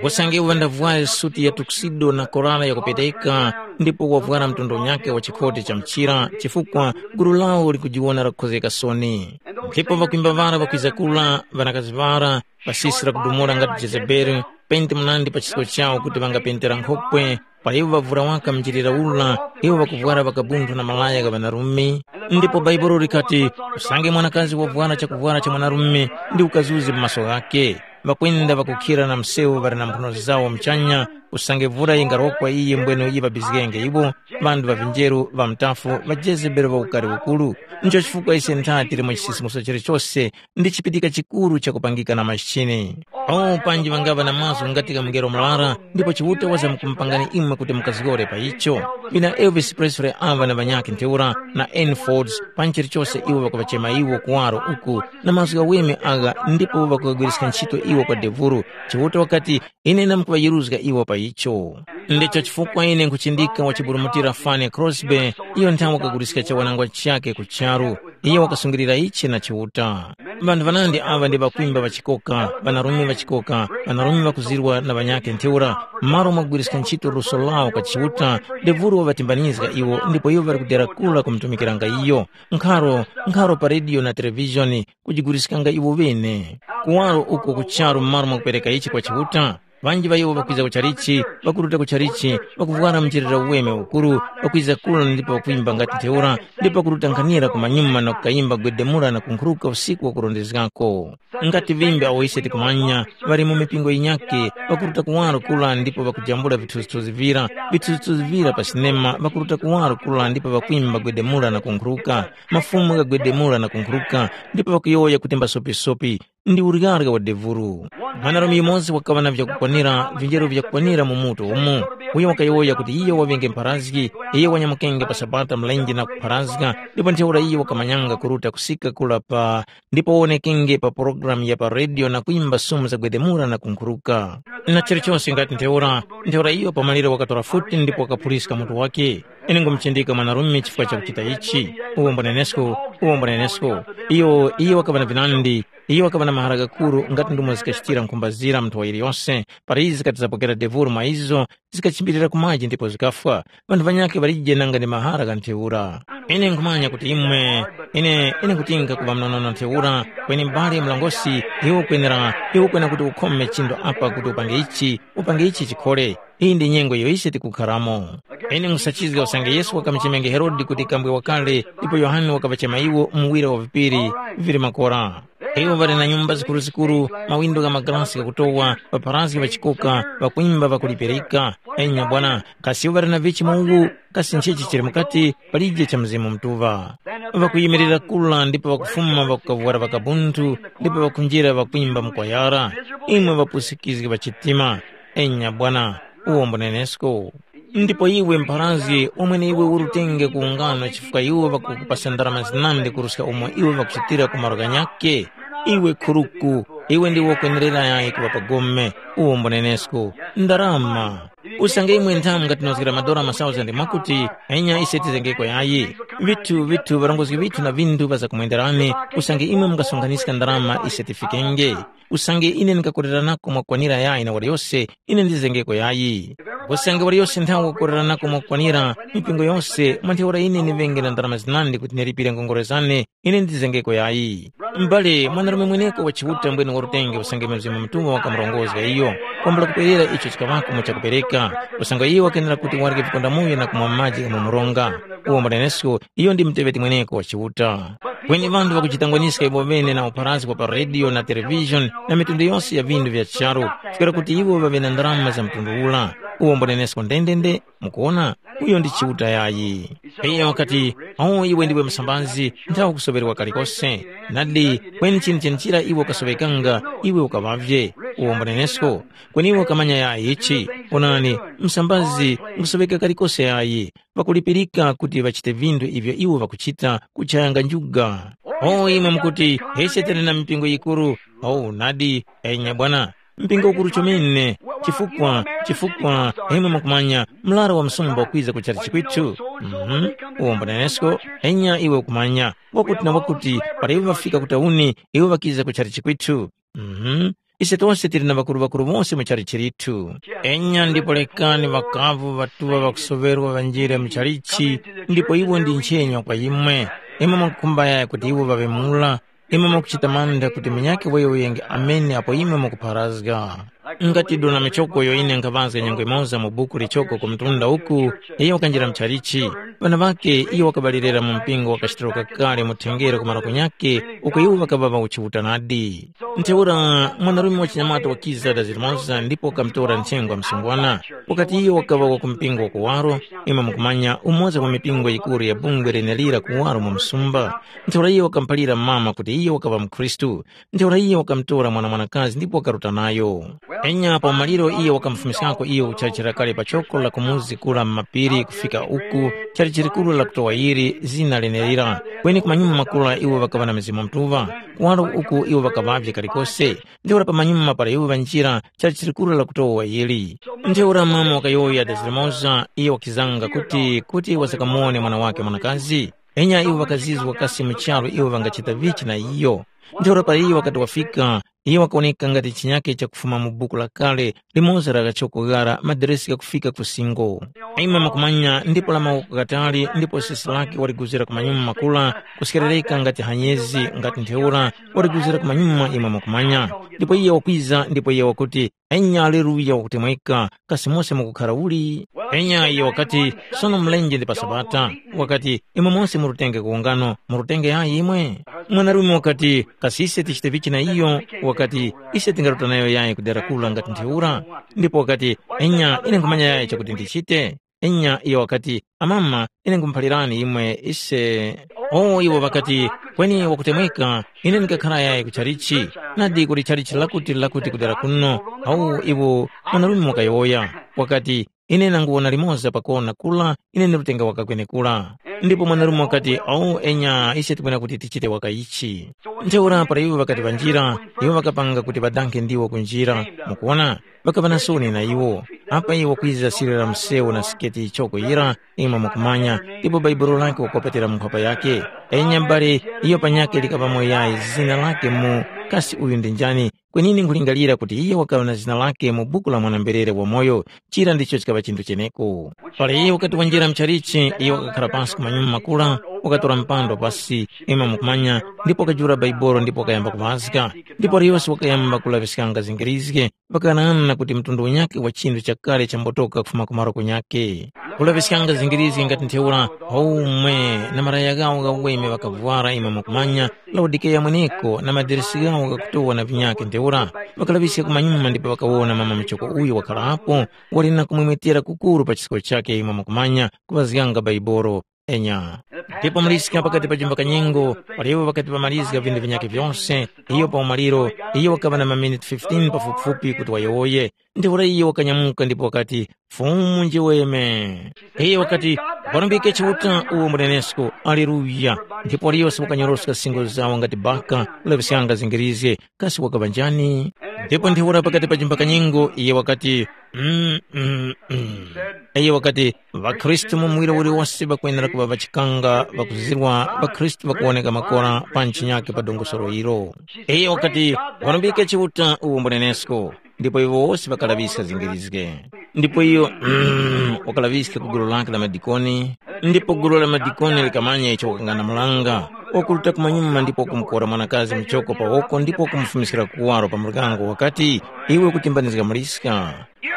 usange iwo ŵandavware suti ya tuxedo na korala yakupeteka, ndipo wavwara mtondo nyakhe wa chikhoti cha mchira, chifukwa gulu lawo likujiwona lakukhozgeka soni. Ndipo ŵakwimba ŵara ŵakwiza kula, ŵanakazi ŵara, ŵasisira kudumula ngati Jezebeli, penti munandi pa chisko chawo kuti ŵangapentera nkhokwe, para iwo ŵavura waka mchilira ura, iwo ŵakuvwara ŵakabunthu na malaya gha ŵanarume. Ndipo Bhaibuli likati, usange mwanakazi wavwara chakuvwara cha mwanarume, ndi ukazuzi mu maso ghakhe. Ŵakwenda ŵakukhira na msewu ŵali na mphuno zawo muchanya, usange vura yingarokwa iye mbwene iye ŵabizgenge iwo, ŵanthu ŵa vinjeru ŵa mutafu ŵa Jezebeli ŵa ukari ukuru. Ncho chifukwa ise ntha tili mu chisimuso chilichose ndi chipitika chikuru chakupangika na machine. O panji ŵangaŵa na mazgu ngati gha mungelo murara, ndipo Chiuta wazamkumupangani imwe kuti mukazgore pa icho. Ŵina Elvis Presley aŵa na ŵanyakhe ntheura na N Fords, panji chilichose iwo ŵakuŵachema iwo kuwaro uku na mazgu ghaweme agha ndipo ŵakuŵagwiriska ntchito iwo kwa devuru. Chiuta wakati, ine ndamkuŵayeruzga iwo pa icho. Ndicho chifukwa ine nkhuchindika wachiburumutira Fanny Crosby, iyo nthawe wakaguliska chawanangwa chakhe ku charu. Iyo wakasungilira ichi na Chiuta. Ŵanthu ŵanandi aŵa ndi ŵakwimba ŵachikoka, ŵanarume ŵachikoka, ŵanarume ŵakuzirwa na ŵanyakhe ntheura, m'malo mwakugwiriska ntchito luso lawo kwa Chiuta, Devuro waŵatimbanizga iwo ndipo iwo ŵali kudera kula kumutumikiranga iyo. Nkharo, nkharo pa rediyo na televizhoni, kujiguriskanga iwo ŵene. Kuwaro uko ku charu m'malo mwakupereka ichi kwa Chiuta, ŵanji ŵa iwo ŵakwiza ku chalichi, ŵakuruta ku chalichi, ŵakuvwara mcherera uweme ukuru, ŵakwiza kula ndipo ŵakwimba ngati ntheura, ndipo ŵakuruta nkhanira kumanyuma na kukayimba gwedemura na kunkhuruka usiku wakurondezgako. Ngati vimbi awo ise tikumanya, ŵali mu mipingo yinyakhe, ŵakuruta kuwaro kula ndipo ŵakujambula vithuzithuzi vira, vithuzithuzi vira pa sinema, ŵakuruta kuwaro kula ndipo ŵakwimba gwedemura na kunkhuruka, mafumu ghagwedemura na kunkhuruka, ndipo ŵakuyowoya kuti mbasopisopi, ndi uryarya wa devuru. Mwanarume yumoza wakaŵa na vyakukwanira, vinjero vyakukwanira mu mutu umo. Uyo wakayowoya kuti iyo waŵenge mpharazgi, iyo wanyamukenge pa Sabata mlenje na kupharazga, ndipo ntheura iyo wakamanyanga kuruta kusika kula pa ndipo wonekenge pa pulogalamu ya pa redio na kwimba sumu za gwedemura na kunkhuruka. Na chilichonse ngati ntheura, ntheura iyo pamaliro wakatora futi ndipo wakaphuliska mutu wake. Ine ngumuchindika mwanarume chifukwa chakuchita ichi. Uwo mbonenesko, uwo mbonenesko. Iyo, iyo wakaŵa na vinandi, iyo wakaŵa na mahara ghakuru ngati ndumo zikachitira nkhumba zira munthu wa yiliyose, para izi zikati zapokera devuru mwa izo, zikachimbirira ku maji ndipo zikafwa. Ŵanthu ŵanyakhe ŵalije nanga ndi mahara gha ntheura. Ine nkhumanya kuti imwe, ine, ine nkutinga kuŵa mnonono ntheura, kweni m'bale mlongosi, iwe ukwenera, iwe ukwena kuti ukhome chindo apa kuti upange ichi, upange ichi chikhole. Iyi ndi nyengo iyo ise tikukharamo. Ine nkhusachizga usange Yesu wakamuchemenge Herode kuti kambwe wakale, ndipo Yohane wakaŵachema iwo muwira wa vipiri vili makora. Iwo ŵali na nyumba zikuruzikuru, mawindo gha magalasi ghakutowa, ŵapharazgi ŵachikoka, ŵakwimba ŵakulipirika. Enya bwana, kasi iwo ŵali na vichi mu uwu? Kasi nchichi chili mukati? Palije cha Mzimu Mutuŵa. Ŵakuyimirira kula ndipo ŵakufuma ŵakukavwara ŵakabunthu ndipo ŵakunjira ŵakwimba mkwayara. Imwe ŵapusikizgi ŵa chitima, enya bwana, uwo mbunenesko. Ndipo iwe mpharazgi, umwene iwe urutenge ku ungano chifukwa iwo ŵakukupasa ndarama zinandi kuruska umo iwe ŵakuchitira ku malo ghanyakhe? Iwe khuruku, iwe ndiwe wakwenerera yayi kuŵa pa gome, uwo mbunenesko. Ndarama! Usange imwe nthamu ngatinozgera madora masauzandi mwakuti, enya ise tizengeko yayi. Vithu, vithu, ŵarongozgi vithu na vinthu ŵazakumwenderani, usange imwe mungasonkhanyiska ndarama ise tifikenge. Usange ine ndingakoreranako mwakwanira yayi na waliyose, ine ndizengeko yayi. Usange waliyose nthawe wakoreranako mwakwanira, mipingo yose, mwa ntheura ine ndiŵenge na ndarama zinandi kuti nilipire ngongole zane, ine ndizengeko yayi. M'bale, mwanarume mweneko wa Chiuta mbwene warutenge usange Mzimu Mutuŵa wakamurongozga iyo. Kwambula kuperera icho chikaŵako mu chakupereka, usange iyo wakenera kuti warye vikondamoyo na kumwa maji gha mu mronga. Uwo mbunenesko, iyo ndi muteŵeti mweneko wa Chiuta. Kweni ŵanthu ŵakujitangwaniska iwo ŵene na upharazgi wa pa rediyo na televizhoni na mitundu yose ya vinthu vya charu, chifukwa kuti iwo ŵaŵe na ndarama za mtundu ura. uwo mbonenesko ndendende, mukuwona, uyo ndi Chiuta yayi. Iyo wakati, “Oh, iwe ndiwe msambazi, nthawe kusoŵerwa kalikose. Nadi, kweni chinthu chenechira iwe ukasoŵekanga, iwe ukaŵavye, uwo mbonenesko. Kweni iwe ukamanya yayi ichi, onani, msambazi nkusoŵeka kalikose yayi, pakulipirika kuti ŵachite vinthu ivyo iwo ŵakuchita kuchayanga njuga. Oh, imwe mukuti, ise tili na mipingo yikuru. Oh, nadi, enya bwana, mpingo ukuru chomene, chifukwa, chifukwa, imwe mukumanya, mlaro wa msumba ukwiza kuchali chikwithu. Mhm. Uwo mbonenesko, enya iwe ukumanya, wakuti na wakuti, para iwo ŵafika ku tauni, iwo ŵakiza kuchali chikwithu. Mhm. Ise tose tili na ŵakuru-ŵakuru wose mu chalichi lithu. Enya ndipo lekani ŵakavu ŵatuŵa ŵakusoŵerwa ŵanjire mu chalichi, ndipo iwo ndi nchenya kwa imwe. Imwe mukukhumba yaya kuti iwo ŵaŵe mula, imwe mukuchita mantha kuti munyakhe weyewenge amene apo imwe mukupharazga. Ngati dona michoko iyo ine nkhaŵazga nyengo imoza mu buku lichoko ku mtunda uku, iyo wakanjira mu chalichi, ŵana ŵakhe iyo wakaŵalirira mu mpingo wa kachitiro kakale mu thengere ku maroko nyakhe, uko iwo ŵakaŵa ŵauchiuta nadi. Ntheura mwanarume wachinyamata wakiza dazirimoza ndipo wakamutora nthengo wa msungwana. Wakati iyo wakaŵa wa ku mpingo wa kuwaro, imwe mukumanya umoza wa mipingo yikuru ya bungwe lenelira kuwaro mu msumba. Ntheura iyo wakamuphalira mama kuti iyo wakaŵa mukhristu. Ntheura iyo wakamutora mwana mwanakazi ndipo wakaruta nayo. Enya pa umaliro iyo wakamufumiskako iyo kuchachira kale pa choko la kumuzi kula m'mapiri kufika uku chali chirikuru la kutowa yiri zina lenelira. Kweni ku manyuma makula iwo ŵakaŵa na Mzimu Mutuŵa, kuwaro uku iwo ŵakaŵavye kalikose. Ntheura pamanyuma para iwo ŵanjira chali chirikuru la kutowa yili. Ntheura mama wakayowoya dazirimoza, iyo wakizanga kuti kuti wasakamuwone mwana wake mwanakazi. Enya iwo ŵakazizwa kasi mu charu iwo ŵangachita vichi na iyo. Ntheura para iyo wakati wafika, iyo wakawoneka ngati chinyake chakufuma mu buku lakale limoza la ghachoko ghara madiresi ghakufika ku singo. Imwe mukumanya ndipo la mawoko ghatali ndipo sesi lake waliguzira ku manyuma makula, kuskerereka ngati hanyezi ngati ntheura waliguzira ku manyuma imwe mukumanya. Ndipo iye wakwiza ndipo iye wakuti, “Enya aleluya wakutemweka, kasi mose mukukhara uli?” Enya iye wakati, “Sono mlenje ndi pa Sabata.” Wakati, “Imwe mose murutenge kuwungano, murutenge yayi imwe?” Mwanarume wakati, “Kasi ise tichite vichi na iyo?” Wakati, “Ise tingaruta nayo yayi ku dera kula ngati ntheura?” Ndipo wakati, “Enya ine nkhumanya yayi chakuti ndichite.” Enya iyo wakati, “Amama, ine nkhumuphalirani imwe ise.” Oh, iwo ŵakati, “Kweni wakutemweka, ine ndikakhara yayi ku chalichi, nadi kuli chalichi lakuti lakuti kudera kuno.” Awu iwo mwanarume wakayowoya, wakati, “Ine nanguwona limoza pakona kula, ine ndi lutenga waka kwenekura.” Ndipo mwanarume wakati, “Awu enya ise timwena kuti tichite waka ichi.” Ntheura para iwo ŵakati ŵanjira, iwo ŵakapanga kuti ŵadankhe ndiwo kunjira. Mukuwona, ŵakaŵa na soni na iwo. Apa iwo kwiza sirira msewu na siketi ichoko yira, imwe mukumanya, ndipo bhaibuli lake wakopetera mu nkhwapa yake. Enya mbale, iyo panyakhe likaŵamo yayi zina lake mu, kasi uyu ndi njani? Kwenini nkhulingalira kuti iyo wakaŵa na zina lake mu buku la mwana-mberere wamoyo, chira ndicho chikaŵa chinthu cheneko. Para iyo wakati wanjira mchalichi, iyo wakakhara pansi ku manyuma makula, wakatora mpando pasi, imwe mukumanya, ndipo wakajula bhaibolo ndipo wakayamba kuŵazga. Ndipo para yose wakayamba kulaŵiskanga zingirizge, ŵakanana kuti mtundu unyakhe wa chinthu chakale chambotoka kufuma ku maroko nyakhe. Kulaŵiskanga zingirizge ngati ntheura, haume na malaya ghawo ghaweme ŵakavwara imwe mukumanya, Laodikeya mweneko na madiresi ghawo ghakutowa na vinyakhe ntheura, ŵakalaŵiska kumanyuma ndipo ŵakawona mama muchoko uyo wakharapo, wali na kumwemwetera kukuru pa chisko chakhe imwe mukumanya, kuŵazganga bhaibolo. Enya. Ndipo muliska pakati pa chimbakanyengo, paliwo pakati pamalizga vinthu vinyakhe vyose, iyo pa umaliro, iyo wakaŵa na maminiti fifteen pafupifupi kuti wayowoye. Ntheura iyo wakanyamuka ndipo wakati, “Fumu njiweme.” Iyo wakati, “Ukarumbike Chiuta uwo munenesko, Aleluya.” Ndipo waliyose wakanyoroska singo zawo ngati baka, kulaŵiskanga zingirizge, kasi wakaŵa njani? Ndipo ntheura pakati pa chimbakanyengo, iyo wakati, Mm, mm, mm. Iyo wakati, “ޣaKhristu mu muwiro uliwose ŵakwenera kuŵa ŵachikanga ŵakuzizirwa, ŵakhristu ŵakuwoneka makora pa ntchinyake pa dongosolo ilo.” Iyo wakati, “Ukarumbike Chiuta uwo mbunenesko.” Ndipo iwo wose ŵakalaŵiska zingirizge. Ndipo iyo, mm, wakalaŵiska ku gulu lake la madikoni, ndipo gulu la madikoni likamanya icho wakang'anamulanga, wakuruta kumanyuma ndipo wakumukora mwanakazi muchoko pa woko ndipo wakumufumiskira kuwaro pa muryango wakati, “Iwe ukutimbanizga muliska.”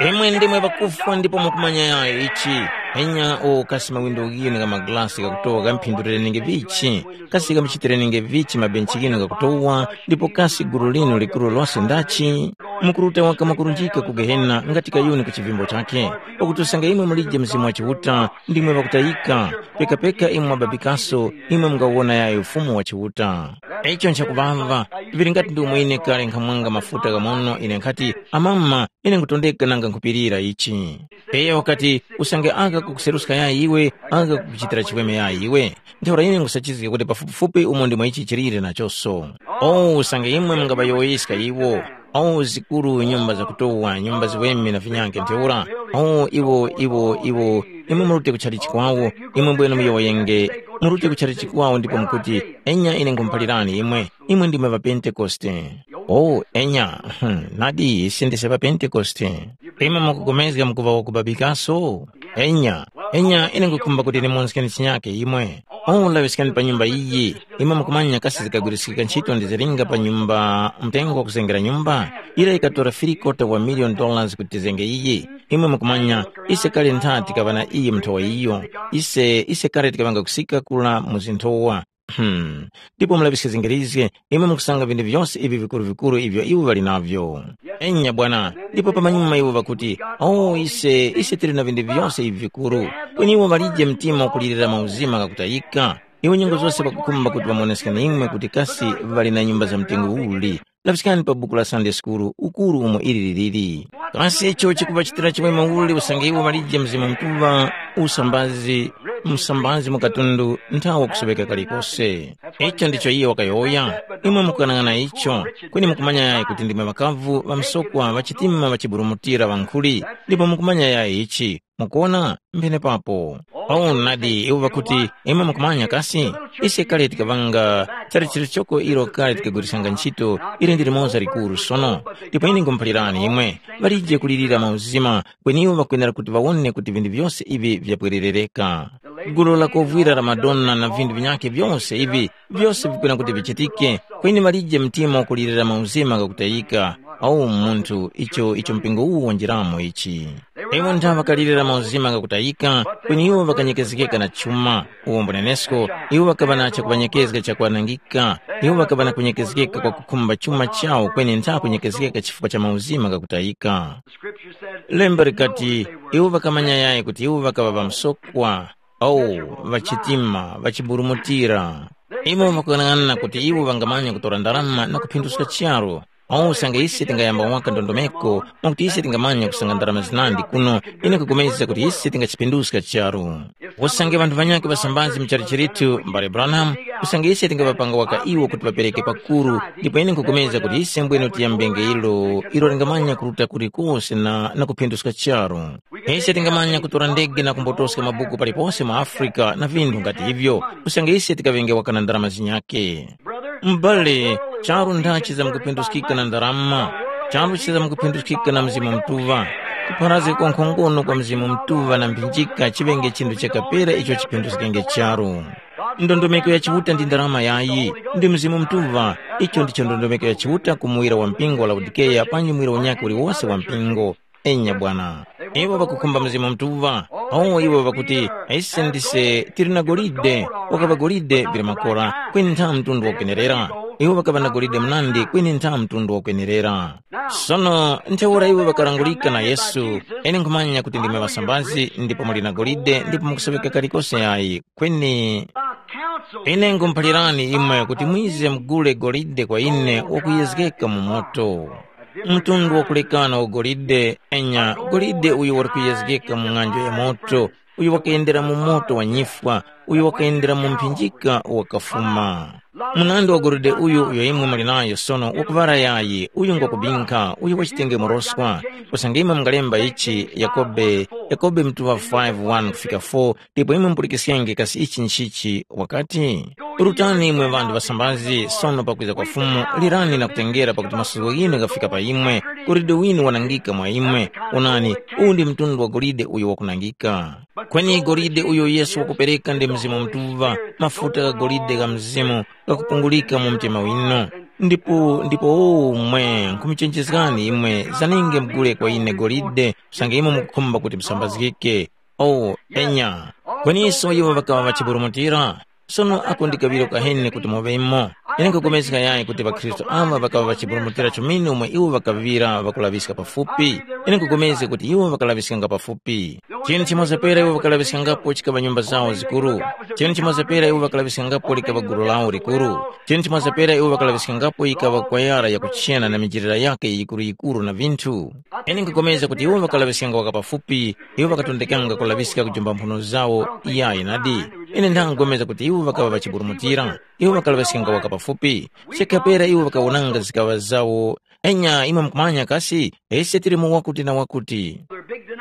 Imwe ndimwe ŵakufwa ndipo mukumanya yayo ichi. Enya o kasi mawindo ghinu gha magalasi ghakutowa ghamphindulirenge vichi? Kasi ghamuchitirenenge vichi mabenchi ghinu ghakutowa? Ndipo kasi gulu linu likuru lose ndachi? Mukuruta waka mwakurunjika ku Gehena ngati kayuni ku chivimbo chakhe. Pakuti usange imwe mulije Mzimu wa Chiuta, ndimwe ŵakutayika, pekapeka imwe mwababikaso, imwe mungawona yayo Ufumu wa Chiuta. Icho nchakuŵavya, vili ngati ndi umo ine kale nkhamwanga mafuta ghamono, ine nkhati, Amama, ine nkutondeka nanga nkhupirira ichi. Iyo wakati, usange aka kukuseruska yayi iwe, aka kukuchitira chiweme yayi iwe. Ntheura ine nkhusachizga kuti pafupifupi umo ndimo ichi chilire nachoso. O usange imwe mungaŵayowoyeska iwo, o zikuru nyumba zakutowa, nyumba ziweme na vinyange ntheura, o iwo iwo iwo, imwe murute kuchali chikwawo, imwe mbwene muyowoyenge, murute kuchali chikwawo ndipo mukuti, enya ine nkhumuphalirani imwe, imwe ndimwe ŵapentekoste. O enya, hmm, nadi ise ndise ŵapentekoste. Imwe mukupulikana mukuŵa wakubabikaso? Enya, enya ine nkukhumba kuti ndimonskeni chinyake imwe. O laŵiskani pa nyumba iyi, imwe mukumanya kasi zikagwiriskika ntchito ndi zilinga pa nyumba mtengo wa kuzengera nyumba? Ira ikatora three quarter wa million dollars kuti tizenge iyi. Imwe mukumanya, ise kale ntha tikaŵa na iyi mnthowa iyo. Ise, ise kale tikaŵanga kusika kula mu zinthowa. Hmm. Ndipo mulaŵiske zingirizge, imwe mukusanga vinthu vyose ivi vikuru-vikuru ivyo iwo ŵali navyo. Enya bwana, ndipo pamanyuma iwo ŵakuti, oh ise, ise tili na vinthu vyose ivi vikuru. Kweni iwo ŵalije mtima wakulirira mauzima ghakutayika. Iwo nyengo zose ŵakukhumba kuti ŵamuoneskeni imwe kuti kasi ŵali na nyumba za mtengo uli. Laŵiskani pa buku la Sunday School ukuru umo ili liliri. Kasi icho chikuŵachitira chimwemwe uli usange iwo ŵalije Mzimu Mutuŵa usambazi, msambazi mu katundu nthawo kusoŵeka kalikose? Icho ndicho iye wakayowoya. Imwe mukukanang'ana icho, kweni mukumanya yayi kuti ndimwe ŵakavu ŵamsokwa ŵachitima ŵachiburumutira ŵankhuli, ndipo mukumanya yayi ichi. Mukuwona? Mpenepapo. Paulo nadi iwo ŵakuti, imwe mukumanya kasi? Ise kale tikaŵanga chara chilichoko ilo kale tikagwiriskanga ntchito ili ndi limoza likuru sono. Ndipo ine nkhumuphalirani imwe, ŵalije kulirira mauzima, kweni iwo ŵakwenera kuti ŵawone kuti vinthu vyose ivi vyapwererereka. Gulu la kovwira la Madonna na vinthu vinyakhe vyose ivi, vyose vikwena kuti vichitike, kweni ŵalije mtima wakulirira mauzima ghakutayika. Awu munthu, icho icho mpingo uwu wanjiramo ichi. Iwo ntha ŵakalirira mauzima ghakutayika, kweni iwo ŵakanyekezgeka na chuma. Uwo mbunenesko, iwo ŵakaŵa na chakuŵanyekezga chakwanangika. Iwo ŵakaŵa na kunyekezgeka kwa kukhumba chuma chawo kweni ntha kunyekezgeka chifukwa cha mauzima ghakutayika. Lemba likati, iwo ŵakamanya yayi kuti iwo ŵakaŵa ŵamsokwa, awu, ŵachitima, ŵachiburumutira. Iwo ŵakuyang'ana kuti iwo ŵangamanya kutora ndarama na kuphinduska charu. Awu usange ise tingayamba waka ndondomeko, mwakuti ise tingamanya kusanga ndarama zinandi kuno, ine kupulikana kuti ise tingachiphinduska charu. Usange ŵanthu ŵanyakhe ŵasambazi mu chalichi chithu, mbale Branham, usange ise tingaŵapanga waka iwo kuti ŵapereke pakuru, ndipo ine nkupulikana kuti ise mbwene tiyambenge ilo, ilo lingamanya kuruta kulikose na, na kuphinduska charu. Ise tingamanya kutora ndege na kumbotoska mabuku palipose mu Afrika na vinthu ngati ivyo, usange ise tikaŵenge waka na ndarama zinyakhe. M'bale, charu ntha chizamkuphinduskika na ndarama, charu chizamkuphinduskika na Mzimu Mutuŵa. Kupharazga kwa nkhongono kwa Mzimu Mutuŵa na mphinjika chiŵenge chinthu chakapera icho chiphinduskenge charu. Ndondomeko ya Chiuta ndi ndarama yayi, ndi Mzimu Mutuŵa. Icho ndicho ndondomeko ya Chiuta ku muwira wa mpingo wa Laodikeya panji muwira unyakhe uliwose wa mpingo. Enya bwana. Iwo ŵakukhumba Mzimu Mutuŵa. Awo iwo ŵakuti, ise ndise tili na golide, wakaŵa golide vili makora, kweni ntha mtundu wakwenerera. Iwo ŵakaŵa na golide munandi kweni ntha mtundu wakwenerera. Sono ntheura iwo ŵakalangulika na Yesu, ine nkhumanya kuti ndimwe ŵasambazi ndipo muli na golide ndipo mukusoŵeka kalikose yayi, kweni ine nkhumuphalirani imwe kuti mwize mugule golide kwa ine wakuyezgeka mu moto. Mtundu wakulekana wa golide, enya, golide uyo wali kuyezgeka mu ng'anjo ya moto, uyo wakayendera mu moto wa nyifwa, uyo wakayendera mu mphinjika wakafuma. Munandi wa golide uyu uyo imwe muli nayo sono wakuŵara yayi, uyu ngwakubinkha, uyu wachitenge muroswa. Usange imwe mungalemba ichi, Yakobe, Yakobe mtuŵa five one kufika four, ndipo imwe mupulikiskenge kasi ichi nchichi, wakati, rutani imwe ŵanthu ŵasambazi, sono pakwiza kwa Fumu, lirani na kutengera pakuti masuko ghinu ghafika pa imwe, golide winu wanangika mwa imwe. Onani, uwu ndi mtundu wa golide uyo wakunangika. Kweni golide uyo Yesu wakupereka ndi Mzimu Mutuŵa, mafuta gha golide gha Mzimu ghakupungulika mu mtima winu. Ndipo, ndipo umwe, nkhumuchenjezgani imwe, zaninge mugule kwa ine golide, usange imwe mukukhumba kuti musambazgike. O, enya. Kweniso iwo ŵakaŵa ŵachiburumutira. Sono ako ndi kaŵiro kaheni kuti muŵemo. Ine nkhupulikana yayi kuti ŵakhristu awa ŵakaŵa ŵachiburumutira chomene umo iwo ŵakaŵira ŵakulaŵiska pafupi. Ine nkhupulikana kuti iwo ŵakalaŵiskanga pafupi. Chinthu chimoza pera iwo ŵakalaŵiskangapo chikaŵa nyumba zawo zikuru. Chinthu chimoza pera iwo ŵakalaŵiskangapo likaŵa gulu lawo likuru. Chinthu chimoza pera iwo ŵakalaŵiskangapo yikaŵa kwayara yakuchena na mijirira yake yikuru-yikuru na vinthu. Ine nkhupulikana kuti iwo ŵakalaŵiskanga waka pafupi, iwo ŵakatondekanga kulaŵiska kujomba mphuno zawo. Iyayi nadi. Ine nthangomeza kuti iwo ŵakaŵa ŵachiburumutira. Iwo ŵakalaŵiskanga waka pafupi. Chekha pera iwo ŵakawonanga zikaŵa zawo. Enya imwe mukumanya kasi, ise tili mu wakuti na wakuti.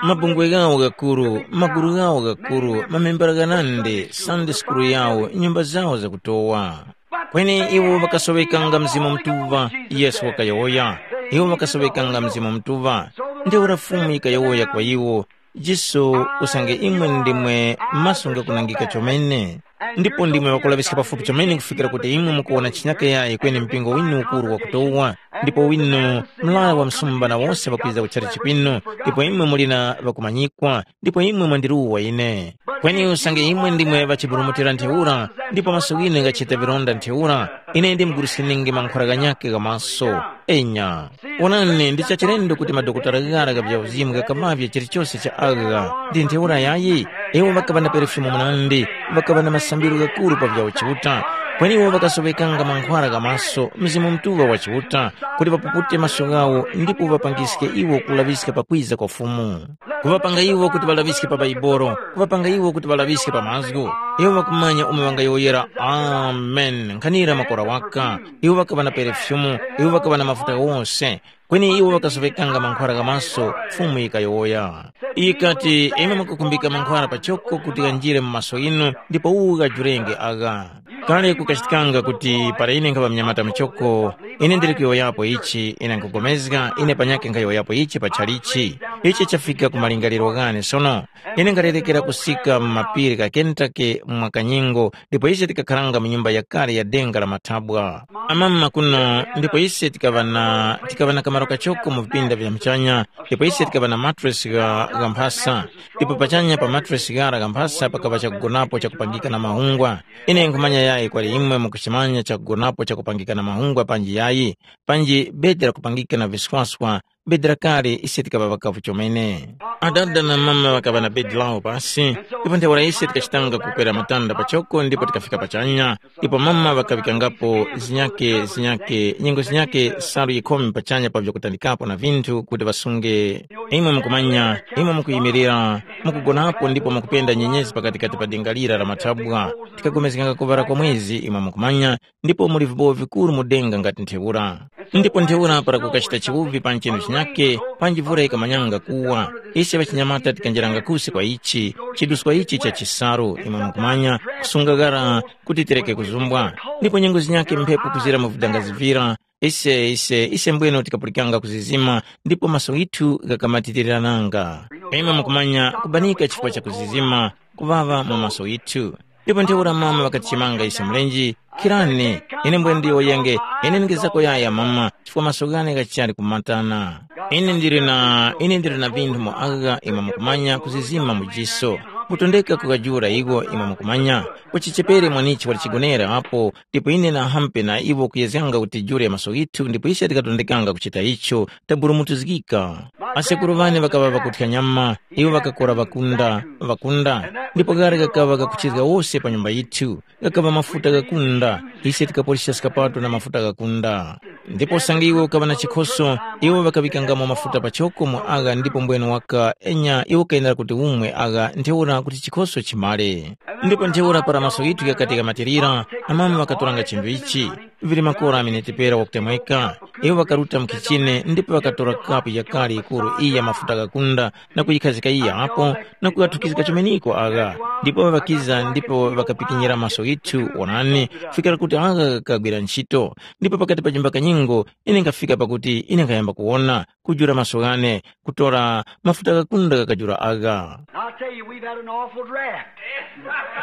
Mabungwe ghawo ghakuru, magulu ghawo ghakuru, mamembera ghanandi, Sunday school yawo, nyumba zawo zakutowa. Kweni iwo ŵakasoŵekanga Mzimu Mutuŵa, Yesu wakayowoya. Iwo ŵakasoŵekanga Mzimu Mutuŵa. Ntheura Fumu yikayowoya kwa iwo, Jiso, usange imwe ndimwe maso ghakunangika chomene, ndipo ndimwe ŵakulaŵiska pafupi chomene kufikira kuti imwe mukuwona chinyakayayi kweni mpingo winu ukuru wakutowa, ndipo winu mlaya wa msumba na wose ŵakwiza kuchali chipinu, ndipo imwe muli na ŵakumanyikwa, ndipo imwe mwandiruwa ine. Kweni usange imwe ndimwe ŵachiburumutira ntheura, ndipo maso ghinu ghachita vilonda ntheura, ine ndimgurusininge mankhwara ghanyakhe gha maso. Enya, wonani, ndi chachilendo kuti madokotala ghara gha vyauzimu ghakamavye chilichose cha agha. Ndi ntheura yayi, iwo ŵakaŵa na perefyumu munandi, ŵakaŵa na masambiro ghakuru pa vya Chiuta. Kweni iwo ŵakasoŵekanga mankhwara gha maso, Mzimu Mutuŵa wa Chiuta, kuti ŵapupute maso ghawo ndipo ŵapangiske iwo kulaŵiska pakwiza kwa Fumu. Kuŵapanga iwo kuti ŵalaŵiske pa Baibolo, kuŵapanga iwo kuti ŵalaŵiske pa mazgu. Iwo ŵakumanya umo ŵangayowoyera, “Amen,” nkhanira makora waka. Iwo ŵakaŵa na perefyumu, iwo ŵakaŵa na mafuta ghose, kweni iwo ŵakasoŵekanga mankhwara gha maso, Fumu yikayowoya. Yikati, “Imwe mukukhumbika mankhwara pachoko kuti ghanjire mu maso ghinu, ndipo uwu ghajurenge agha.” Kale kukachitikanga kuti para ine nkhaŵa mnyamata muchoko, ine ndili kuyowoyapo ichi, ine nkhupulikana, ine panyakhe nkhayowoyapo ichi pa chalichi. Ichi chafika ku malingaliro ghane sono. Ine nkalerekera kusika mu mapiri gha Kentucky mwa kanyengo, ndipo ise tikakharanga mu nyumba yakale ya denga la mathabwa. Amama kuno, ndipo ise tikaŵa na, tikaŵa na kamaro kachoko mu vipinda vya muchanya, ndipo ise tikaŵa na matresi gha, gha mphasa. Ndipo pachanya pa matresi ghara gha mphasa pakaŵa chakugonapo chakupangika na mahungwa. Ine nkhumanya yayi kwali imwe mukuchimanya chakugonapo chakupangika na mahungwa panji yayi, panji bedi lakupangika na viswaswa, bedi lakale ise tikaŵa ŵakavu chomene. Adada na mama ŵakaŵa na bedi lawo pasi, ndipo ntheura ise tikachitanga kukwera matanda pachoko ndipo tikafika pachanya, ndipo mama ŵakaŵikangapo zinyake zinyake nyengo zinyake salu yikhomi pachanya pa vyakutandikapo na vinthu kuti ŵasunge. Imwe mukumanya, imwe mukuyimirira, mukugonapo ndipo mukupenda nyenyezi pakatikati pa denga lira la mathabwa. Tikapulikana kuŵala kwa mwezi imwe mukumanya, ndipo muli vibowo vikuru mu denga ngati ntheura. Ndipo ntheura para kukachita chiwuvi pa nchenu chinyake, panji vura yikamanyanga kuwa, ise ŵachinyamata tikanjeranga kusi kwa ichi, chiduswa ichi cha chisalu imwe mukumanya, kusunga ghara kuti tireke kuzumbwa. Ndipo nyengo zinyake mphepo kuzira mu vidangazi vira, ise ise ise mbweno tikapulikanga kuzizima, ndipo maso ghithu ghakamatiriranga. Imwe mukumanya kubanika chifukwa cha kuzizima, kuŵaŵa mu maso ghithu. Ndipo ntheura mama ŵakatichemanga ise mlenje, “Khirani, ine mbwene ndiyowoyenge, ine ndingezako yaya mama, chifukwa maso ghane ghachali kumatana. Ine ndili na, ine ndili na vinthu mu agha imwe mukumanya kuzizima mu jiso. Mutondeka kukajula igho imwe mukumanya, kuchichepere mwanichi wali chigonere apo, ndipo ine nahampe na iwo kuyezganga kuti jule maso ghithu ndipo ise tikatondekanga kuchita icho, taburumutuzgika. Asekuru ŵane ŵakaŵa ŵakuthya nyama, iwo ŵakakora ŵakunda, ŵakunda, ndipo ghara ghakaŵa ghakuchizga wose pa nyumba yithu, ghakaŵa mafuta ghakunda, ise tikapoleska skapato na mafuta ghakunda. Ndipo usange iwe ukaŵa na chikhoso, iwo ŵakaŵikangamo mafuta pachoko mu agha ndipo mbwene waka enya iwo kayenera kuti umwe agha ntheura kuti chikhoso chimale. Ndipo ntheura para maso ghithu ghakati ghamatirira, amama ŵakatoranga chinthu ichi, vili makora amenetepera wakutemweka. Iwo ŵakaruta mu khichine ndipo ŵakatora kapu yakale yikuru iyi ya mafuta ghakunda na kuyikhazika iya apo na kughathukizga chumeneko agha. Ndipo ŵakiza ndipo ŵakapikinyira maso ghithu, wonani, kufikira kuti agha ghakagwira ntchito. Ndipo pakati pa chimba kanyengo ine nkhafika pakuti ine nkhayamba kuwona, kujula maso ghane, kutora mafuta ghakunda ghakajula agha. I'll tell you, we've had an awful draft.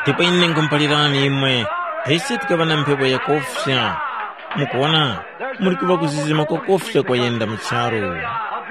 Ndipo ine nkhumuphalirani imwe, ise tikaŵa na mphepo yakofya. Mukuwona, muli kuŵa kuzizima kwakofya kwayenda mu charu.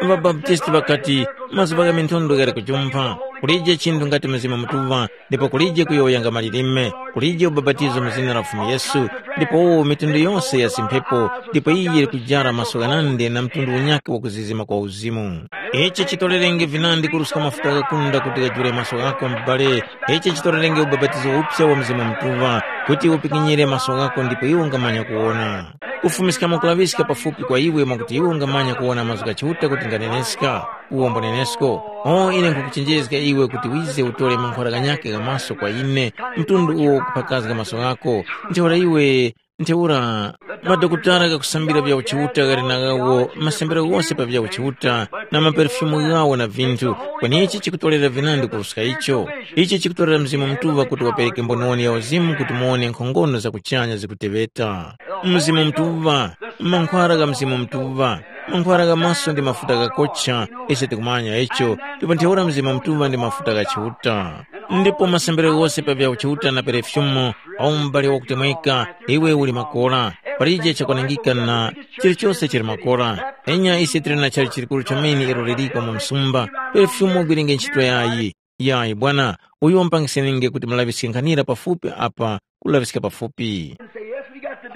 Ŵabaptisti ŵakati, mazuŵa gha minthondo ghali kujumpha. Kulije chinthu ngati Mzimu Mutuŵa, ndipo kulije kuyowoyanga malilime, kulije ubapatizo mu zina la Fumu Yesu, ndipo uwo mitundu yose ya zimphepo, ndipo iyi yili kujara maso ghanandi na mtundu unyakhe wakuzizima kwa uzimu. Ichi chitorerenge vinandi kuruska mafuta ghakunda kuti ghajule maso ghako m'bale, ichi chitorerenge ubapatizo uphya wa Mzimu Mutuŵa, kuti upikinyire maso ghako ndipo iwe ungamanya kuwona. Kufumiskamo kulaŵiska pafupi kwa iwe mwakuti iwe ungamanya kuwona mazgu gha Chiuta kuti nganeneska, uwombo nenesko. O ine nkhukuchenjezga iwe kuti wize utore mankhwara ghanyakhe gha maso kwa ine, mtundu uwo ukuphakazga maso ghako, ntheura iwe ntheura madokotala ghakusambira vya uchiuta ghali na ghawo masambiro ghose pa vya uchiuta na maperefyumu ghawo na vinthu, kweni ichi chikutorera vinandi kuruska icho. Ichi chikutorera Mzimu Mutuŵa kuti wapereke mboniwoni ya uzimu kuti muwone nkhongono za kuchanya zikuteŵeta. Mzimu Mutuŵa, mankhwara gha Mzimu Mutuŵa, mankhwara gha maso ndi mafuta ghakocha, ise tikumanya icho, ndipo ntheura Mzimu Mutuŵa ndi mafuta gha Chiuta. Ndipo masambiro ghose pa vya Chiuta na perefyumu, au m'bale wakutemweka, iwe uli makora, palije chakwanangika na chilichose chili makora. Enya ise tili na chali chilikuru chomene ilo liliko mu msumba, perefyumu ugwirenge ntchito yayi. Yayi bwana, uyo mpangisenenge kuti mulaŵiske nkhanira pafupi apa kulaŵiska pafupi.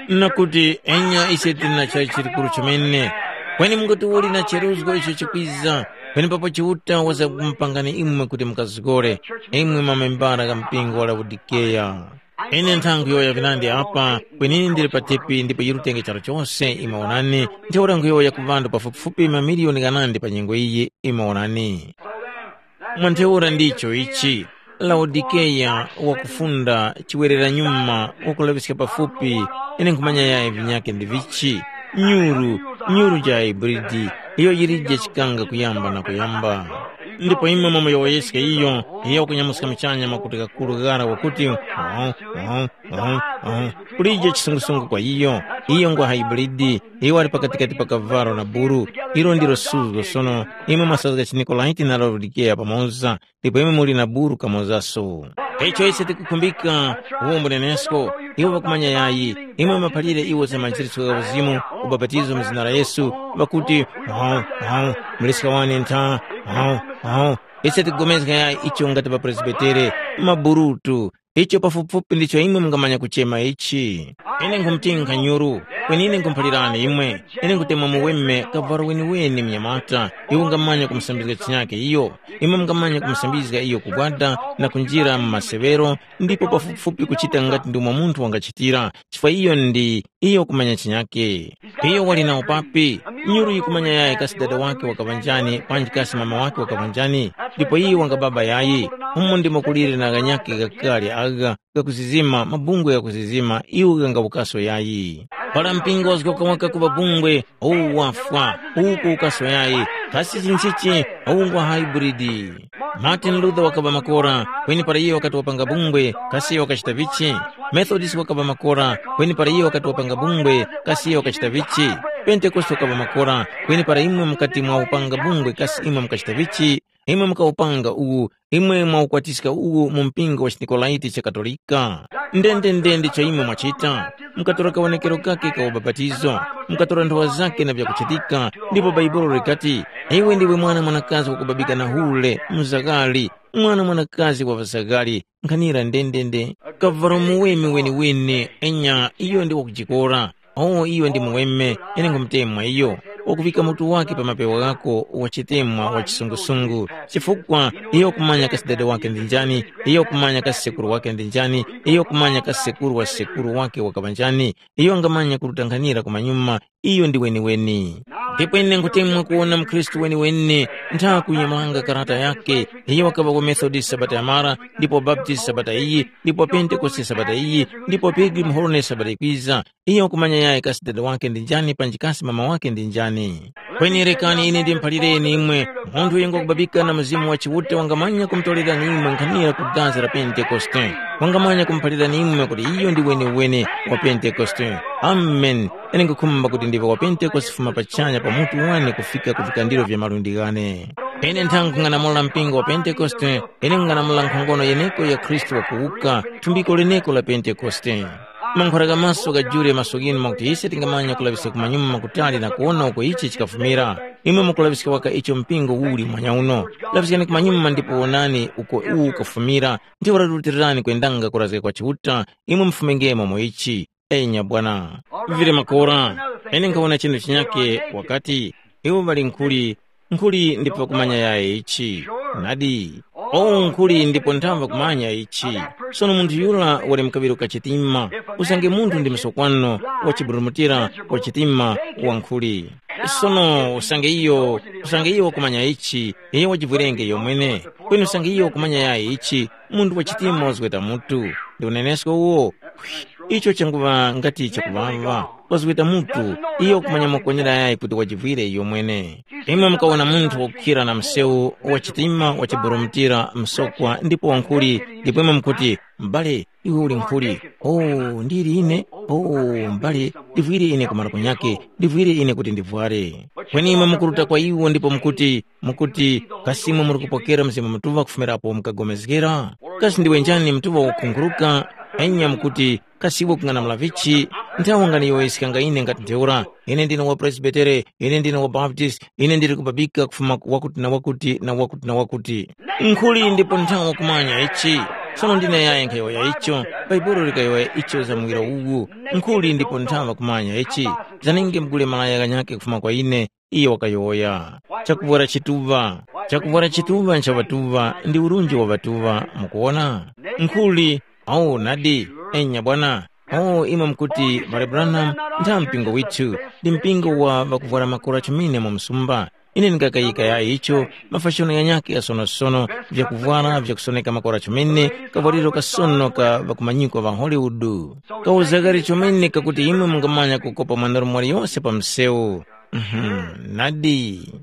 Na kuti enya ise tili na chayi chikuru chomene, kweni mungati uli na cheruzgo icho chikwiza, penepapo Chiuta wazamkumupangani imwe kuti mukazgore, imwe mamembara gha mpingo wa Laodikeya. Ine nthanga kuyowoya vinandi apa, kweni ine ndili patepi ndipo yirutenge charu chose, imwe onani, ntheura nkhuyowoya ku ŵanthu pafupifupi mamiliyoni ghanandi pa nyengo iyi, imwe onani. Mwa ntheura ndicho ichi, Laodikeya wakufunda chiwereranyuma wakulaŵiska pafupi, ine nkhumanya yayi vinyakhe ndi vichi, nyuru, nyuru ja Hebridi, iyo yilije chikanga kuyamba na kuyamba. Ndipo imwe mwamuyowoyeska iyo, iyo wakunyamuska muchanya makuti ghakuru ghara wakuti, "Oh, oh, oh, oh." Kulije chisungusungu kwa iyo, iyo ngwa Hebridi, iyo wali pakatikati pa kavalo na buru, ilo ndilo suzgo sono, imwe mwasazga chinikolaiti na Laodikeya pamoza, ndipo imwe muli na buru kamozaso. Icho ise tikukhumbika, uwombo nenesko, iwo ŵakumanya yayi, imwe maphalire iwo za manjiriso gha uzimu, ubapatizo mu zina la Yesu, ŵakuti, "Hau, hau, muliska wane ntha, hau, hau." Ise tikugomezga yayi icho ngati ŵapresbitere, maburutu, icho pafupifupi ndicho imwe mungamanya kuchema ichi. Ine nkhumutinkha nyuru, kweni ine nkhumuphalirani imwe, ine nkhutemwa muweme kavalo weniweni mnyamata, iwe ungamanya kumusambizga chinyake iyo, imwe mungamanya kumusambizga iyo kugwada na kunjira mu maseŵero, ndipo pafupifupi kuchita ngati ndi umo munthu wangachitira, chifukwa iyo ndi iyo kumanya chinyake. Iyo wali na upapi, nyuru yikumanya yayi kasi dada wake wakaŵa njani, panji kasi mama wake wakaŵa njani, ndipo iyo wanga baba yayi, umo ndimo kulire na ghanyake ghakale agha, gakuzizima, mabungwe ghakuzizima, iwo ghangawukaso yayi. Para mpingo wazgoka waka kuŵa bungwe, uwu wafwa, uwu kuwukaso yayi, kasi chinchichi, uwu ngwa hybrid. Martin Luther wakaŵa makora, kweni para iyo wakati wapanga bungwe, kasi iyo wakachita vichi? Methodist wakaŵa makora, kweni para iyo wakati wapanga bungwe, kasi iyo wakachita vichi? Pentekoste wakaŵa makora, kweni para imwe mukati mwa upanga bungwe, kasi imwe mukachita vichi? Imwe mukawupanga uwu, imwe mwawukwatiska uwu mu mpingo wa chiNikolaiti cha Katolika. Ndendende ndicho imwe mwachita. Mukatora kawonekero kake ka ubapatizo, mukatora nthowa zake na vyakuchitika, ndipo Bhaibuli likati, "Iwe ndiwe mwana mwanakazi wakubabika na hule, mzaghali, mwana mwanakazi wa ŵazaghali, nkhanira ndendende." Kavalo muweme wenewene, enya iyo ndi wakujikora. O iyo ndi muweme, ine nkhumutemwa iyo, wakuŵika mutu wake pa mapewa ghako, wachitemwa wa chisungusungu, chifukwa iyo wakumanya kasi dada wake ndi njani, iyo wakumanya kasi sekuru wake ndi njani, iyo wakumanya kasi sekuru wa sekuru wake wakaŵa njani, iyo wangamanya kurutanghanira kumanyuma, iyo ndi weniweni. Ndipo ine nkutemwa kuwona mukhristu weniweni ntha kunyamulanga karata yake, iyo wakaŵa wa Methodist sabata yamara, ndipo wa Baptist sabata iyi, ndipo wa Pentekoste sabata iyi, ndipo wa Pilgrim Holiness sabata yikwiza, iyo wakumanya yayi kasi dada wake ndi njani panji kasi mama wake ndi njani. Kweni rekani ine ndimuphalireni imwe, munthu uyo ngwakubabika na Mzimu wa Chiuta wangamanya kumutorerani imwe nkhanira ku dazi la Pentekoste. Wangamanya kumuphalirani imwe kuti iyo ndi wenewene wa Pentekoste. Amen. Ine nkhukhumba kuti ndiŵe wa Pentekoste kufuma pachanya pa mutu wane kufika ku vikandiro vya malundi ghane. Ine nthanga nkhung'anamula mpingo wa Pentekoste, ine nkhung'anamula nkhongono yeneko ya Khristu wakuwuka, thumbiko leneko la Pentekoste. Mankhwera ka maso gajule maso ghinu mwakuti ise tingamanya kulaŵiska kumanyuma kutali na kuwona uko ichi chikafumira. Imwe mukulaŵiska waka icho mpingo uli mwanyauno. Laŵiskani kumanyuma ndipo wonani uko uwu ukafumira, ndipo rutilirani kwendanga kurazga kwa Chiuta, imwe mufumengemo mu ichi. Enya bwana. Vili makora, ine nkhawona chinthu chinyake wakati, iwo ŵali nkhuli, nkhuli ndipo kumanya yaye ichi. Nadi, o nkhuli ndipo nthamva kumanya ichi. Sono munthu yura wali mkaŵiro ka chitima, usange munthu ndi msokwano wa chiburumutira wa chitima wa nkhuli. Sono usange iyo, usange iyo wakumanya ichi, iyo wajivwirenge iyo mwene. Kweni usange iyo wakumanya yaye ichi, munthu wa chitima wazgweta mutu. Ndi unenesko uwo. Icho changuŵa ngati chakuŵaŵa, wazgweta mutu, iyo kumanya makwenera yayi kuti wajivwire iyo mwene. Imwe mukawona munthu wakukhira na msewu wa chitima wa chiburumutira msokwa ndipo wankhuli, ndipo imwe mukuti, m'bale, iwe uli nkhuli. Oh, ndili ine? Oh, m'bale, ndivwire ine kumara kunyake, ndivwire ine kuti ndivware. Kweni imwe mukuruta kwa iwo ndipo mukuti, mukuti, kasi imwe muri kupokera Mzimu Mutuŵa kufumira apo mukagomezgera? Kasi ndiwe njani Mutuŵa wakukhunguruka? Enya mukuti, kasi iwe kung'anamula vichi? Nthawi wangani yowoyeskanga ine ngati ntheura, ine ndine wa Presbitere, ine ndine wa Baptist, ine ndili kubabika kufuma ku wakuti na wakuti na wakuti na wakuti. Nkhuli ndipo nthawi wakumanya ichi. Sono ndine yayi nkhayowoya icho, Bhaibuli likayowoya icho za muwiro uwu. Nkhuli ndipo nthawi wakumanya ichi. Zanenge mugule malaya ghanyakhe kufuma kwa ine, iyo wakayowoya. Chakuvwara chituŵa. Chakuvwara chituŵa ncha ŵatuŵa ndi urunji wa ŵatuŵa, mukuwona? Nkhuli, awo nadi, enya bwana. Oh, imwe mukuti, Mbale Branham, ntha mpingo withu, ndi mpingo wa ŵakuvwara makora chomene mu msumba. Ine ndingakayika yayi icho, mafashono ghanyakhe ghasonosono, vyakuvwara vyakusoneka makora chomene, kavwariro kasono ka ŵakumanyikwa ŵa Hollywood. Kawuzagari chomene kakuti imwe mungamanya kukopa mwanarume waliyose pa msewu. Mhm, nadi.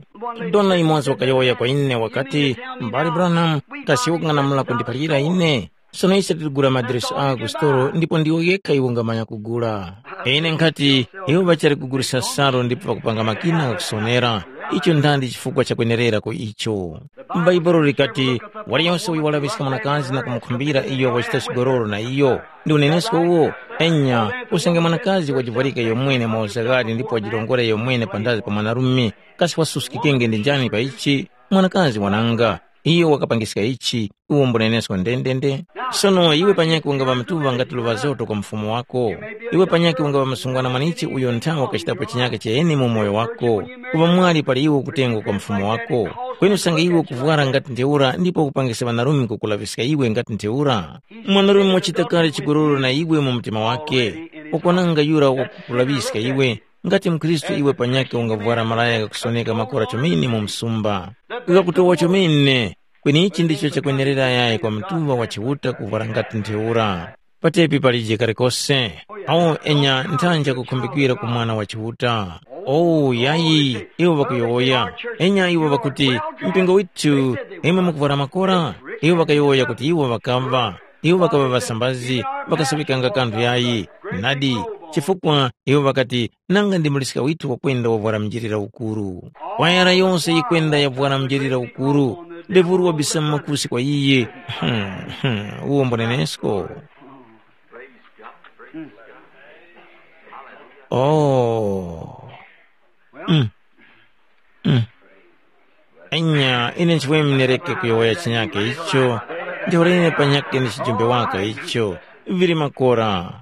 Dona yumoza wakayowoya kwa ine wakati, Mbale Branham, kasi iwe kung'anamula kundiphalira ine? Sono ise tiligula madiresi agho ku sitolo ndipo ndiwo yekha iwo ungamanya kugula. Ine nkhati, iwo ŵachali kugulisa salu ndipo ŵakupanga makina ghakusonera. Icho ndandi chifukwa chakwenererako icho. M'Baibulo likati, waliyose uyo walaŵiska mwanakazi na kumukhumbira iyo wachita chigololo na iyo. Ndi unenesko uwo? Enya, usange mwanakazi wajivwarika iyo mwene mauzaghali ndipo wajirongora iyo mwene panthazi pa mwanarume, kasi wasuskikenge ndi njani pa ichi? Mwanakazi wananga, iyo wakapangiska ichi, uwo mbunenesko ndendende. Sono iwe panyakhe ungaŵa mtuŵa ngati luŵa zoto kwa mfumu wako. Iwe panyakhe ungaŵa msungwana mwanichi uyo nthawe wakachitapo chinyakhe cheni mu moyo wako. Kuŵa mwali pali iwe kutengwa kwa mfumu wako. Kweni usange iwe ukuvwara ngati ntheura ndipo ukupangisa ŵanarume kukulaŵiska iwe ngati ntheura. Mwanarume wachita kale chigololo na iwe mu mtima wake. Ukwananga yura wakukulaŵiska iwe. Ngati mkhristu iwe panyakhe ungavwara malaya ghakusoneka makora chomene mu msumba, ghakutowa chomene, kweni ichi ndicho chakwenerera yayi kwa mtuŵa wa Chiuta kuvwara ngati ntheura. Patepi palije kalikose. Awo enya nthanja kukhumbikira ku mwana wa Chiuta. Oh, yayi, iwo ŵakuyowoya. Enya iwo ŵakuti, mpingo withu, imwe mukuvwara makora? Iwo ŵakayowoya kuti iwo ŵakamva. Iwo ŵakaŵa ŵasambazi, ŵakasaŵikanga kanthu yayi. Nadi, chifukwa iwo ŵakati, nanga ndi muliska withu wakwenda wavwara mnjilira ukuru. Kwayara yose yikwenda yavwara mnjilira ukuru, ndevuru wabisa makusi kwa iye. Hmm, hmm, uwo mbunenesko. Oh. Mm. Mm. Enya, ine nchimwemwe ndireke kuyowoya chinyake icho, ntheura ine panyakhe ndi chijumbe waka icho, vili makora.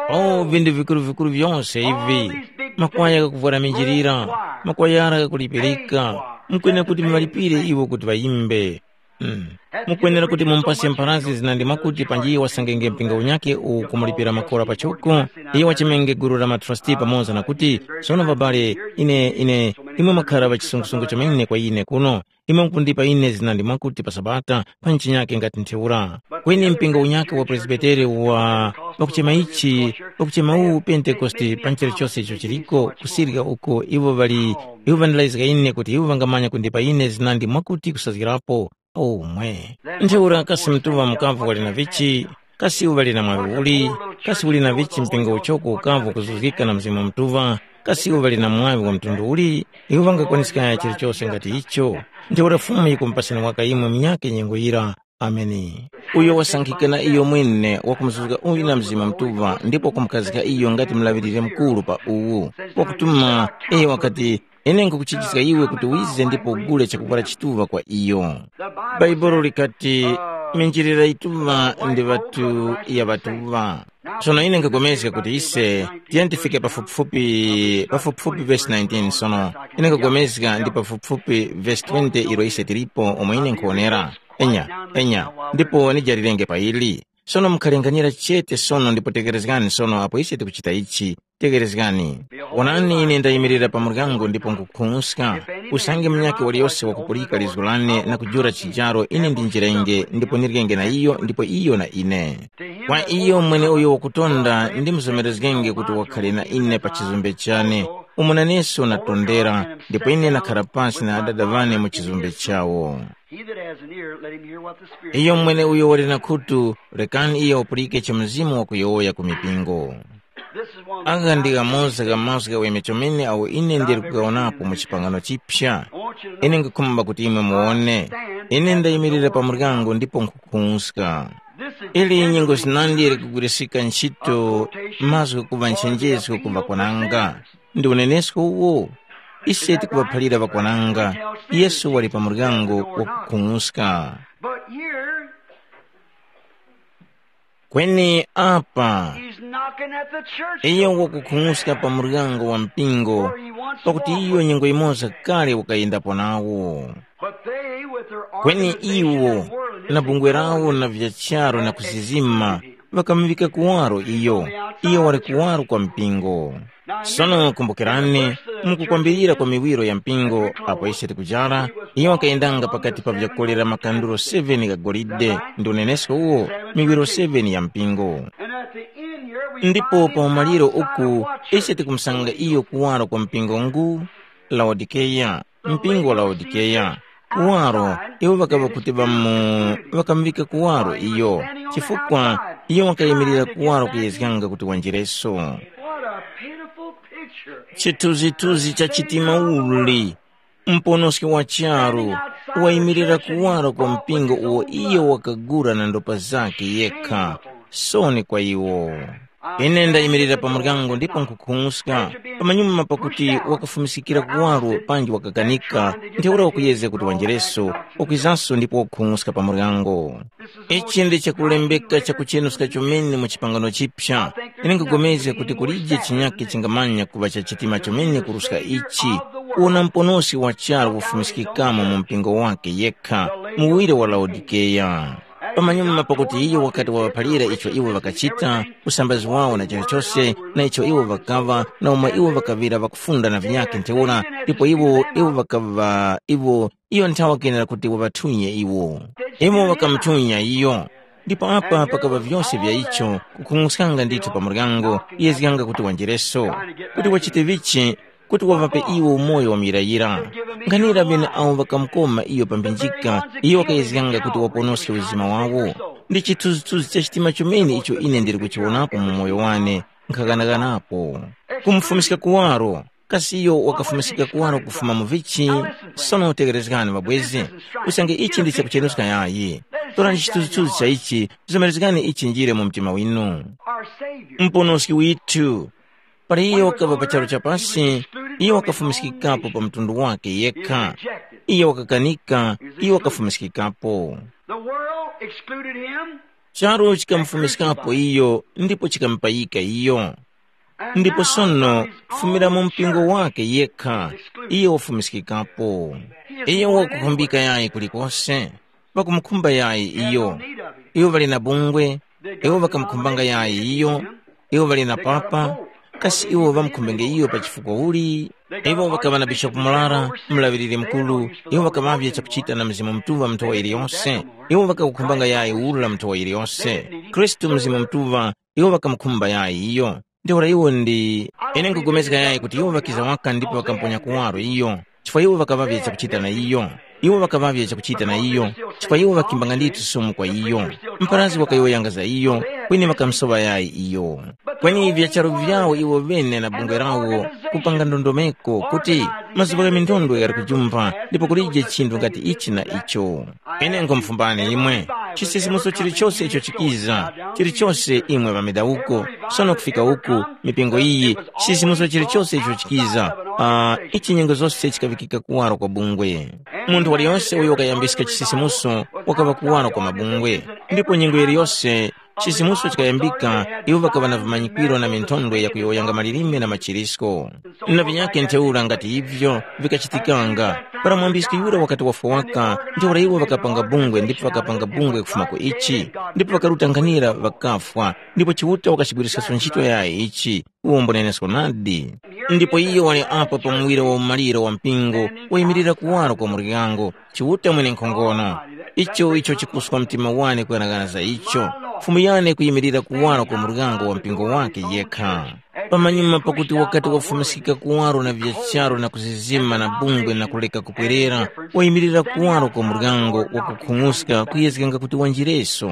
Oh, vindu vikuru-vikuru vyose ivi, makwaya ghakuvwara minjilira, makwayara ghakulipirika, mukwene kuti muŵalipire iwo kuti ŵayimbe. Mm. Mukwenera kuti mumupase mpharazgi zinandi mwakuti panji wasangenge mpingo unyakhe uwu kumulipira makora pachoko, iyo wachemenge gulu la matrasti pamoza na kuti, sono babale, ine, ine, imwe mwakhara ŵachisungusungu chomene kwa ine kuno, imwe mukundipa ine zinandi mwakuti pa Sabata, pa nchinyake ngati ntheura. Kweni mpingo unyakhe wa Presbitere wa, pakuchema ichi, pakuchema uwu Pentekoste pa nchero chose icho chiliko, kusirika uko iwo ŵali, iwo ŵandilayizga ine kuti iwo ŵangamanya kundipa ine zinandi mwakuti kusazgirapo, Omwe. Ntheura kasi mtuŵa mukavo wali na vichi? Kasi iwo ŵali na mwaŵi uli? Kasi uli na vichi mpingo uchoko ukavo kuzuzgika na Mzimu Mutuŵa? Kasi iwo ŵali na mwaŵi wa mtundu uli? Iwo ŵangakwaniskaya chilichose ngati icho. Ntheura Fumu yikumupasani waka imwe munyakhe nyengo yira. Ameni. Uyo wasankhika na iyo mwene wakumuzuzga uyu na Mzimu Mutuŵa ndipo wakumukazika iyo ngati mulaŵiriri mukuru pa uwu. Wakutuma, iyo wakati, ine nkukuchichiska iwe kuti wize ndipo ugule chakuvwara chituŵa kwa iyo. Bhaibuli likati, minjilira yituŵa ndi ŵatu ya ŵatuŵa. Sono ine nkapulikana kuti ise tiyentifike pafupifupi pafupifupi vesi nineteen. Sono ine nkapulikana ndi pafupifupi vesi twenty ilo ise tilipo omwe ine nkhuwonera. Enya, enya, ndipo nijalirenge pa ili. Sono mukhalenganyira chete sono ndipo tekerezgani sono apo ise tikuchita ichi. Tekerezgani. Wonani, ine ndayimirira pa muryango ndipo nkhukhung'uska. Usange munyakhe waliyose wakupulika lizgu lane na kujula chijaro ine ndinjirenge ndipo nirikenge na iyo ndipo iyo na ine. Kwa iyo mweneuyo wakutonda ndimzomerezgenge kuti wakhale na ine pa chizumbe chane, umo naneso natondera, ndipo ine nakhara pasi na adada ŵane mu chizumbe chawo. He that has an ear, let him hear what the Spirit Iyo says. Mwene uyo wali na khutu, rekani iyo wapulike cha Mzimu wakuyowoya ku mipingo. This is one of the Aka ndi kamoza ka mazgu ghaweme chomene awo ine ndili kugawonapo mu chipangano chipya. I want you to know Ine ngikhumba kuti imwe muwone. Ine ndayimirira pa muryango ndipo nkhukhunska. Ili nyengo zinandi likugwirisika ntchito mazgu kuŵa nchenjezo ku ŵakwananga. Ndi unenesko uwo. Ise tikuŵaphalira ŵakwananga. Yesu wali pa muryango wakukhung'uska. But here, Kweni apa, he's knocking at the church. Iyo wakukhung'uska pa muryango wa mpingo, pakuti iyo nyengo imoza kale wakayendapo nawo. But they, with their Kweni organization iwo and worldliness na bungwe lawo na vya charo na kusizima, ŵakamuŵika kuwaro iyo. Iyo wali kuwaro kwa mpingo. Sono kumbukirani, mukukwambirira kwa miwiro ya mpingo apo ise tikujara, iyo wakayendanga pakati pa vyakolera makanduro seven gha golide ndi unenesko uwo, miwiro seven ya mpingo. Ndipo pa umaliro uku ise tikumusanga iyo kuwaro kwa mpingo ngu Laodikeya, mpingo wa Laodikeya. Kuwaro, iwo ŵakaŵa kuti ŵamu ŵakamuŵika kuwaro iyo, chifukwa iyo wakayimirira kuwaro kuyezganga kuti wanjireso. What a pitiful picture. Chithunzithunzi cha chitima uli, mponoski wa charu, wayimirira kuwaro kwa mpingo uwo iyo wakagura na ndopa zake yekha. Soni kwa iwo. Ine ndayimirira pa muryango ndipo nkhukhung'uska, pamanyuma pakuti wakafumiskikira kuwaro panji wakakanika, ntheura wakuyezga kuti wanjereso, wakwizanso ndipo wakukhung'uska pa muryango. Ichi ndi chakulembeka chakuchenuska chomene mu chipangano chipya. Ine nkupulikana kuti kulije chinyakhe chingamanya kuŵa cha chitima chomene kuruska ichi, kuwona muponoski wa charu kufumiskikamo mu mpingo wake yekha, muwire wa Laodikeya. Pamanyuma pakuti iyo wakati wawaphalira icho iwo ŵakachita, usambazi wawo na chilichose, na icho iwo ŵakaŵa, na umo iwo ŵakaŵira ŵakufunda na vinyakhe ntheura, ndipo iwo iwo ŵakaŵa iwo iyo nthawa kenera kuti waŵathunye iwo. Iwo ŵakamuthunye iyo. Ndipo apa pakaŵa vyose vya icho, kukhung'uskanga ndithu pa muryango, yezganga kuti wanjereso. Kuti wachite vichi, kuti waŵape iwo umoyo wa muyirayira. Nkhanira ŵene awo ŵakamukoma iyo pa mphinjika, iyo wakayezganga kuti waponoske uzima wawo. Ndi chithunzithunzi cha chitima chomene icho ine ndili kuchiwonapo mu moyo wane, nkhaghanaghanapo. Kumufumiska kuwaro, kasi iyo wakafumiska kuwaro kufuma mu vichi? Sono tekerezgani mabwezi, usange ichi ndi chakuchenuska yayi. Torani chithunzithunzi cha ichi, zomerezgani ichi njire mu mtima winu. Our Savior. Muponoski withu, pali iyo wakaŵa pa charu cha pasi, iyo wakafumiskikapo pa mtundu wake yekha. Iyo wakakanika, iyo wakafumiskikapo. The world excluded him. Charu chikamufumiskapo iyo ndipo chikamupayika iyo. Ndipo sono, kufumira mu mpingo wake yekha, iyo wafumiskikapo. Iyo wakukhumbika yayi kulikose, ŵakumukhumba yayi iyo. Iwo ŵali na bungwe, iwo ŵakamukhumbanga yayi iyo. Iwo ŵali na papa, kasi iwo ŵamukhumbenge iyo pa chifukwa uli? Iwo ŵakaŵa na bishopu murara, mulaŵiriri mukuru, iwo ŵakaŵavye chakuchita na Mzimu Mutuŵa nthowa yiliyose. Iwo ŵakakukhumbanga yayi ura nthowa yiliyose. Khristu Mzimu Mutuŵa, iwo ŵakamukhumba yayi iyo. Ntheura iwo ndi, ine nkupulikana yayi kuti iwo ŵakiza waka ndipo ŵakamponya kuwaro iyo, chifukwa iwo ŵakaŵavye chakuchita na iyo. Iwo ŵakaŵavye chakuchita na iyo, chifukwa iwo ŵakimbanga ndithu sumu kwa iyo. Mparazi wakayowoyanga za iyo, kweni ŵakamusoŵa yayi iyo. Kweni vya charu vyawo iwo ŵene na bungwe lawo kupanga ndondomeko kuti mazuŵa gha minthondwe ghali kujumpha ndipo kulije chinthu ngati ichi na icho. Ine nkhumfumbani imwe, chisisimuso chilichose icho chikiza, chilichose imwe ŵamidawuko, sono kufika uku, mipingo iyi, chisisimuso chilichose icho chikiza, uh, ichi nyengo zose chikaŵikika kuwaro kwa bungwe. Munthu waliyonse uyo wakayambiska chisisimuso wakaŵa kuwaro kwa mabungwe, ndipo nyengo yiliyose chisisimuso chikayambika, iwo ŵakaŵa na vimanyikwiro na minthondwe yakuyowoyanga malilime na machirisko. Na vinyakhe ntheura ngati ivyo vikachitikanga, para mwambiski yura wakati wafwa waka, ntheura iwo ŵakapanga bungwe ndipo ŵakapanga bungwe kufuma ku ichi, ndipo ŵakaruta nkhanira ŵakafwa, ndipo Chiuta wakachigwiriskaso ntchito yayi ichi, uwo mbunenesko nadi. Ndipo iyo wali apa pa muwiro wa umaliro wa mpingo wayimirira kuwaro kwa muryango, Chiuta mwenenkhongono. Icho icho chikuswa mtima wane kughanagana za icho. Fumu yane kuyimirira kuwaro kwa muryango wa mpingo wake yekha. Pamanyuma pakuti wakati wafumiskika kuwaro na vya charu na kuzizima na bungwe na kuleka kupwerera, wayimirira kuwaro kwa muryango wakukhung'uska kuyezganga kuti wanjireso.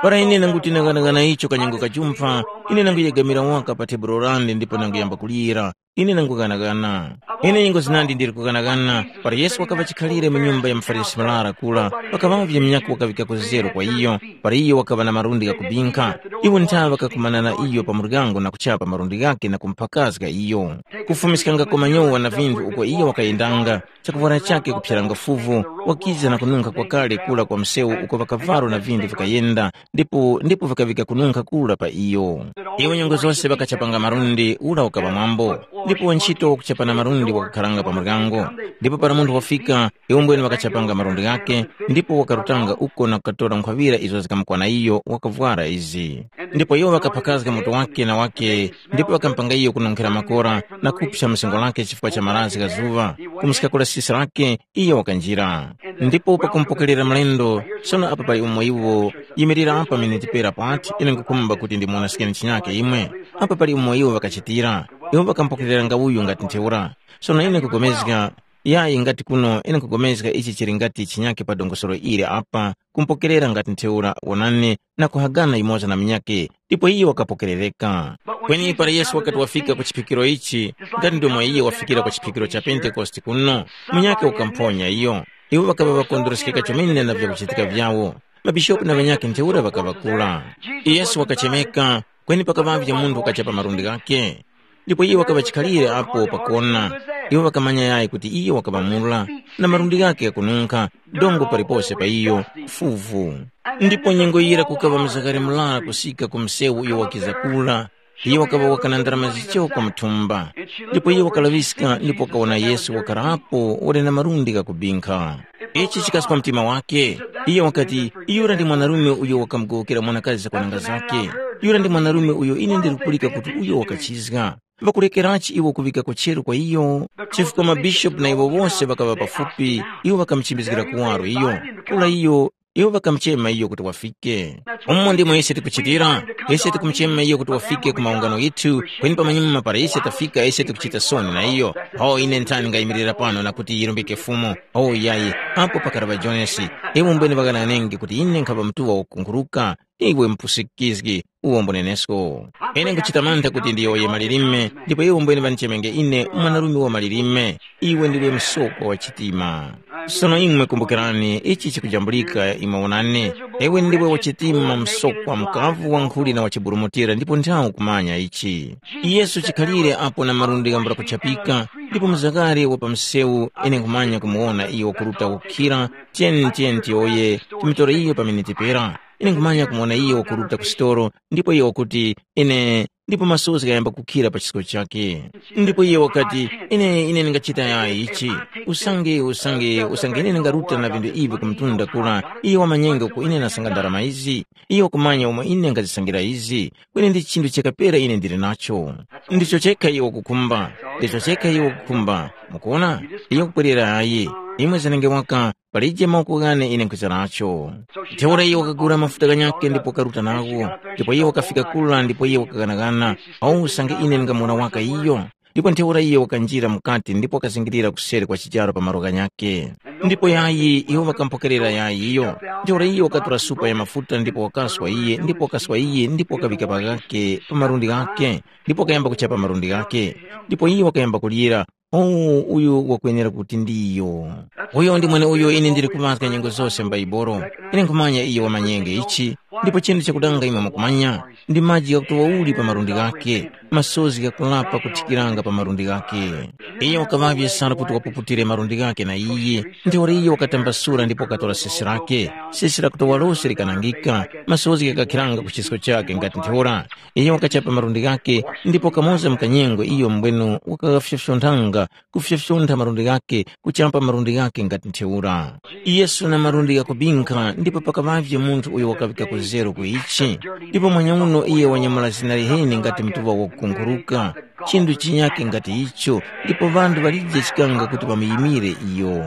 Para ine nanguti nang'anang'ana icho kanyengo kajumpha, ine nanguyegamira waka pa tebulo lane ndipo nanguyamba kulira. Ine nangughanagana. Ine nyengo zinandi ndili kughanagana, para Yesu wakaŵa chikhalire mu nyumba ya muFarisi murara kura, pakaŵavye munyakhe wakaŵikako zeru kwa iyo, para iyo wakaŵa na malundi ghakubinkha. Iwo nthawe ŵakakumana na iyo pa muryango na kuchapa malundi ghakhe na kumuphakazga iyo. Kufumiskangako manyowa na vinthu uko iyo wakayendanga, chakuvwara chakhe kuphyeranga fuvu, wakiza na kununkha kwakale kura kwa msewu uko ŵakavwaro na vinthu vikayenda, ndipo ndipo vikaŵika kununkha kura pa iyo. Iwo nyengo zose ŵakachapanga malundi ura ukaŵa mwambo, ndipo wantchito wakuchapana malundi wakakharanga pa muryango. Ndipo para munthu wafika, iwo mbwene ŵakachapanga malundi ghakhe, ndipo wakarutanga uko na kukatora nkhwaŵira izo zikamukwana iyo wakavwara izi. Ndipo iwo ŵakaphakazga mutu wake na wake, ndipo ŵakampanga iyo kununkhira makora na kuphya msengo lake chifukwa cha marazgi gha zuŵa, kumuska kula sisi lake, iyo wakanjira. Ndipo pakumpokerera mlendo, sono apa pali umo iwo, yimirira apa miniti pera pati, ine nkukhumba kuti ndimuwonoskeni chinyake imwe. Apa pali umo iwo ŵakachitira, iwo ŵakampokereranga uyu ngati ntheura. Sono ine nkugomezga, yayi ngati kuno ine nkugomezga ichi chili ngati chinyake pa dongosolo ili apa, kumpokerera ngati ntheura wonani na kuhagana yumoza na munyakhe, ndipo iyo wakapokerereka. Kweni para Yesu wakati wafika ku chiphikiro ichi, ngati ndomwe iyo wafikira ku chiphikiro cha Pentekoste kuno, munyakhe wakamuphonya iyo. Iwo ŵakaŵa ŵakondwereska chomene na vyakuchitika vyawo. Mabishopu na ŵanyakhe ntheura ŵakaŵa kura. Yesu wakachemeka, kweni pakaŵavye munthu wakachapa malundi ghakhe. Ndipo iye wakaŵa chikhalire apo pakona. Iwo ŵakamanya yayi kuti iyo wakaŵa mura, na malundi ghakhe ghakununkha, dongo palipose pa iyo, fuvu. Ndipo nyengo yira kukaŵa mzakare murara kusika ku msewu uyo wakiza kura, iyo wakaŵa wakana ndarama zichoko mu thumba. Ndipo iyo wakalaŵiska ndipo wakawona Yesu wakarapo wali na malundi ghakubinkha. Ichi chikaswa mtima wake. Iyo wakati, yura ndi mwanarume uyo wakamugowokera mwanakazi zakwananga zake. Yura ndi mwanarume uyo ine ndiri kupulika kuti uyo wakachizga. Ŵakulekerachi iwo kuŵika kucheru kwa iyo? Chifukwa mabishopu na iwo wose ŵakaŵa pafupi, iwo ŵakamuchimbizgira kuwaro iyo. Kula iyo, iwo ŵakamuchema iyo kuti wafike. Umo ndimo ise tikuchitira, ise tikumuchema iyo kuti wafike ku maungano ghithu, kweni pamanyuma para ise tafika ise tikuchita soni na iyo. O ine nthani ngayimirira pano na kuti yirumbike Fumu? O yayi, apo pakaraŵa Jonesi, iwo mbwene ŵakananenge kuti ine nkhaŵa mtuŵa wakukunguruka, iwe mpusikizgi, uwombo nenesko. Ine nkuchita mantha kuti ndiyowoye malilime, ndipo iwo mbwene ŵandichemenge ine mwanarume wa malilime, iwe ndiwe msokwa wa chitima. Sono imwe kumbukirani, ichi chikujambulika imwe wonani, iwe ndiwe wa chitima msokwa mkavu wankhuli na wachiburumutira ndipo nthawi kumanya ichi. Yesu chikhalire apo na malundi ghambula kuchapika, ndipo mzakare wa pa msewu ine nkhumanya kumuwona iyo wakuruta kukhira, tiyeni tiyeni tiyowoye, timitore iyo pa miniti pera. Ine nkhumanya kumuwona iyo wakuruta ku sitolo, ndipo iyo wakuti, ine, ndipo masozi ghayamba kukhira pa chisko chakhe. Ndipo iye wakati, ine, ine ndingachita yayi ichi. Usange, usange, usange ine ndingaruta na vinthu ivi ku mtunda kura, iye wamanyenga uko ine ndasanga ndarama izi. Iye wakumanya umo ine ngazisangira izi. Kweni ndi chinthu chakapera ine ndili nacho. Ndicho chekha iye wakukhumba. Ndicho chekha iye wakukhumba. Mukuona? Iye wakupwerera ayi. Imwe zanenge waka, palije mawoko ghane ine nkhwiza nacho. Ntheura iye wakagula mafuta ghanyakhe ndipo wakaruta nagho, ndipo iye wakafika kula ndipo iye wakaghanagana, awo usange ine ndingamuwona waka iyo. Ndipo ntheura iyo wakanjira mukati ndipo wakazingirira kuseri kwa chicharo pa malo ghanyakhe. Ndipo yayi iwo ŵakampokerera yayi iyo. Ntheura iyo wakatora supa ya mafuta ndipo wakaswa iye ndipo wakaswa iye ndipo wakaŵika paghakhe pa malundi ghakhe, ndipo wakayamba kuchapa malundi ghakhe. Ndipo iye wakayamba kulira, “Oh, uyu wakwenera kuti ndiyo.” Uyo ndi mweneuyo ine ndili kuŵazga nyengo zose m'Baibolo. Ine nkhumanya iyo wamanyenge ichi, ndipo chinthu chakudanga imwe mukumanya, ndi maji ghakutowa uli pa malundi ghakhe, masozi ghakulapa kuthikiranga pa malundi ghakhe. Iyo wakaŵavye sana kuti wapuputire malundi ghakhe na iye, ntheura iyo wakatambasula ndipo wakatora sesi lake. Sesi lakutowa lose likanangika, masozi ghakakhiranga ku chisko chakhe ngati ntheura. Iyo wakachapa malundi ghakhe, ndipo kamoza mu kanyengo iyo mbwenu wakaghafyofyonthanga, kufyofyontha malundi ghakhe, kuchapa malundi ghakhe ngati ntheura. Yesu na malundi ghakubinkha, ndipo pakaŵavye munthu uyo wakaŵika kuzero ku ichi. Ndipo mwanyauno iye wanyamula zina liheni ngati mtuŵa wakukunguruka, chinthu chinyakhe ngati icho, ndipo ŵanthu ŵalije chikanga kuti ŵamuyimire iyo.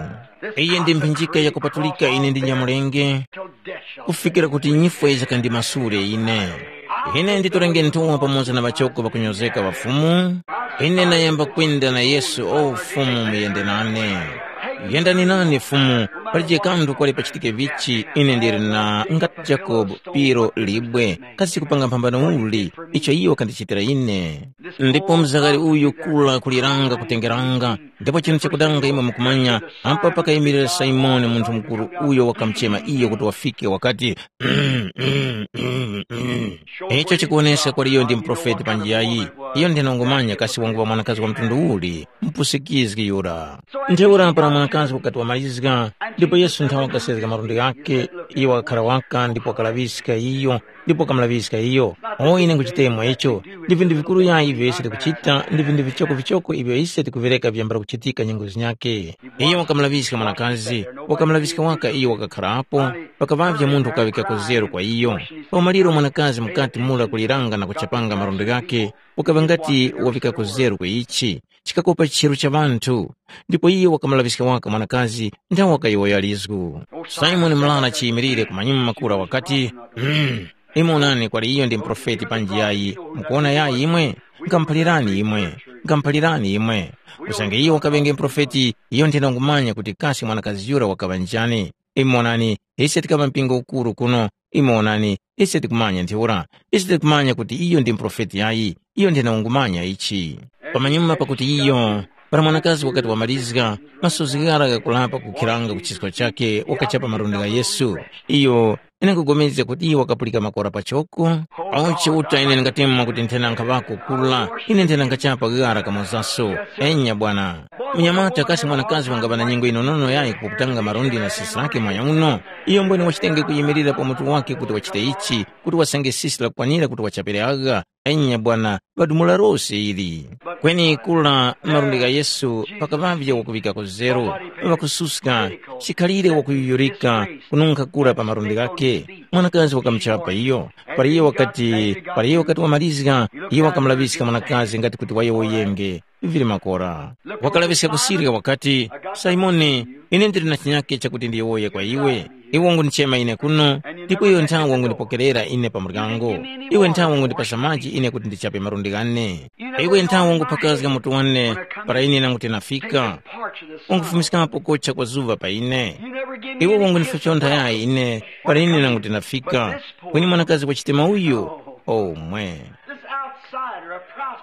Iyi ndi mphinjika yakupatulika ine ndinyamulenge, kufikira kuti nyifwe yisakandimasule ine. Ine nditorenge nthowa pamoza na ŵachoko ŵakunyozeka ŵa Fumu. Ine nayamba kwenda na Yesu, o Fumu, muyende nane. Yendani nane Fumu, palije kanthu kwali pachitike vichi, ine ndili na ngati Jakobo, piro libwe, kasi kupanga mphambano uli, icho iyo wakandichitira ine. Ndipo mzakari uyu kula kuliranga kutengeranga, ndipo chinthu chakudanga imwe mukumanya, apa pakayimirira Simoni munthu mukuru uyo wakamuchema iyo kuti wafike wakati, icho chikuwonesa kwali iyo ndi muprofeti panji yayi. Iyo ndinongomanya kasi wanguŵa mwanakazi wa mtundu uli, mpusikizgi yura. Ntheura para mwanakazi wakati wamalizga, ndipo Yesu nthawe wakasezga malundi ghakhe, iyo wakakhara waka ndipo wakalaŵiska iyo, ndipo wakamulaŵiska iyo. O ine nkuchitemo icho, ndi vinthu vikuru yayi ivyo ise tikuchita, ndi vinthu vichoko vichoko ivyo ise tikuvereka vyambala kuchitika nyengo zinyakhe. Iyo wakamulaŵiska mwanakazi, wakamulaŵiska waka iyo wakakharapo, pakaŵavye munthu ukaŵika kuzero kwa iyo. Pa umaliro mwanakazi mukati mura kuliranga na kuchapanga malundi ghakhe, ukaŵa ngati waŵika kuzero kwa ichi, chikakopa chicheru cha ŵanthu. Ndipo iyo wakamulaŵiska waka mwanakazi, nthawe wakayowoya lizgu. Simoni mlana chiyimilire kumanyuma makura wakati, mm, imwe onani kwali iyo ndi muprofeti panji yayi, mukuwona yayi imwe? Nkamuphalirani imwe, nkamuphalirani imwe. Usange iyo wakaŵenge muprofeti, iyo nthena ngumanya kuti kasi mwanakazi yura wakaŵa njani. Imwe onani, ise tikaŵa mpingo ukuru kuno, imwe onani, ise tikumanya ntheura, ise tikumanya kuti iyo ndi muprofeti yayi, iyo nthena ungumanya ichi. Pamanyuma pakuti iyo, para mwanakazi wakati wamalizga, masozi ghara ghakulapa kukhiranga ku chisko chakhe wakachapa malundi gha Yesu. Iyo, ine nkupulikana kuti iyo wakapulika makora pachoko. Awo Chiuta ine ndingatemwa kuti nthena nkhaŵako kula, ine nthena nkhachapa ghara kamozaso. Enya bwana. Munyamata kasi mwanakazi wangaŵa na nyengo yinonono yayi kuputanga malundi na sisi lake mwanya uno? Iyo mbwene wachitenge kuyimirira pa mutu wake kuti wachite ichi, kuti wasange sisi lakukwanira kuti wachapire agha. Enya bwana, ŵadumula lose ili. Kweni kula malundi gha Yesu pakaŵavye wakuŵika kuzero, ŵakususka, chikhalire wakuyuyurika, kununkha kura pa malundi ghakhe. Mwanakazi wakamuchapa iyo. Para iyo wakati, para iyo wakati wamalizga, iyo wakamulaŵiska mwanakazi ngati kuti wayowoyenge. Vili makora. Wakalaŵiska kusirya wakati, Simoni, ine ndili na chinyakhe chakuti ndiyowoye kwa iwe. Iwe wangundichema ine kuno, ndipo iyo nthawe wangundipokerera ine pa muryango. Iwe nthawe wangundipasa maji ine kuti ndichape malundi ghane. Iwe nthawe wanguphakazga mutu wane para ine nanguti nafika. Wangufumiskapo kocha kwa zuŵa pa ine. Iwe wangundifyontha yayi ine para ine nanguti nafika. Kweni mwanakazi wa chitima uyu, omwe.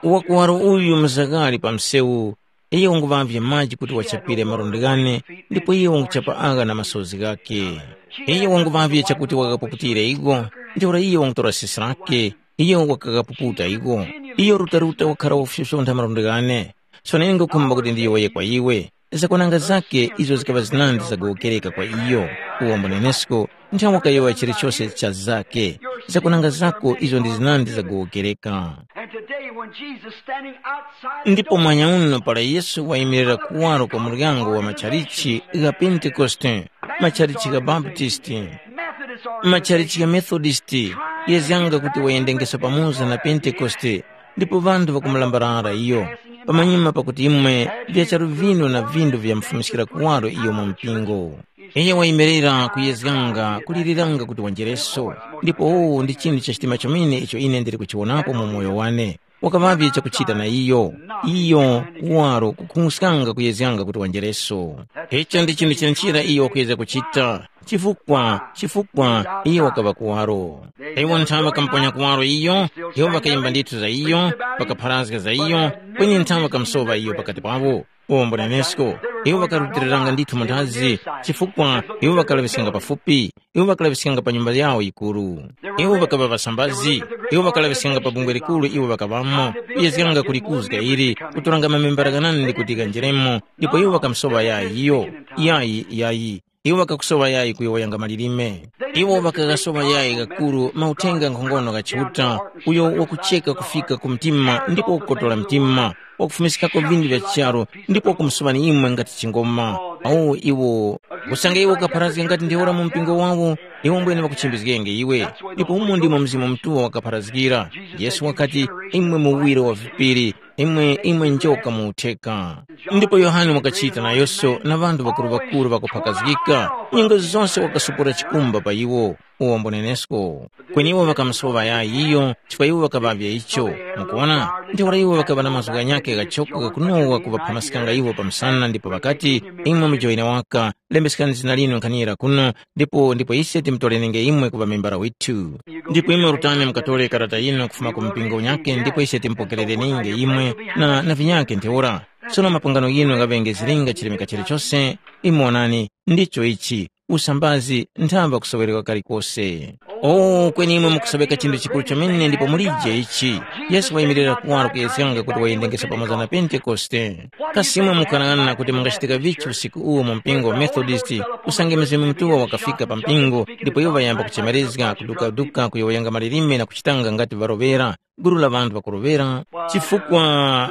Wakuwaro uyu mzagari pa msewu, iyo wanguŵavye maji kuti wachapire malundi ghane, ndipo iyo wanguchapa agha na masozi ghakhe. Iyo wanguŵavye chakuti wakapuputire iko, ntheura iyo wangutora sisi lake, iyo wakakapuputa iko. Iyo rutaruta wakhara wakufyontha malundi ghane. Sono ine ngukhumba kuti ndiyowoye kwa iwe. Zakwananga zakhe izo zikaŵa zinandi zagowokereka kwa iyo. Uwombo nenesko, nthawe wakayowoya chilichose cha zakhe. Zakwananga zako izo ndi zinandi zagowokereka. And today, when Jesus standing outside the Ndipo mwanya uno para Yesu wayimirira kuwaro kwa muryango wa machalichi gha Pentekoste, machalichi gha Baptisti, Methodist or machalichi gha Methodisti, yezyanga kuti wayendengeso pamoza na Pentekoste, ndipo ŵanthu ŵakumulambalala iyo. Pamanyuma pakuti imwe vya charu vinu na vindu vyamufumiskira kuwaro iyo mu mpingo. Iye wayimirira kuyezganga, kuliliranga kuti wanjereso. Ndipo uwu ndi chinthu cha chitima chomene icho ine ndili kuchiwonapo mu moyo wane. wakaŵavye chakuchita na iyo. Iyo waro kukhung'uskanga kuyezganga kuti wanjereso. Icho ndi chinthu chinachira iyo wakuyezga kuchita. Chifukwa, chifukwa iyo wakaŵa kuwaro. Iwo nthawe ŵakamuponya kuwaro iyo, iwo ŵakayimba ndithu za iyo, ŵakapharazga za iyo, kweni nthawe ŵakamusowa iyo pakati pawo. Uwo mbonenesko, iwo ŵakarutiliranga ndithu manthazi, chifukwa iwo ŵakalaŵiskanga pafupi, iwo ŵakalaŵiskanga pa nyumba yawo yikuru. Iwo ŵakaŵa ŵasambazi, iwo ŵakalaŵiskanga pa bungwe likuru iwo ŵakaŵamo, kuyezganga kulikuzga ili, kutoranga mamembera ghanandi kuti ghanjeremo, ndipo iwo ŵakamusowa yayi iyo. Yayi, yayi. Iwo ŵakakusowa yayi kuyowoyanga malilime. Iwo ŵakaghasowa yayi ghakuru mauthenga nkhongono gha Chiuta, uyo wakucheka kufika ku mtima ndipo wakukotora mtima, wakufumiskako vindu vya charu ndipo wakumusuŵani imwe ngati chingoma. Awo iwo, usange iwo ukapharazga ngati ntheura mu mpingo wawo, iwo mbwene ŵakuchimbizgenge iwe. Ndipo umo ndimo Mzimu Mutuŵa wakapharazgira. Yesu wakati, imwe muwiro wa vipiri, imwe imwe njoka mu utheka. Ndipo Yohane wakachita nayonso na ŵanthu ŵakuru-ŵakuru ŵakuphakazgika, nyengo zose wakasupura chikumba pa iwo, uwo mbonenesko. Kweni iwo ŵakamusowa yayi iyo, chifukwa iwo ŵakaŵavya icho. Mukuona, ntheura iwo ŵakaŵa na mazgu ghanyakhe ghachoko ghakunowa kuŵaphamaskanga iwo pa msana ndipo ŵakati, imwe mujoyine waka, lembeskani zina linu nkhanira kuno, ndipo ndipo ise timutolenenge imwe kuŵa membara withu. Ndipo imwe rutani mukatore karata yinu kufuma ku mpingo unyakhe ndipo ise timupokerereninge imwe na, na vinyakhe ntheura. Sono mapangano yinu ghaŵenge zilinga chilemeka chilichose, imwe onani, ndicho ichi, usambazi nthamba kusowereka kalikose. O, kweni imwe mukusoweka chinthu chikuru chomene ndipo mulije ichi. Yesu wayimirira kuwaro kuyezganga kuti wayendengesa pamoza na Pentekoste. Kasi imwe mukanang'ana kuti mungachitika vichi usiku uwu mu mpingo wa Methodist, usange Mzimu Mutuŵa wakafika pa mpingo, ndipo iwo ŵayamba kuchemerezga, kudukaduka, kuyowoyanga malilime na kuchitanga ngati ŵaroŵera, gulu la ŵanthu ŵakuroŵera? Chifukwa,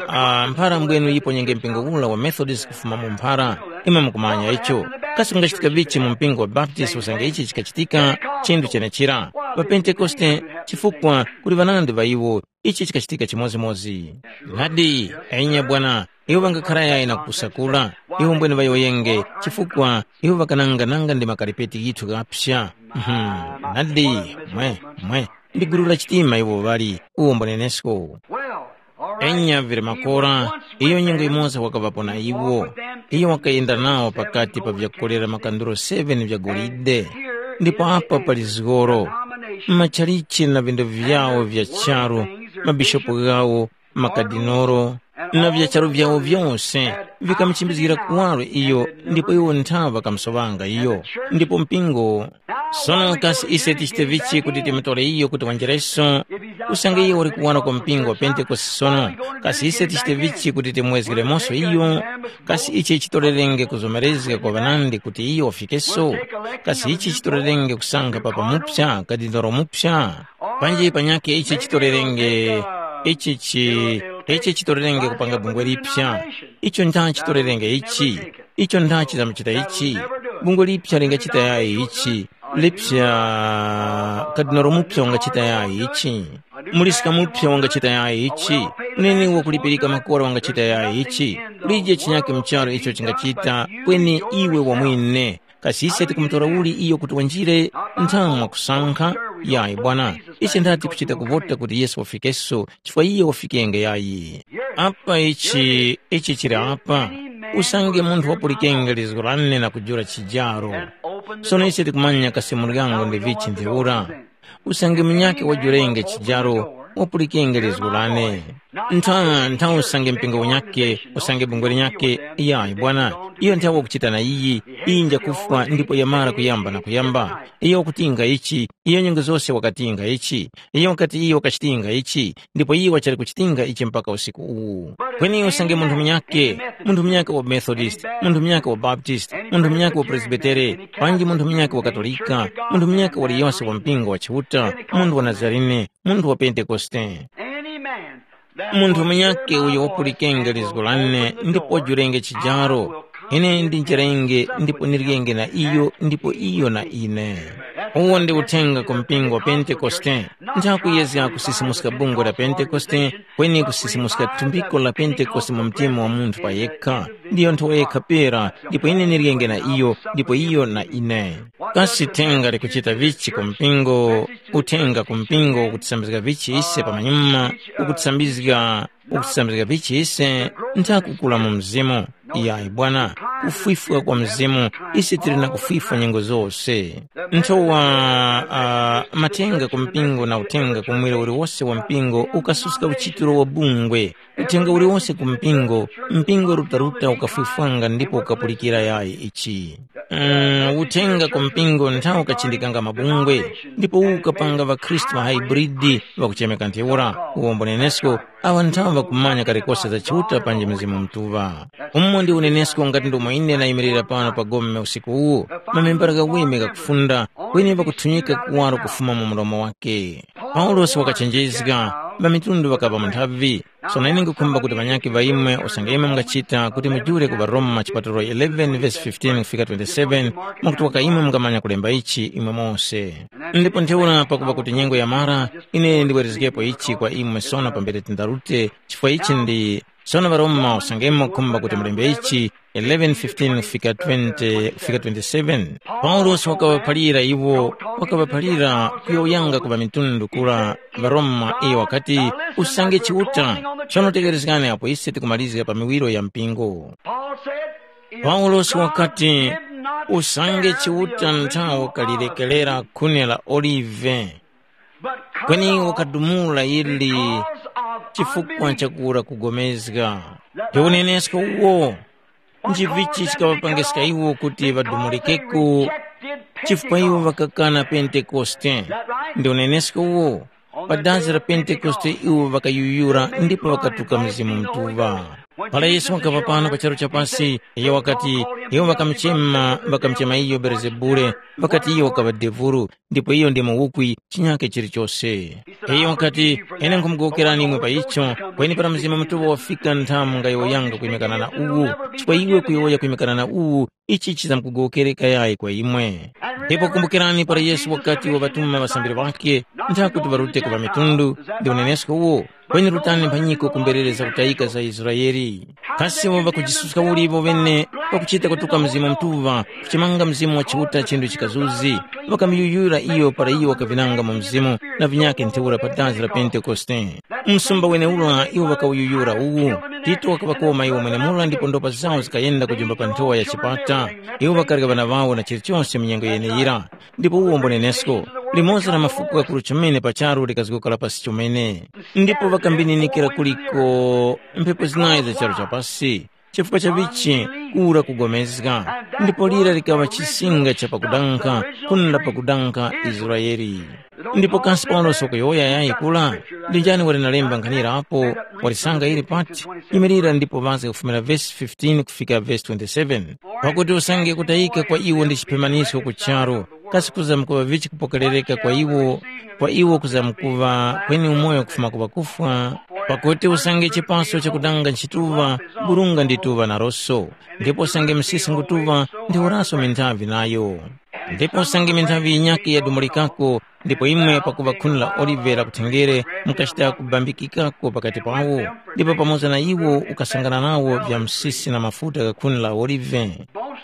ah, mphara mbwenu yiponyenge mpingo ula wa Methodist kufuma mu mphara, imwe mukumanya icho. Kasi kungachitika vichi mu mpingo wa Baptist usange ichi chikachitika chinthu chenechera? Ŵapentekoste, chifukwa kuli ŵanandi ŵa iwo, ichi chikachitika chimodzimodzi. Nadi, enya bwana, iwo ŵangakhara yayi na kupusa kura, iwo mbwene ŵayowoyenge, chifukwa iwo ŵakananga nanga ndi makaripeti ghithu ghapsa. Mhm. Nadi, mwe, mwe, ndi gulu la chitima iwo ŵali, uwo mbonenesko. Enya vili makora, iyo nyengo yimoza wakaŵapo na iwo. Iyo wakayenda nawo pakati pa vyakukolera makanduro seven vya golide. Ndipo apa pali zgoro, machalichi na vinda vyawo vya charu, mabishopu ghawo, makadinoro, na vya charu vyawo vyose, vikamuchimbizgira kuwaro iyo, ndipo iwo nthawe ŵakamusoŵanga iyo. Ndipo mpingo. Sono kasi ise tichite vichi kuti timutore iyo kuti wanjereso? Usange iyo uli kuwaro kwa mpingo wa Pentekoste sono, kasi ise tichite vichi kuti timwezgeremoso iyo? Kasi ichi chitorerenge kuzomerezga kwa ŵanandi kuti iyo wafikeso? Kasi ichi chitorerenge kusankha papa mupsa, kadinoro mupsa? Panji panyakhe ichi chitorerenge, ichi chi, ichi chitorerenge kupanga bungwe lipsa. Icho ncha chitorerenge ichi? Icho ncha chizamuchita ichi? Bungwe lipsa lingachita yayi ichi? Lipsa, kadinoro mupsa wangachita yayi ichi? Muliska mupsa wangachita yayi ichi? Munene wakulipirika makora wangachita yayi ichi? Kulije chinyakhe mucharo icho chingachita kweni iwe wamwene. Kasi ise tikumutora uli iyo kuti wanjire? Nthamu mwakusankha? Yayi bwana, ise ndati kuchita kuvota kuti Yesu wafikeso, chifukwa iye wafikenge yayi. Apa ichi, ichi chili apa. Usange munthu wapulikenge lizgu lane na kujula chijaro. Sono ise tikumanya kasi muryango ndi vichi ntheura. Usange munyakhe wajulenge chijaro, wapulikenge lizgu lane. Ntha, ntha usange mpingo unyakhe, usange bungwe linyakhe, yayi bwana, iyo nthawe wakuchita na iyi, iyi njakufwa ndipo yamara kuyamba na kuyamba. Iyo wakutinga ichi, iyo nyengo zose wakatinga ichi, iyo wakati iyo wakachitinga ichi, ndipo iyo wachali kuchitinga ichi mpaka usiku uwu. Kweni usange munthu munyakhe, munthu munyakhe wa Methodist, munthu munyakhe wa Baptist, munthu munyakhe wa Presbitere, panji munthu munyakhe wa Katolika, munthu munyakhe waliyonse wa mpingo wa Chiuta, munthu wa Nazarene, munthu wa Pentekoste. Any man that Munthu munyakhe uyo wapulikenge lizgo lane ndipo wajulenge chijaro, ine ndinjerenge ndipo nirikenge na iyo ndipo iyo na ine. Uwo ndi uthenga ku mpingo wa Pentekoste. Nthakuyezga kusisimuska bungwe la Pentekoste, kweni kusisimuska thumbiko la Pentekoste mu mtima wa munthu pa yekha. Ndiyo nthowa yekha pera, ndipo ine ndiryenge na iyo, ndipo iyo na ine. Kasi thenga likuchita vichi ku mpingo? Uthenga ku mpingo ukutisambizga vichi ise pamanyuma, ukutisambizga, ukutisambizga vichi ise nthakukula mu mzimu. Iyayi bwana, kufwifwa kwa mzimu, ise tili na kufwifwa nyengo zose. Nthowa uh, matenga ku mpingo na uthenga ku mwere uliwose wa mpingo ukasuska uchitiro wa bungwe. Uthenga uliwose ku mpingo, mpingo rutaruta ukafwifwanga ndipo ukapulikira yayi ichi. Mm, uthenga ku mpingo nthawi ukachindikanga mabungwe, ndipo ukapanga ŵakhristu ŵa hybrid ŵakuchemeka ntheura, uwombo nenesko, aŵa nthawi ŵakumanya kalikose za Chiuta panji Mzimu Mutuŵa. Umo ndi unenesko ngati ndomwe ine nayimirira pano pa gome usiku uwu, mamembera ghaweme ghakufunda, kweni ŵakuthunyika kuwaro kufuma mu mlomo wake. Paulosi wakachenjezga, ŵamitundu ŵakaŵa mu nthavi. Sono ine nkukhumba kuti ŵanyakhe ŵa imwe usange imwe mungachita kuti mujule ku ŵaRoma chipatulo eleven vesi fifteen kufika twenty-seven, mwakuti waka imwe mungamanya kulemba ichi imwe mose. Ndipo ntheura pakuŵa kuti nyengo yamara, ine ndiwerezgepo ichi kwa imwe sono pambere tindarute, chifukwa ichi ndi sono ŵaRoma usange imwe mukhumba kuti mulembe ichi, eleven fifteen kufika twenty kufika twenty-seven. Paulosi wakaŵaphalira iwo, wakaŵaphalira kuyowoyanga ku ŵamitundu kura ŵaRoma iyo wakati, usange Chiuta. Sono tekerezgani apo ise tikumalizga pa miwiro ya mpingo. Paulosi wakati, usange Chiuta nthawo kalirekerera khuni la olive, kweni wakadumula ili chifukwa cha kura kugomezga. Ndi unenesko uwo, nchivichi chikaŵapangiska iwo kuti ŵadumulikeko, chifukwa iwo ŵakakana Pentekoste. Ndi unenesko uwo, pa dazi la Pentekoste iwo ŵakayuyura ndipo ŵakatuka Mzimu Mutuŵa. Para Yesu wakaŵa pano pa charu cha pasi, iyo wakati, iwo ŵakamuchema, ŵakamuchema iyo Belezebule, ŵakati iyo wakaŵa devulu, ndipo iyo ndi muwukwi chinyake chilichose. Iyo wakati, ine nkhumugowokerani imwe pa icho, kweni para Mzimu Mutuŵa wafika nthamu ngayowoyanga kwimikana na uwu, chifukwa iwe kuyowoya kwimikana na uwu, ichi chizamkugowokere kayayi kwa imwe. Ndipo kumbukirani para Yesu wakati waŵatuma ŵasambiri ŵakhe, nthakuti ŵarute ku ŵamitundu, ndi unenesko uwo, kweni rutani mphanyiko ku mberere zakutayika za Israele. Kasi iwo ŵakujisuska uli iwo ŵene pakuchita kutuka Mzimu Mutuŵa, kuchimanga Mzimu wa Chiuta chinthu chikazuzi, ŵakamuyuyura iyo para iyo wakavinanga mu Mzimu na vinyakhe ntheura pa dazi la Pentekoste. Msumba wenewura iwo ŵakawuyuyura uwu, Tito wakaŵakoma iwo mwenemura ndipo ndopa zawo zikayenda kujumba pa nthowa ya chipata. Iwo ŵakarya ŵana ŵawo na chilichose mu nyengo yeneyira. Ndipo uwo mbonenesko, limodzi la mafuko ghakuru chomene pa charu likazgokera pasi chomene. Ndipo ŵakambininikira kuliko mphepo zinayi za charu chapasi, chifukwa cha vichi kura kugomezga, ndipo lira likaŵa chisinga cha pakudankha, khuni la pakudankha Israele. Ndipo kasi Paulosi wakuyowoya yayi kula? Ndi njani wali nalemba nkhanira apo? Walisanga ili pati? Yimirira ndipo ŵazge kufumira vesi fifteen kufika vesi twenty-seven. Pakuti usange kutayika kwa iwo ndi chiphemanisko ku charu, kasi kuzamkuŵa vichi kupokerereka kwa iwo, kwa iwo kuzamkuŵa kweni umoyo kufuma ku ŵakufwa? Pakuti usange chipaso chakudanga nchituŵa, burunga ndi tuŵa naroso, ndipo usange msisi ngutuŵa, ntheuraso minthavi nayo. Ndipo usange minthavi yinyakhe yadumulikako, ndipo imwe pakuŵa khuni la olive la kuthenjere mukachita kubambikikako pakati pawo, ndipo pamoza na iwo ukasangana nawo vya msisi na mafuta gha khuni la olive.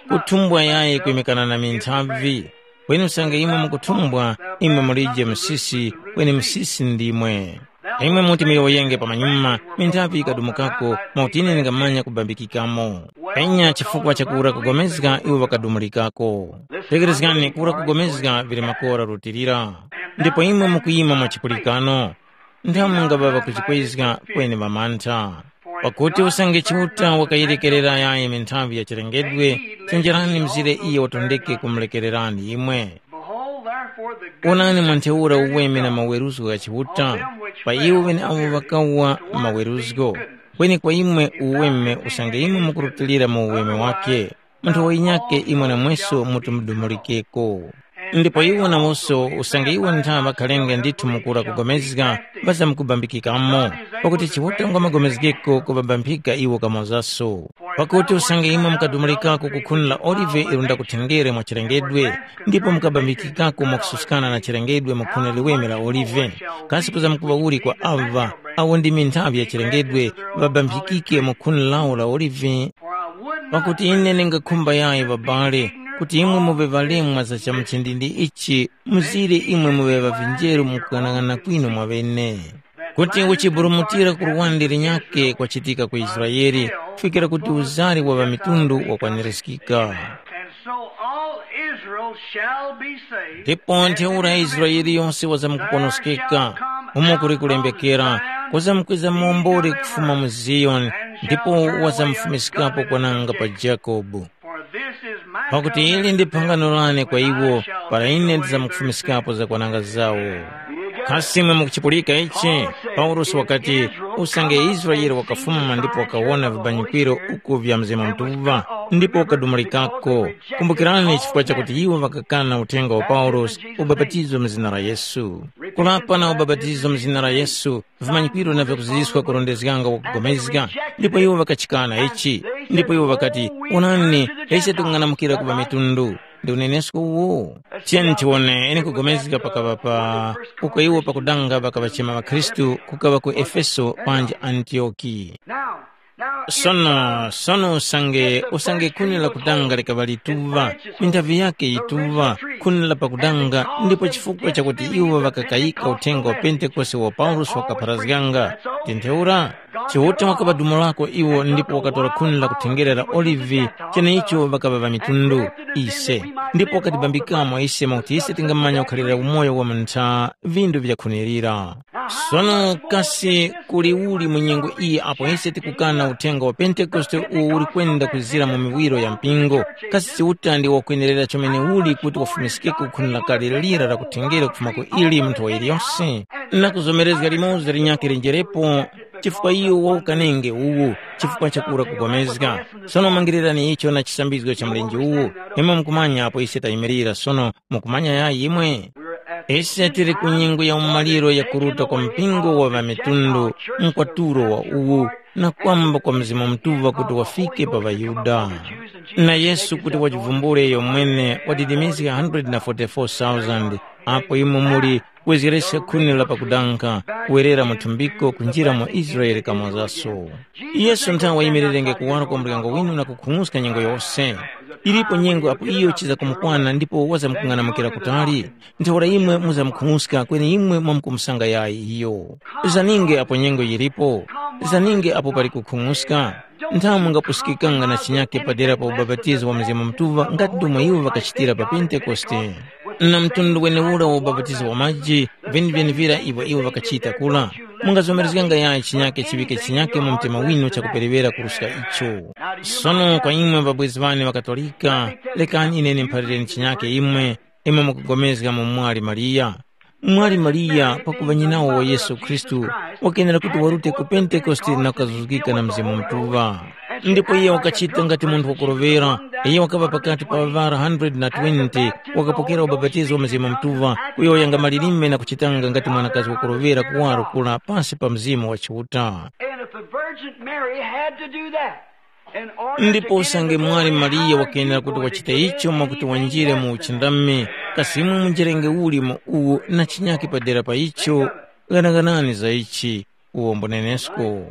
Kuthumbwa yayi kwimikana na minthavi, kweni usange imwe mukuthumbwa, imwe mulije msisi, kweni msisi ndimwe. Imwe muti muyowoyenge pamanyuma, minthavi yikadumukako, mwakuti ine ndingamanya kubambikikamo. Enya chifukwa cha kura kugomezga iwo ŵakadumulikako. Tekerezgani, kura kugomezga vili makora lutilira. Ndipo imwe mukuyima mwa chipulikano, nthamu mungaŵa ŵakuchikwezga kweni ŵamantha. Pakuti usange Chiuta wakayerekerera yayi minthavi ya chilengedwe, chenjerani mzire iyo watondeke kumulekererani imwe. Behold, therefore, the good Wonani mwa ntheura uweme na maweruzgo gha Chiuta, pa iwo ŵeneawo ŵakawa maweruzgo, kweni kwa imwe uweme usange imwe mukurutilira mu uweme wakhe, munthu wayinyakhe imwe namweso muti mudumulikeko. Ndipo iwo nawonso usange iwo ntha ŵakhalenge ndithu mukura kugomezga, ŵazamkubambikikamo, pakuti Chiuta ngwa magomezgeko kubabamphika iwo kamozaso. Pakuti usange imwe mukadumulikako ku khuni la olive ilo ndakuthengerani mwa chilengedwe, ndipo mukabambikikako mwakususkana na chilengedwe mu khuni liweme la olive, kasi kuzamkuŵa uli kwa aŵa awo ndi minthavi ya chilengedwe ŵabamphikike mu khuni lawo la olive? Pakuti ine ndingakhumba yayi ŵabale, kuti imwe muŵe ŵalemwa za chamuchindindi ichi, mzire imwe muŵe ŵavinjeru mu kughanagana kwinu mwaŵene. Kuti uchiburumutira ku luwande linyakhe kwachitika ku Israele, kufikira kuti uzari wa ŵamitundu wakwanirizgika. And so all Israel shall be saved. Ndipo ntheura Israele yose wazamkuponoskeka, umo kuli kulembekera, kuzamkwiza muomboli kufuma mu Ziyoni, ndipo wazamfumiskapo kwananga pa Jakobu. For this is my Pakuti ili ndi phangano lane kwa iwo, para ine ndizamkufumiskapo zakwananga zawo. Kasi imwe mukuchipulika ichi? Paulosi wakati, usange Israele wakafuma ndipo wakawona vibanyikwiro uku vya Mzimu Mutuŵa, ndipo wakadumulikako. Kumbukirani chifukwa chakuti iwo ŵakakana uthenga wa Paulosi, ubapatizo mu zina la Yesu. Kulapa na ubapatizo mu zina la Yesu, vimanyikwiro na vyakuziziska kurondezganga wakugomezga, ndipo iwo ŵakachikana ichi, ndipo iwo ŵakati, “Onani, ise tikung'anamukira ku ŵamitundu.” Ndi unenesko uwo. Tiyeni tiwone ine kugomezga pakaŵa pa uko iwo pakudanga ŵakaŵachema ŵakhristu kukaŵa ku Efeso panji Antiyoki. Sono, sono usange, usange khuni la kudanga likaŵa lituŵa, minthavi yake yituŵa, khuni la pakudanga, ndipo chifukwa chakuti iwo ŵakakayika uthenga wa Pentekoste uwo Paulosi wakapharazganga, ndi ntheura, Chiuta wakaŵadumulako iwo ndipo wakatora khuni la kuthengerera olivi, cheneicho ŵakaŵa ŵamitundu, ise, ndipo wakatibambikamo ise mwakuti ise tingamanya kukhalira umoyo wa mu ntha vindu vyakhunirira. Sono kasi kuli uli mu nyengo iyi apo ise tikukana uthenga wa Pentekoste uwo uli kwenda kwizira mu miwiro ya mpingo? Kasi Chiuta ndi wakwenerera chomene uli kuti wafumiskeko ku khuni lakale lira la kutengera kufuma ku ili munthu wa iliyonse? Na kuzomerezga limoza linyakhe lenjerepo, chifukwa iyo waukanenge uwu, chifukwa chakura kugomezga. Sono mangirirani icho na chisambizgo cha mlenje uwu, imwe mukumanya apo ise tayimirira sono, mukumanya yayi imwe? Ise tili ku nyengo ya umaliro ya kuruta kwa mpingo wa ŵamitundu, mkwatulo wa uwu, na kwamba kwa Mzimu Mutuŵa kuti wafike pa ŵaYuda. Na Yesu kuti wajivumbule iyo mwene wadidimizga one hundred forty-four thousand, apo imwe muli kwezgereska khuni la pakudanka, kuwerera mu thumbiko kunjira mu Israele kamozaso. Yesu nthawe wayimirerenge kuwaro kwa muryango winu na kukhung'uska nyengo yose. Ilipo nyengo apo iyo chiza kumukwana ndipo wazamkung'anamukira kutali. Ntheura imwe muzamukhung'uska kweni imwe mwamkumusanga yayi iyo. Zaninge apo nyengo yilipo. Zaninge apo pali kukhung'uska. Nthawe mungapusikikanga na chinyake padera pa ubapatizo wa Mzimu Mutuŵa ngati ndomwe iwo ŵakachitira pa Pentekoste. Na mtundu weneura wa ubapatizo wa maji, vyenevyenevira ivyo iwo ŵakachita kula. Mungazomerezganga yayi chinyake chiŵike chinyake mu mtima winu chakuperewera kuruska icho. Sono kwa imwe ŵabwezi ŵane ŵakatolika, lekani ine ndimuphalireni chinyake imwe, imwe mukugomezga mu mwali Mariya. Mwali Mariya pakuŵa nyinawo wa Yesu Khristu, wakenera kuti warute ku Pentekoste na kukazuzgika na Mzimu Mutuŵa. Ndipo iye wakachita ngati munthu wakurovera, iye wakaŵa pakati pa ŵara one hundred twenty, wakapokera ubapatizo wa Mzimu Mutuŵa, kuyowoyanga malilime na kuchitanga ngati mwanakazi wakurovera kuwaro kula pansi pa Mzimu wa Chiuta. And if the Virgin Mary had to do that, in order to Ndipo get usange into the mwali Holy Mariya House, wakenera kuti wachite icho mwakuti wanjire mu uchindami, kasi imwe munjerenge uli mu uwu na chinyake padera pa icho? Ghanaghanani za ichi, uwo mbunenesko.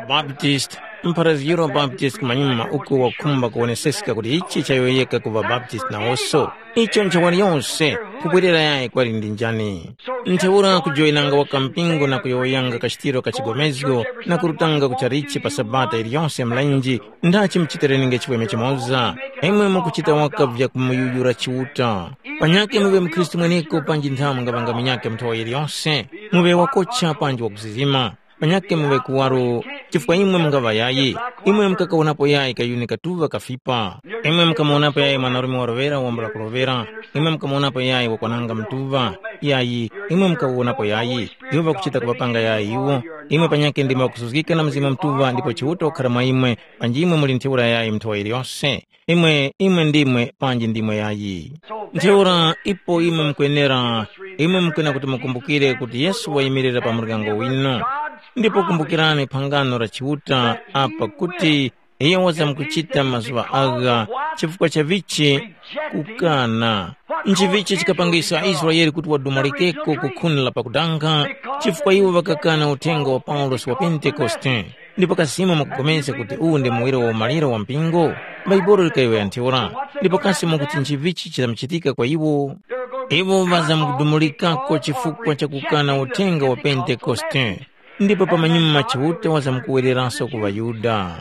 Baptist, mpharazgiro wa Baptist kumanyuma uku wakhumba kuwoneseska kuti ichi chayowoyeka ku ŵaBaptist nawonso. Icho ncha waliyonse, kubwerera yayi kwali ndi njani. Ntheura kujoyinanga waka mpingo na kuyowoyanga kachitiro ka chigomezgo na kurutanga ku chalichi pa Sabata iliyonse mlenje, ndachi muchitereninge chipweme chimoza, imwe mukuchita waka vya kumuyuyura Chiuta. Panyakhe muŵe mukhristu mweneko panji nthawe mungaŵanga munyakhe muthowa yiliyonse, muŵe wakocha panji wakuzizima. Panyakhe muŵe kuwaro, chifukwa imwe mungaŵa yayi. Imwe mukakawonapo yayi kayuni katuŵa kafipa. Imwe mukamuwonapo yayi mwanarume warovera wambula kurovera. Imwe mukamuwonapo yayi wakwananga mtuŵa. Yayi, imwe mukawonapo yayi. Iwo ŵakuchita kuŵapanga yayi iwo. Imwe panyakhe ndimwe ŵakusuzgika na Mzimu Mutuŵa ndipo Chiuta wakukhala mwa imwe, panji imwe muli ntheura yayi muthowa yiliyonse. Imwe, imwe ndimwe panji ndimwe yayi. Ntheura ipo imwe mukwenera, imwe mukwenera kuti mukumbukire kuti Yesu wayimirira pa muryango winu. Ndipo kumbukirani phangano la Chiuta apa kuti iyo wazamkuchita mazuŵa agha chifukwa cha vichi kukana. Nchivichi chikapangisa aIsraele kuti wadumulekeko ku khuni la pakudanga chifukwa iwo ŵakakana uthenga wa Paulosi wa Pentekoste. Ndipo kasi imwe mukupulikana kuti uwu ndi muwiro wa umaliro wa mpingo? Bhaibuli likayowoya ntheura. Ndipo kasi mukuti nchivichi chizamkuchitika kwa iwo? Iwo ŵazamkudumulikako chifukwa cha kukana uthenga wa Pentekoste. Ndipo pamanyuma Chiuta wazamkuwereranso ku ŵaYuda.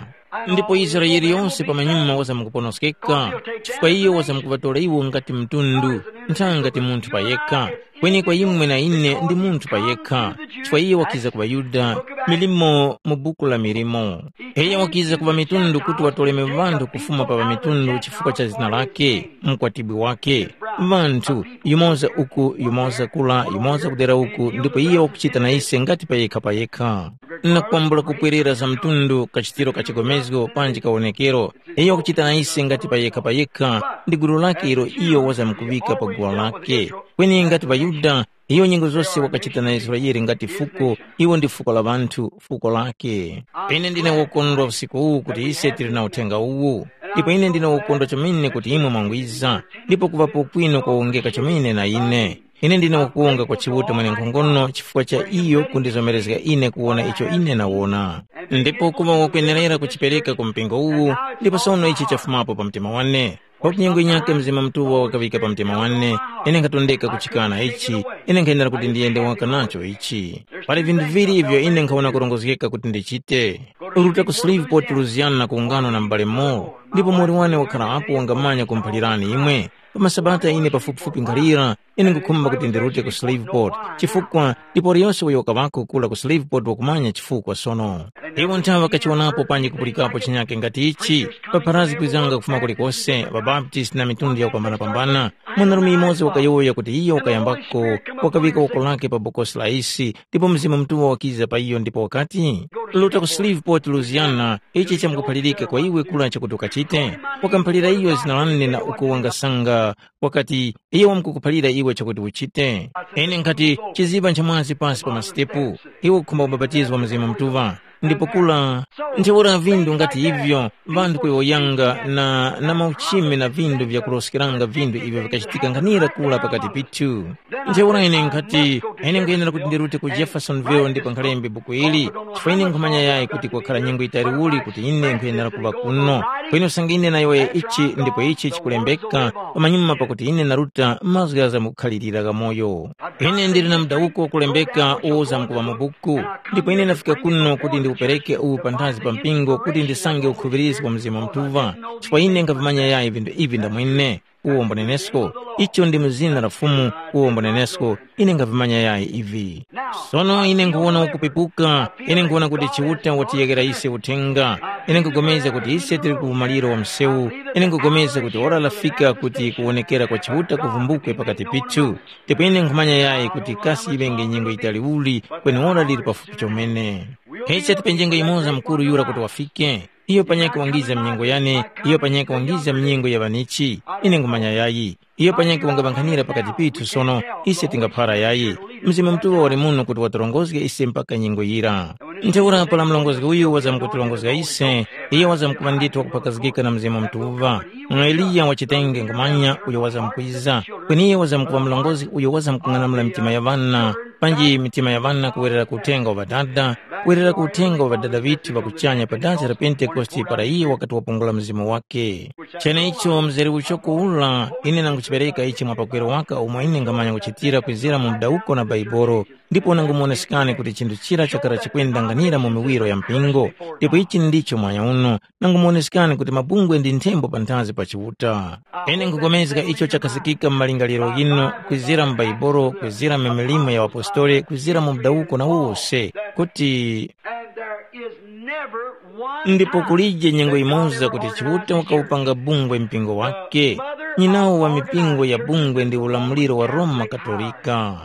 Ndipo Israele yose pamanyuma wazamkuponoskeka, chifukwa iyo wazamkuŵatora iwo ngati mtundu, nthanga ngati munthu payekha. Kweni kwa imwe na ine ndi munthu payekha, chifukwa iyo wakiza ku ŵaYuda, milimo mu buku la milimo. Iyo wakiza ku ŵamitundu kuti watoleme ŵanthu kufuma pa ŵamitundu chifukwa cha zina lake, mkwatibwi wake. Ŵanthu, yumoza uku, yumoza kula, yumoza kudera uku, ndipo iyo wakuchita na ise ngati payekha payekha. Na kwambula kupwerera za mtundu, kachitiro ka chigomezgo panji kawonekero, iyo wakuchita na ise ngati payekha payekha, ndi gulu lake ilo iyo wazamkuŵika pa guwa lake. Kweni ngati ŵaYuda, iyo nyengo zose wakachita na Israele ngati fuko, iwo ndi fuko la ŵanthu, fuko lake. Ine ndine wokondwa usiku uwu kuti ise tili na uthenga uwu. Ndipo ine ndine wokondwa chomene kuti imwe mwangwiza, ndipo kuŵapo kwinu kwawongeka chomene na ine. Ine ndine wakuwunga kwa Chiuta mwenenkhongono chifukwa cha iyo kundizomerezga ine kuwona icho ine nawona. Ndipo kuŵa wakwenerera kuchipereka ku mpingo uwu, ndipo sono ichi chafumapo pa mtima wane. Pakuti nyengo yinyakhe Mzimu Mutuŵa wakaŵika pa mtima wane, ine nkhatondeka kuchikana ichi, ine nkhayenera kuti ndiyende waka nacho ichi. Pali vinthu vili ivyo ine nkhawona kurongozgeka kuti ndichite. Ruta ku Shreveport, Louisiana na kuwungana na m'bale Moore, ndipo muwoli wane wakhala apo wangamanya kumuphalirani imwe. Pa masabata ine pafupifupi nkhalira, ine nkhukhumba kuti ndirute ku Shreveport, chifukwa ndipo waliyose uyo wakaŵako kura ku Shreveport wakumanya chifukwa sono. Iwo nthawe ŵakachiwonapo panji kupulikapo chinyakhe ngati ichi, papharazgi kwizanga kufuma kulikose, ŵaBaptist na mitundu yakupambanapambana. Mwanarume yumoza wakayowoya kuti iyo wakayambako, wakaŵika woko lake pa bokosi la isi, ndipo Mzimu Mutuŵa wakiza pa iyo ndipo wakati, “Ruta ku Shreveport, Louisiana, ichi chamkuphalirika kwa iwe kura chakuti ukachite.” Wakamuphalira iyo zina lane na uko wangasanga, wakati, “Iyo wamkukuphalira iwe chakuti uchite.” Ine nkhati, “Chiziŵa nchamwazi pasi pa masitepu, iwe ukhumba kubapatizwa Mzimu Mutuŵa.” Ndipo kura, ntheura vindu ngati ivyo, vanthu kuyowoyanga na, na mauchimi na vindu vyakuroskeranga vindu ivyo vikachitika nkhanira kura pakati pithu. Ntheura ine nkhati, ine nkhuyenera kuti ndirute ku Jeffersonville ndipo nkhalembe buku ili, chifukwa ine nkhumanya yayi kuti kwakhala nyengo yitali uli kuti ine nkhuyenera kuŵa kuno. Kweni usange ine nayowoya ichi ndipo ichi chikulembeka, pamanyuma pakuti ine naruta mazgu ghazamkukhalirira ghamoyo. Ine ndili na mudawuko wakulembeka uwo uzamkuŵa mu buku, ndipo ine ndafika kuno kuti ndiwupereke uwu panthazi pa mpingo kuti ndisange ukhuŵirizi wa Mzimu Mutuŵa, chifukwa ine nkhavimanya yayi vinthu ivi ndamwine. Uwo mbunenesko, icho ndi mu zina la Fumu, uwo mbunenesko, ine nkhavimanya yayi ivi. Sono ine nkhuwona ukupepuka, ine nkhuwona kuti Chiuta watiyekera ise uthenga. Ine nkhupulikana kuti ise tili ku umaliro wa msewu, ine nkhupulikana kuti ora lafika kuti kuwonekera kwa Chiuta kuvumbukwe pakati pithu. Ndipo ine nkhumanya yayi kuti kasi yiŵenge nyengo yitali uli, kweni ora lili pafupi chomene. Ise tipenjenge yumoza mukuru yura kuti wafike. Iyo panyakhe wangiza minyengo yane, iyo panyakhe wangiza minyengo ya ŵanichi. Ine nkhumanya yayi. Iyo panyakhe wangaŵankhanira pakati pithu sono, ise tingaphara yayi. Mzimu Mutuŵa wali muno kuti watirongozge ise mpaka nyengo yira. Ntheura para murongozgi uyu wazamkutirongozga ise, iyo wazamkuŵa ndithu wakuphakazgika na Mzimu Mutuŵa. Mwa Eliya wachitenge nkhumanya uyo wazamkwiza, kweni iyo wazamkuŵa murongozgi uyo wazamkung'anamula mitima ya ŵana, panji mitima ya ŵana kuwerera ku uthenga wa Ŵadada, kuwerera ku uthenga wa Ŵadada ŵithu ŵa kuchanya pa dasi la Pentekoste para iyo wakati wapungula Mzimu wakhe. Cheneicho mzere uchoko ura, ine nanguchipereka ichi mwa pagwero waka umo ine ngamanya kuchitira kwizira mu mudawuko na Baibolo, ndipo nangomuwonesekani kuti chinthu chira chakara chikwendanganira mu miwiro ya mpingo, ndipo ichi ndicho mwanya uno, nangomuwonesekani kuti mabungwe ndi nthembo panthazi pa Chiuta. Ine nkupulikana icho chakhazikika mu malingaliro ghinu, kwizira mu Baibolo, kwizira mu milimo ya ŵapostoli, kwizira mu mudawuko na wose, kuti And there is never one ndipo kulije nyengo imodzi kuti Chiuta wakawupanga bungwe mpingo wake. Nyinawo wa mipingo ya bungwe ndi ulamuliro wa Roma Katolika.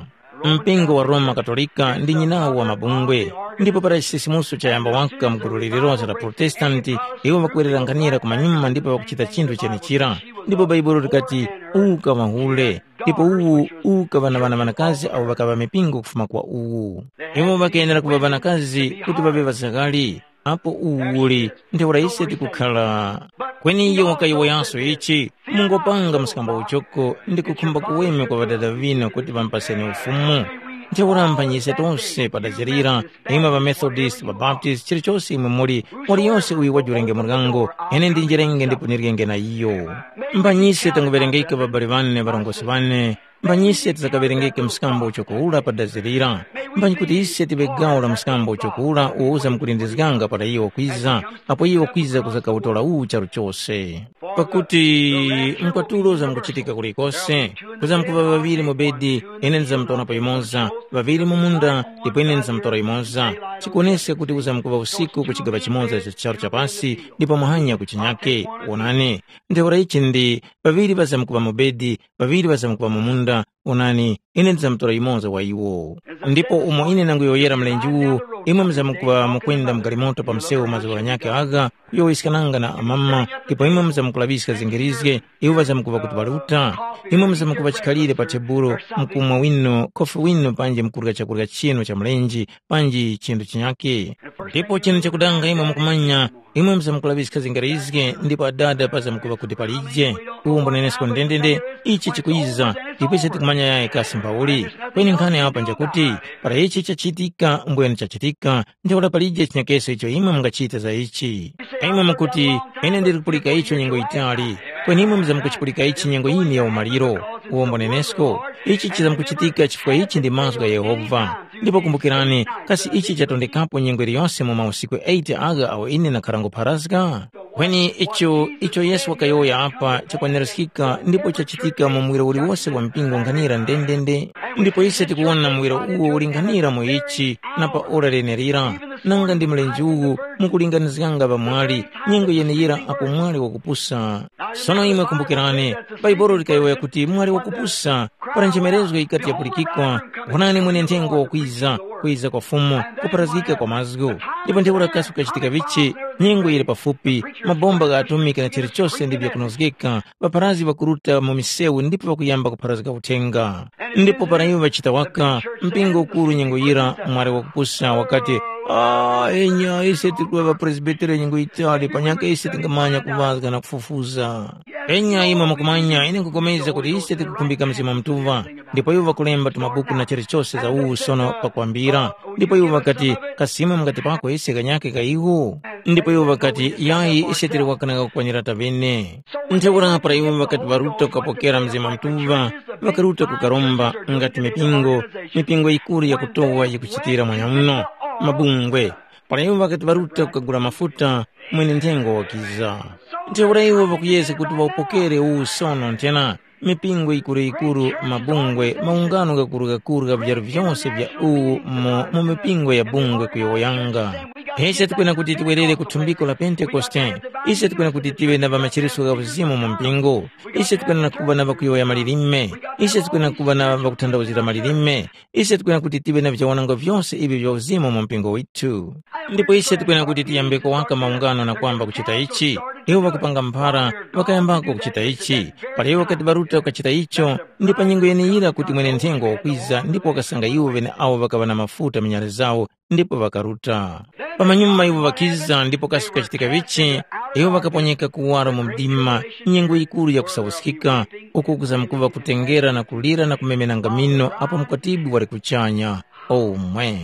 Mpingo wa Roma Katolika ndi nyinawo wa mabungwe, ndipo para chisisimuso chayamba waka mu gulu lililonse la Protestanti, iwo ŵakwererankhanira kumanyuma ndipo ŵakuchita chinthu chenechira. Ndipo Bhaibuli likati, “Uka mahule,” ndipo uwu ukaŵa na ŵana ŵanakazi awo ŵakaŵa mipingo kufuma kwa uwu. Iwo ŵakayenera kuŵa ŵanakazi kuti ŵaŵe ŵazakali, apo uwu uli ntheura ise tikukhala. Kweni iyo wakayowoyanso ichi, mungopanga mskambo uchoko ndi kukhumba kuweme kwa ŵadada ŵinu kuti ŵamupaseni ufumu. Ntheura mphanyi ise tose padazirira, imwe ŵamethodist, ŵabaptist, chilichose imwe muli, muli yose uyu wajurenge muryango, ine ndinjirenge ndipo nirikenge na iyo. Mphanyi ise tanguŵerengeka ŵabali ŵane ŵarongozgi ŵane, mphanyi ise tizakaŵerengeke mskambo uchoko ura padazirira. Mphanyi kuti ise tiŵe gawo la mskambo uchoko ura uwo uzamkulindizganga para iwo kwiza, apo iwo kwiza kuzakawutora uwu charu chose. Pakuti mkwatulo uzamkuchitika kulikose, kuzamkuŵa ŵaŵiri mu bedi, ine ndizamtora pa yumoza, ŵaŵiri mu munda, ndipo ine ndizamtora yumoza. Chikuwoneska kuti uzamkuŵa usiku ku chigaŵa chimoza cha charu cha pasi, ndipo muhanya ku chinyake. Wonani, ntheura ichi ndi, ŵaŵiri ŵazamkuŵa mu bedi, ŵaŵiri ŵazamkuŵa mu munda, onani, ine ndizamtora yumoza wa iwo. Ndipo umo ine nanguyowoyera mlenje uwu, imwe muzamkuŵa mukwenda mu galimoto pa msewu mazuŵa ghanyakhe agha, kuyowoyeskananga na amama, ndipo imwe muzamkulaŵiska zingirizge, iwo ŵazamkuŵa kuti ŵaruta. Imwe muzamkuŵa chikhalire pa tebulo, mkumwa wino, khofi wino panji mkurya chakurya chinu cha mlenje, panji chinthu chinyakhe. Ndipo chinu chakudanga imwe mukumanya, imwe muzamkulaŵiska zingarizge ndipo Adada pazamkuŵa kuti palije. Uwo mbunenesko ndendende, ichi chikwiza, ndipo ise tikumanya yayi kasi mbauli. Kweni nkhani apa njakuti, para ichi chachitika mbwene chachitika, ntheura palije chinyakeso icho imwe mungachita za ichi. Imwe mukuti, ine ndiri kupulika icho nyengo yitali, kweni imwe muzamkuchipulika ichi nyengo yine ya umaliro. Uwo mbunenesko, ichi chizamkuchitika chifukwa ichi ndi mazgu gha Yehova. Ndipo kumbukirani, kasi ichi chatondekapo nyengo iliyose mu mausiku eight agha awo ine ndakharangopharazga? Kweni icho, icho Yesu wakayowoya apa chakwanirizgika ndipo chachitika mu muwiro uliwose wa mpingo nkhanira ndendende. Ndipo ise tikuwona muwiro uwo ulinghanira mu ichi na pa ora lenelira, nanga ndi mlenje uwu mukulinganizganga pamwali, nyengo yeneyira apo mwali wakupusa. Sono imwe kumbukirani, Bhaibuli likayowoya kuti mwali wakupusa, para nchemerezgo yikati yapulikikwa, wonani mwenenthengo wakwiza, kwiza kwa Fumu, kupharazgika kwa mazgu. Ndipo ntheura kasi kukachitika vichi, nyengo yili pafupi, mabomba gha atomiki na chilichose ndi vyakunozgeka, ŵapharazgi ŵakuruta mu misewu ndipo ŵakuyamba kupharazga uthenga. Ndipo para iwo ŵachita waka, mpingo ukuru nyengo yira mwali wakupusa wakati, “Ah, enya, ise tikuŵa ŵapresbiteri nyengo yitali, panyaka ise tingamanya kuŵazga na kufufuza.” Enya imwe mukumanya, ine nkupulikana kuti ise tikukhumbika Mzimu Mutuŵa, ndipo iwo ŵakulemba tumabuku na chilichose za uwu sono pakwambira. Ndipo iwo ŵakati, “Kasi imwe mungatipako ise kanyake ka iwo?” Ndipo iwo ŵakati, “Yayi, ise tili wakananga kukwanira taŵene.” Ntheura para iwo ŵakati ŵaruta kukapokera Mzimu Mutuŵa, ŵakaruta kukaromba ngati mipingo, mipingo yikuru yakutowa yikuchitira mwanyamuno, mabungwe. Para iwo ŵakati ŵaruta kukagula mafuta, mwene nthengo wakiza. Ntheura iwo ŵakuyezga kuti ŵawupokere uwu sono nthena, mipingo yikuru-yikuru, mabungwe, maungano ghakuru-ghakuru gha vyaru vyose vya uwu mu, mu mipingo ya bungwe kuyowoyanga. Ise tikwena kuti tiwerere ku thumbiko la Pentekoste. Ise tikwena kuti tive na ŵamachiritso gha uzimu mu mpingo. Ise tikwena na kuŵa na ŵakuyowoya malilime. Ise tikwena kuŵa na ŵakuthandauzira malilime. Ise tikwena kuti tive na vyawananga vyose ivi vya uzimu mu mpingo withu. Ndipo ise tikwena kuti tiyambeko waka maungano na kwamba kuchita ichi. Iwo ŵakupanga mphara, ŵakayambako kuchita ichi. Para iwo ŵakati ŵaruta kukachita icho, ndi pa nyengo yeneyira kuti mwene nthengo wakwiza ndipo wakasanga iwo ŵeneawo ŵakaŵa na mafuta mu nyale zawo ndipo ŵakaruta. Pamanyuma iwo ŵakiza ndipo kasi kukachitika vichi, iwo ŵakaponyeka kuwaro mu mdima, nyengo yikuru yakusawuskika, uku kuzamkuŵa kutengera na kulira na kumemenanga mino apo mkwatibwi wali kuchanya. Omwe.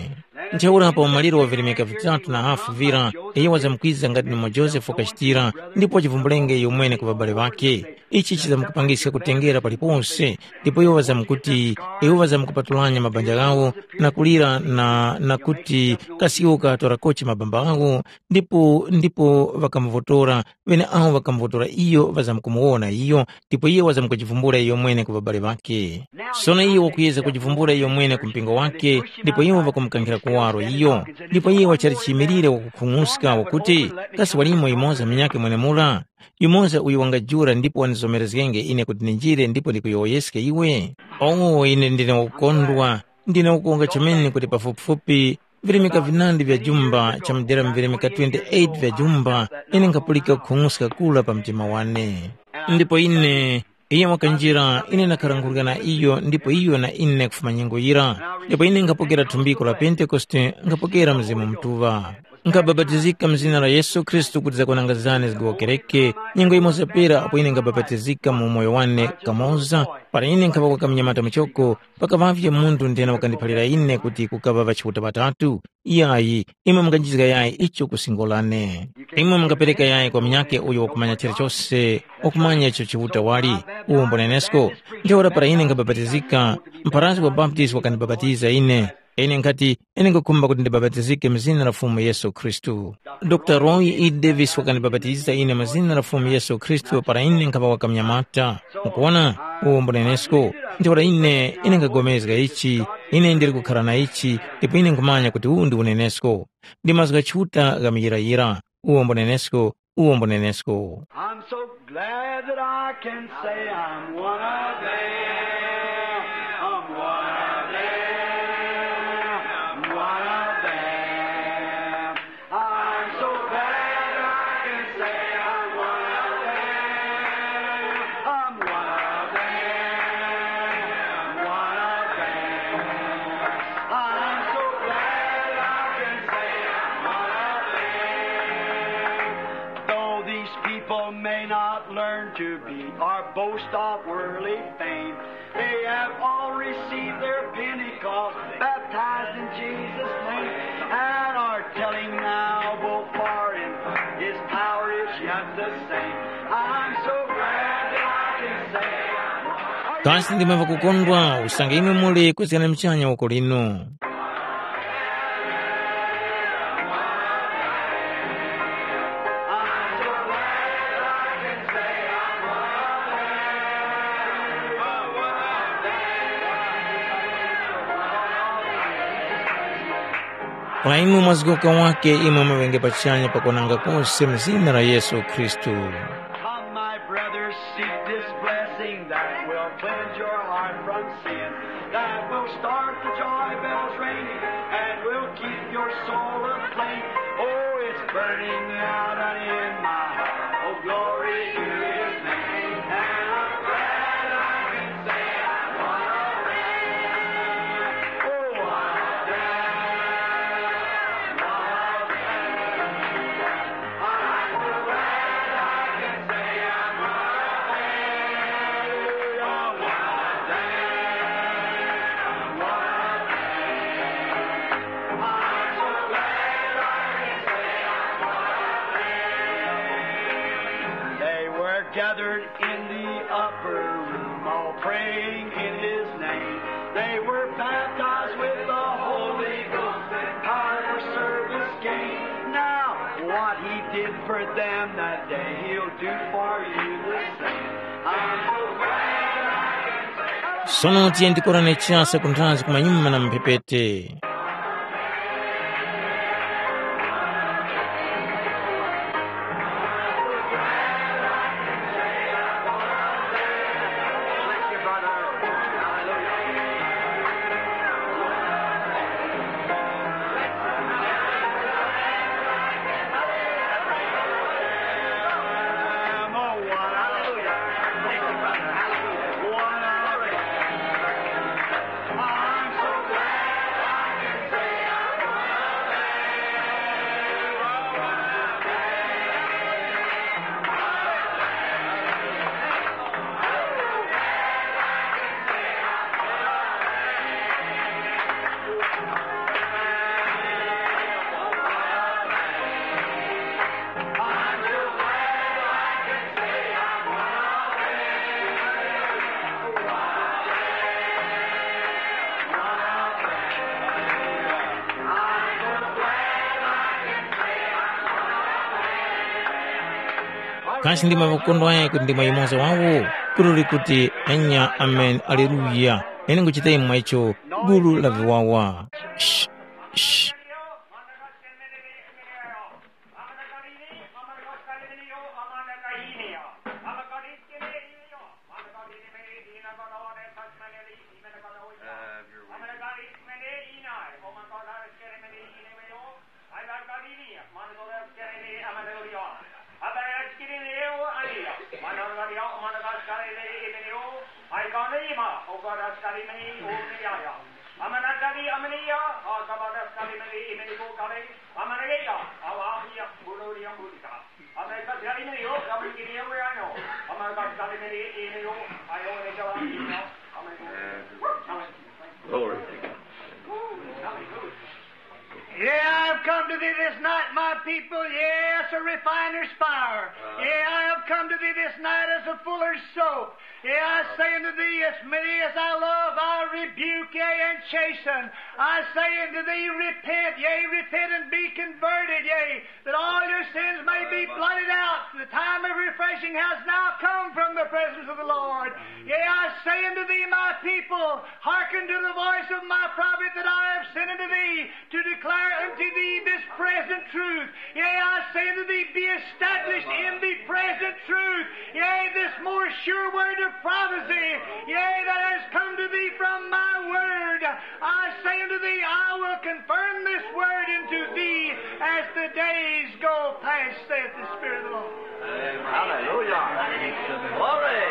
Ntheura pa umaliro wa virimika vitatu na hafu vira, iyo wazamkwiza ngati nimo Josefe wakachitira, ndipo wachivumbulenge iyomwene ku ŵabale ŵakhe. Ichi chizamkupangiska kutengera palipose, ndipo iwo ŵazamkuti, iwo ŵazamkupatulanya mabanja ghawo na kulira na, na kuti kasi iwo kaŵatora kochi mabamba ghawo, ndipo, ndipo ŵakamuvotora, ŵeneawo ŵakamuvotora iyo ŵazamkumuwona iyo, ndipo iyo wazamkujivumbula iyomwene ku ŵabale ŵakhe. Sono iyo wakuyezga kujivumbula iyomwene ku mpingo wakhe, ndipo iwo ŵakumukankhira kuwaro iyo, ndipo iyo wachali chiyimilire wakukhung'uska wakuti, kasi walimo yumoza munyakhe mwenemura? Yumoza uyo wangajula ndipo wandizomerezgenge ine kuti ndinjire ndipo ndikuyowoyeske iwe? O, ine ndine wakukondwa, Ndina kukonga chomene kuti pafupifupi virimika vinandi vya jumba cha mudera mivirimika twenty-eight vya jumba ine nkhapulika kukhung'uska kura pa mtima wane. Ndipo ine, iyo wakanjira, ine ndakharangurika na iyo ndipo iyo na ine kufuma nyengo yira. Ndipo ine nkhapokera thumbiko la Pentekoste, nkhapokera Mzimu Mutuŵa. Nkhabapatizika mu zina la Yesu Khristu kuti zakwananga zane zigowokereke. Nyengo yimoza pera apo ine nkhabapatizika mu umoyo wane kamoza, para ine nkhaŵa kwa kamnyamata muchoko, pakaŵavye munthu nthena wakandiphalira ine kuti kukaŵa ŵachiuta ŵatatu. Yayi, imwe munganjizga yayi icho ku singo lane. Imwe mungapereka yayi kwa munyakhe uyo wakumanya chilichose, wakumanya icho Chiuta wali, uwo mbonenesko. Ntheura para ine nkhabapatizika, mpharazgi wa Baptist wakandibapatiza ine. Ine nkhati, ine nkhukhumba kuti ndibapatizike mu zina la Fumu Yesu Khristu. Dr. Roy E. Davis wakandibapatiza ine mu zina la Fumu Yesu Khristu para ine nkhaŵa wakamnyamata. Mukuwona, uwo mbunenesko. Ntheura ine, ine nkhapulikana ichi, ine ndili kukhara na ichi, ndipo ine nkhumanya kuti uwu ndi unenesko. Ndi mazgu gha Chiuta gha muyirayira, uwo mbunenesko, uwo mbunenesko. I'm so glad that I can say I'm one of them. I'm one of them. I'm one of them. I'm so glad I can say I'm one of them. I'm one of them. One of them. I'm so glad I can say I'm one of them. Though these people may not learn to be or boast of worldly fame, they have all received their Pentecost, baptized in Jesus' name, and are telling now both far and his power is yet the same. I'm so glad that I can say I'm one. Kasi ndimwe ŵakukondwa, usange imwe muli kuzgana muchanya uko lino. Para imwe mwazgoka wake imwe maŵenge pachanya pakuonanga kose mu zina la Yesu Khristu. Come, my brothers, seek this blessing that will cleanse your heart from sin, that will start the joy bells ringing, and will keep your soul aflame. Oh, it's burning out and in my heart. Oh, glory to his name. And I'm glad I can say I'm one of them. Oh, one of them. One of them. They were gathered in the upper room, all praying in his name. They were baptized with the Holy Ghost and power for service gained. Now, what he did for them that day, he'll do for you the same. I'm so glad I can say Sono tiye ndikorane chase kunthazi kumanyuma na mphepete. Kasi ndimwe ŵakukondwa kuti ndimwe yumoza wawo? Kuli kuti, enya, amen, aleluya. Ine nguchita imwe icho, gulu la viwawa. Sh, sh. Glory. Yea, I have come to thee this night, my people, yea, as a refiner's fire. Yea, I have come to thee this night as a fuller's soap. Yea, I say unto thee, as many as I love, I rebuke, yea, and chasten. I say unto thee, repent, yea, repent and be converted, yea, that all your sins may be blotted out. The time of refreshing has now come from the presence of the Lord. Yea, I say unto thee, my people, hearken to the voice of my prophet that I have sent unto thee, to declare unto thee this present truth. Yea, I say unto thee, be established in the present truth. Yea, this more sure word of prophecy, yea, that has come to thee from my word. I say unto thee, I will confirm this word unto thee as the days go past, saith the Spirit of the Lord. Hallelujah. Glory.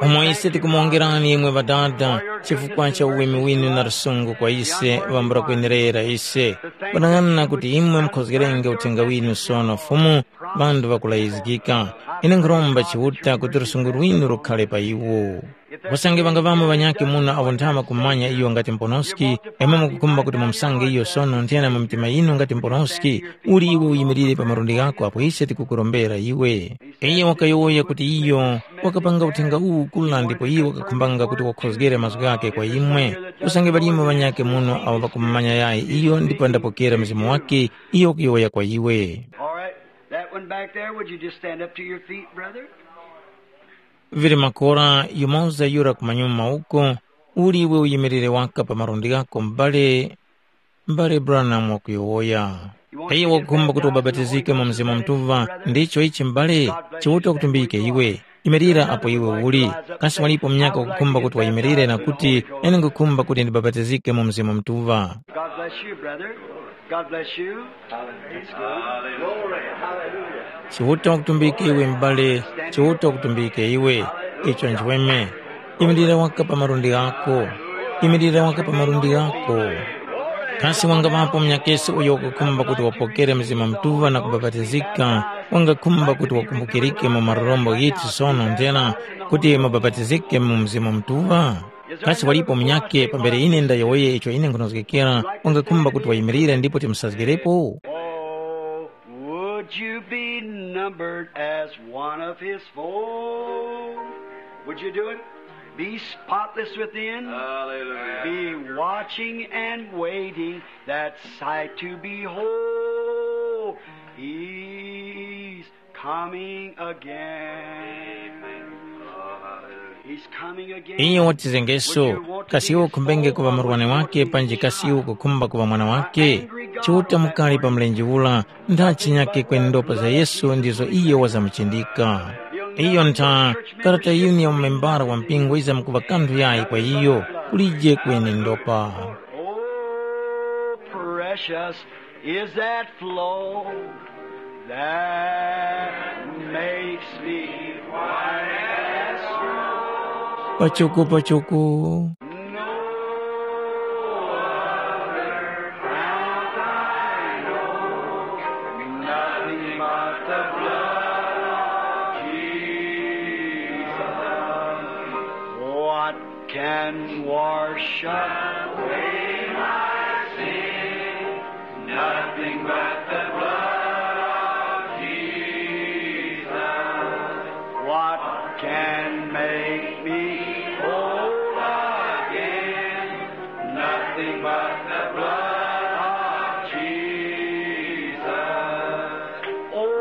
Umo ise tikumuwongerani imwe Ŵadada chifukwa cha uweme winu na lusungu kwa ise ŵambula kwenerera ise. Kunang'ana kuti imwe mukhozgerenge uthenga winu sono Fumu, ŵanthu ŵakulayizgika. Ine nkhuromba Chiuta kuti lusungu lwinu lukhale pa iwo. Usange ŵangaŵamo ŵanyakhe muno awo nthama kumanya iyo ngati Mponoski, imwe mukukhumba kuti mumusange iyo sono nthena mu mitima yinu ngati Mponoski, uli iwe uyimirire pa malundi ghako apo ise tikukurombera iwe. Iyo wakayowoya kuti iyo wakapanga uthenga uwu kula ndipo iyo wakakhumbanga kuti wakhozgere mazgu ghakhe kwa imwe. Usange ŵalimo ŵanyakhe muno awo ŵakumumanya yayi iyo ndipo ndapokera Mzimu wakhe, iyo wakuyowoya kwa iwe. All right. That one back there, would you just stand up to your feet, brother? Vili makora yumoza yura kumanyuma uko, uli iwe uyimirire waka pa malundi ghako m'bale, m'bale Branham wakuyowoya. Iye wakukhumba kuti ubapatizike mu Mzimu Mutuŵa, ndicho ichi m'bale, Chiuta wakutumbike iwe. Yimirira apo iwe uli. Kasi walipo munyaka wakukhumba kuti wayimirire na kuti, ine ngukhumba kuti ndibapatizike mu Mzimu Mutuŵa. God bless you, brother. God bless you. That's good. Glory. Hallelujah. Chiuta wakutumbike iwe m'bale, Chiuta wakutumbike iwe. Icho nchweme. Imirira waka pa malundi ghako. Imirira waka pa malundi ghako. Kasi wangaŵapo munyakesi uyo wakukhumba kuti wapokere Mzimu Mutuŵa na kubapatizika, wangakhumba kuti wakumbukirike mu marorombo ghithu sono ndera kuti mubapatizike mu Mzimu Mutuŵa? Kasi walipo munyakhe pambere ine ndayowoye icho ine nkhunozgekera, wangakhumba kuti wayimirire ndipo timusazgerepo? Oh, would you be numbered as one of his fold? Would you do it? Be spotless within. Hallelujah. Be watching and waiting that sight to behold. He's coming again. He's coming again. Iyo watizengeso, kasi iwe ukhumbenge kuŵa murwane wake panji kasi iwe ukukhumba kuŵa mwana wake? Chiuta mukali pa mlenje ula, ntha chinyake kweni ndopa za Yesu ndizo iyo wazamuchindika. Iyo ntha, karata yinu ya mumembara wa mpingo yizamkuŵa kanthu yayi kwa iyo, kulije kweni ndopa. Oh, precious is that flow that makes me white as snow. Pachuku, pachuku. No other fount I know, nothing but the blood of Jesus. What can wash away my sin? Nothing but the blood of Jesus. What can make me whole again? Nothing but the blood of Jesus. Oh,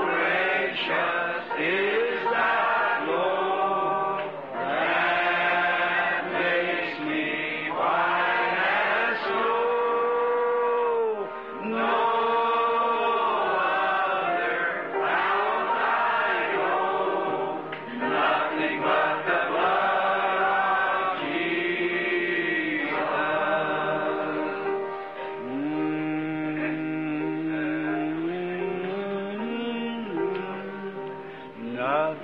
precious is that flow that makes me white as snow. No other fount I know, nothing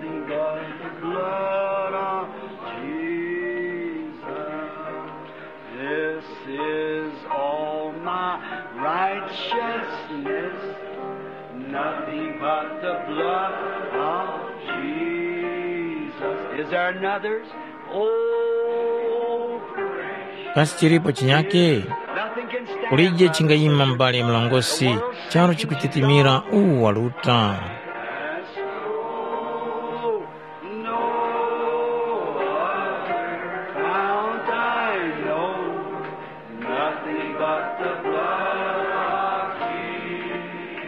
But the blood of Jesus, this is all my righteousness, nothing but the blood of Jesus. Is there another? Oh, precious. Kasi chilipo chinyake? Nothing can stand. Kulije chingayima mbali ya mlongosi, charo chikutitimira uwu waluta. No other fount I know, nothing but the blood of Jesus.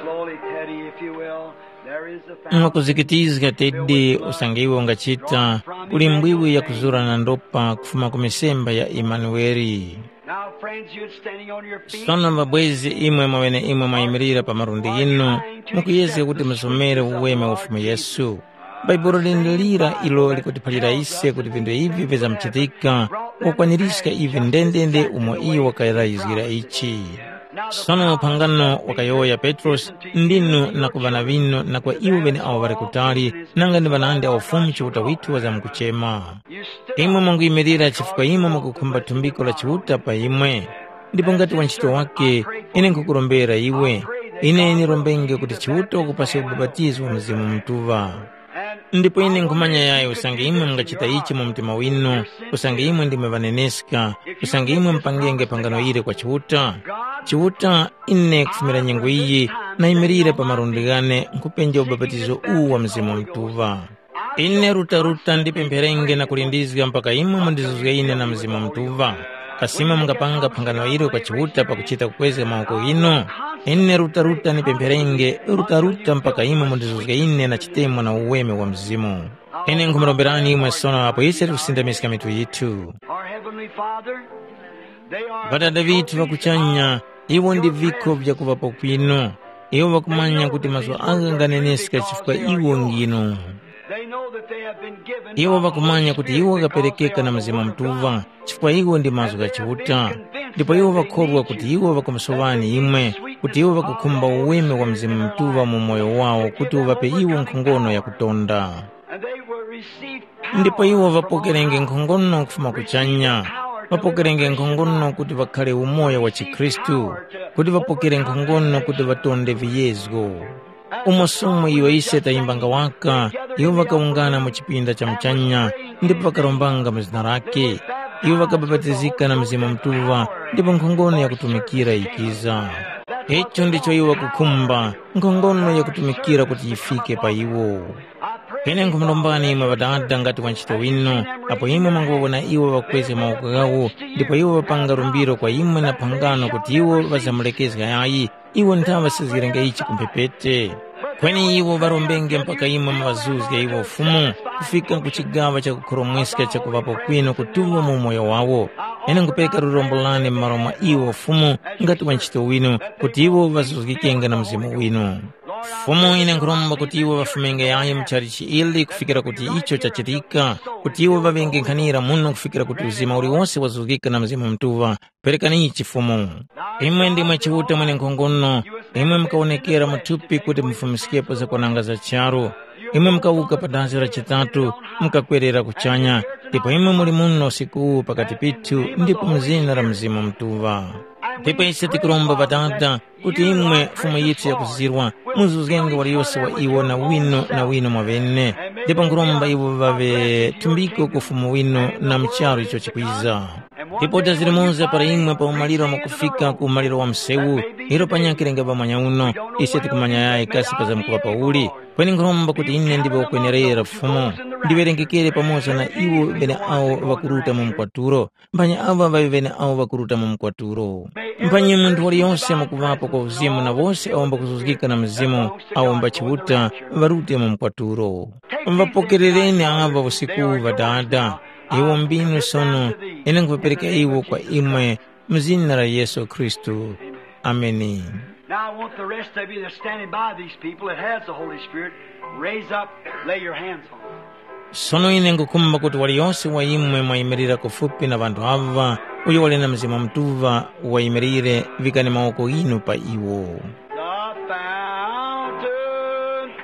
Slowly, Teddy, if you will, there is a fountain. Mwakuzikitizga Teddy, usange iwe ungachita, kuli mbwiwi yakuzura na ndopa kufuma ku misemba ya Imanueli. Now, friends, you're standing on your feet. Sono mabwezi imwe mwaŵeneimwe mwayimirira pa malundi ghinu, mukuyezga kuti musomere uweme wa Fumu Yesu. Bhaibuli lindilira ilo likutiphalira ise kuti vinthu ivi vizamkuchitika, kukwaniska ivi ndendende umo iyo wakalayizgira ichi. Sono phangano wakayowoya Petrosi, ndinu na ku ŵana ŵinu na kwa iwo ŵeneawo ŵali kutali, nanga ndi ŵanandi awo Fumu Chiuta withu wazamkuchema. Imwe mwanguyimirira chifukwa imwe mwakukhumba thumbiko la Chiuta pa imwe. Ndipo ngati wanchito wake, ine nkhukurombera iwe. Ine ndirombenge kuti Chiuta wakupaske ubapatizo wa Mzimu Mutuŵa. Ndipo ine nkhumanya yayi usange imwe mungachita ichi mu mtima winu, usange imwe ndimwe ŵaneneska, usange imwe mupangenge phangano ili kwa Chiuta. Chiuta, ine kufumira nyengo iyi, nayimirire pa malundi ghane nkhupenja ubapatizo uwu wa Mzimu Mutuŵa. Ine rutaruta ndipempherenge na kulindizga mpaka imwe mundizuzge ine na Mzimu Mutuŵa. Kasi imwe mungapanga phangano ilo kwa Chiuta pakuchita kukwezga mawoko ghinu? Ine rutaruta ndipempherenge rutaruta mpaka imwe mundizuzge ine na chitemwa na uweme wa Mzimu. Ine nkhumuromberani imwe sono apo ise tikusindamiska mitu yithu. Our Heavenly Father, they are Ŵadada ŵithu ŵa kuchanya, iwo ndi viko vyakuŵapo kwinu. Iwo ŵakumanya kuti mazgu agha nganeneska chifukwa iwo nginu. They know that they have been given Iwo by the ŵakumanya Holy kuti Spirit iwo because they ŵakaperekeka na are the Mzimu Word of Mutuŵa God. Chifukwa iwo ndi mazgu gha Chiuta. Ndipo iwo ŵakhorwa kuti iwo ŵakamusovani imwe, kuti iwo ŵakukhumba uweme wa Mzimu Mutuŵa mu moyo wawo kuti uŵape iwo nkhongono yakutonda. And they will receive power Ndipo iwo from ŵapokerenge on high. Nkhongono kufuma kuchanya. Ŵapokerenge nkhongono kuti ŵakhale umoyo wa chikhristu, kuti ŵapokere nkhongono kuti ŵatonde viyezgo. Umo somo iyo ise tayimbanga waka, iwo ŵakawungana mu chipinda cha muchanya, ndipo ŵakarombanga mu zina lake. Iwo ŵakabapatizika na Mzimu Mutuŵa, ndipo nkhongono yakutumikira yikiza. Icho ndicho iwo ŵakukhumba, nkhongono yakutumikira kuti yifike pa iwo. Ine nkhumurombani imwe Ŵadada ngati wanchito winu, apo imwe mwanguŵawona iwo ŵakwezga mawoko ghawo, ndipo iwo ŵapanga lumbiro kwa imwe na phangano kuti iwo ŵazamulekezga yayi, iwo nthaŵa sizgirenge ichi ku mphepete. Kweni iwo ŵarombenge mpaka imwe muŵazuzge iwo Fumu, kufika ku chigaŵa cha kukhoromweska chakuŵapo kwinu kutuŵa mu umoyo wawo. Ine nkupereka lurombo lane m'malo mwa iwo Fumu ngati wanchito winu, kuti iwo ŵazuzgikenge na Mzimu winu. Fumu, ine nkhuromba kuti iwo ŵafumenge yayi mu chalichi ili kufikira kuti icho chachitika, kuti iwo ŵaŵenge nkhanira muno kufikira kuti uzima uliwose wazuzgika na Mzimu Mutuŵa. Perekani ichi Fumu. Imwe ndimwe Chiuta mwenenkhongono, imwe mukawonekera mu thupi kuti mufumiskepo zakwananga za charu. Imwe mukawuka pa dazi la chitatu, mukakwerera kuchanya, ndipo imwe muli muno usiku uwu pakati pithu ndipo mu zina la Mzimu Mutuŵa. Ndipo ise tikuromba Ŵadada, kuti imwe Fumu yithu yakuzirwa, muzuzgenge waliyose wa iwo na wino na wino mwaŵene, ndipo nkhuromba iwo ŵaŵe thumbiko ku Ufumu winu na mu charu icho chikwiza. Ndipo tazirimuza para imwe pa umaliro mwakufika ku umaliro wa msewu, ilo panyakhe lenga pamanya uno, ise tikumanya yayi kasi pazamkuŵa pauli. Kweni nkhuromba kuti ine ndiŵe wakwenerera Fumu, ndiŵerengekere pamoza na iwo ŵeneawo ŵakuruta mu mkwatulo, mphanyi awa ŵaŵe ŵeneawo ŵakuruta mu mkwatulo. Mphanyi munthu waliyose mwakuŵapo kwa uzimu na wose awo mbakuzuzgika na Mzimu awo mba Chiuta ŵarute mu mkwatulo. Ŵapokerereni aŵa usiku uwu Ŵadada, iwo mbinu sono, ine nkhuŵapereka iwo kwa imwe mu zina la Yesu Khristu. Ameni. Now I want the rest of you that's standing by these people that has the Holy Spirit, raise up, lay your hands on them. Sono ine ngukhumba kuti waliyose wa imwe mwayimirira kufupi na ŵanthu aŵa, uyo wali na Mzimu Mutuŵa wayimirire, vikani mawoko ghinu pa iwo. The fountain is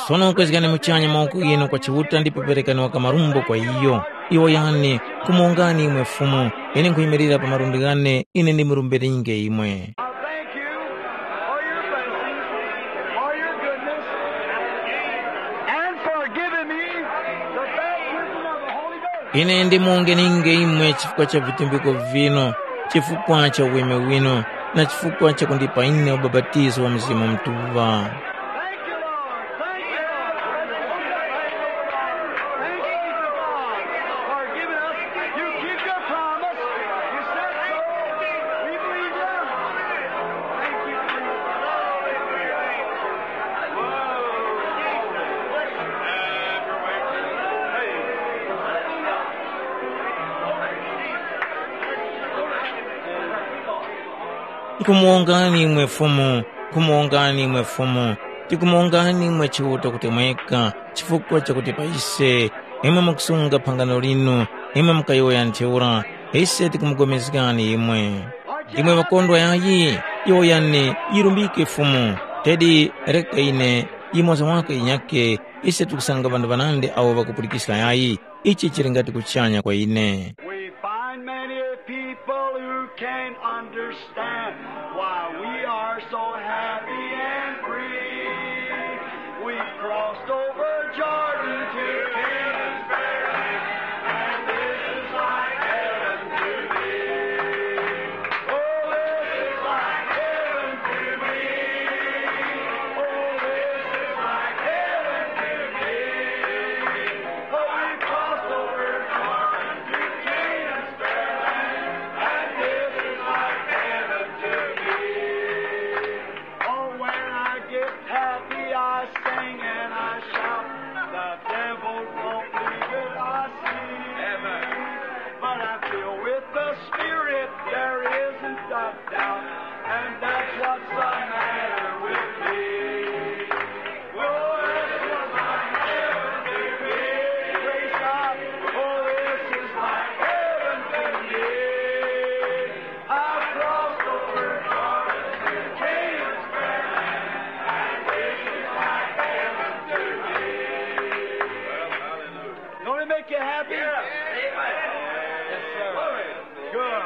Sono kwezgani muchanya mawoko ghinu kwa Chiuta ndipo perekani waka marumbo kwa iyo. Iwo yani, kumongani imwe Fumu, ine nkhuyimirira pa malundi ghane, ine ndimurumbirenge imwe. I thank you for your blessings, for your goodness, and for giving me the baptism of the Holy Ghost. Ine ndimuwongeninge imwe chifukwa cha vitumbiko vino, chifukwa cha uweme wino, na chifukwa cha kundipa ine ubapatizo wa Mzimu Mutuŵa. Thank you, Lord. Thank you, Lord. Thank you, Lord, for giving us. You keep your promise. You said so. We believe you. Thank you, Jesus. Hallelujah. Whoa. Nkumuwongani imwe Fumu, nkumuwongani imwe Fumu, tikumuwongani imwe Chiuta kuti mweka, chifukwa chakuti pa ise, imwe mukusunga phangano linu, imwe mukayowoya ntheura, ise tikumupulikana imwe. Imwe ŵakondwa yayi, yowoyani, yirumbike Fumu, tedi reka ine, yimoza waka yinyake, ise tikusanga ŵanthu ŵanandi awo ŵakupulikiska yayi, ichi chili ngati kuchanya kwa ine. We find many people who can't understand why we are so happy and free. We crossed over Jordan to Canaan's fair land, and this is like heaven to me. Oh, this is like heaven to me. Oh, this is like heaven to me. Oh, we crossed over Jordan to Canaan's fair land, and this is like heaven to me. Oh, when I get happy, I sing and I shout. The devil won't believe it, I see. But I'm filled with the Spirit, there isn't a doubt. And that's what's the matter with me. Oh, this is my heaven to me. Praise God. Oh, this is my heaven to me. I crossed over Jordan to Canaan's fair land, and this is my heaven to me. Don't it make you happy? Yes, sir. Good.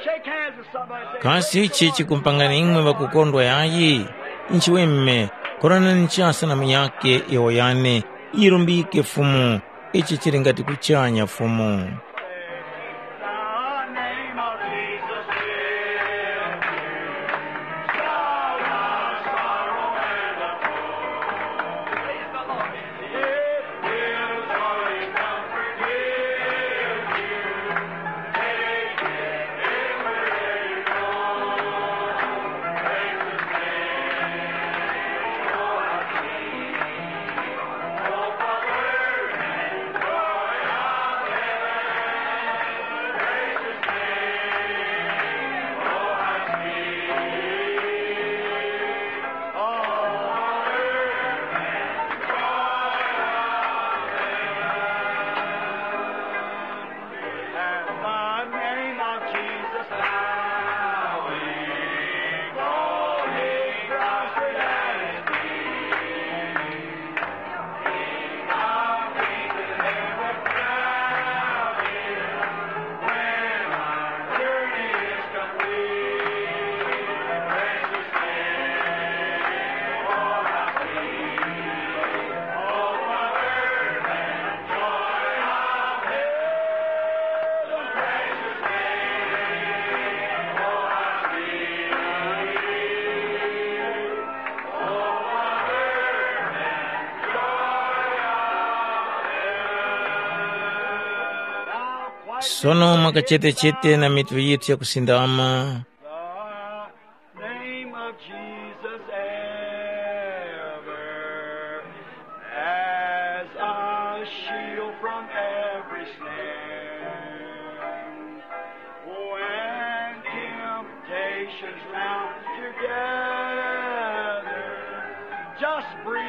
Shake hands with somebody and say, Kasi ichi chikumpangani imwe ŵakukondwa yayi? Nchiweme, koranani chasa na munyakhe yowoyani, yirumbike Fumu, ichi chili ngati kuchanya Fumu. At the name of Jesus, bowing, falling prostrate at his feet. King of kings and Lord of lords, when my journey is complete, precious Savior, I see. Oh, what earth and joy of heaven, precious Savior, I see. Sono mwakachetechete na mitu yithu yakusindama. The name of Jesus ever as a shield from every snare. When temptations round you gather, just breathe.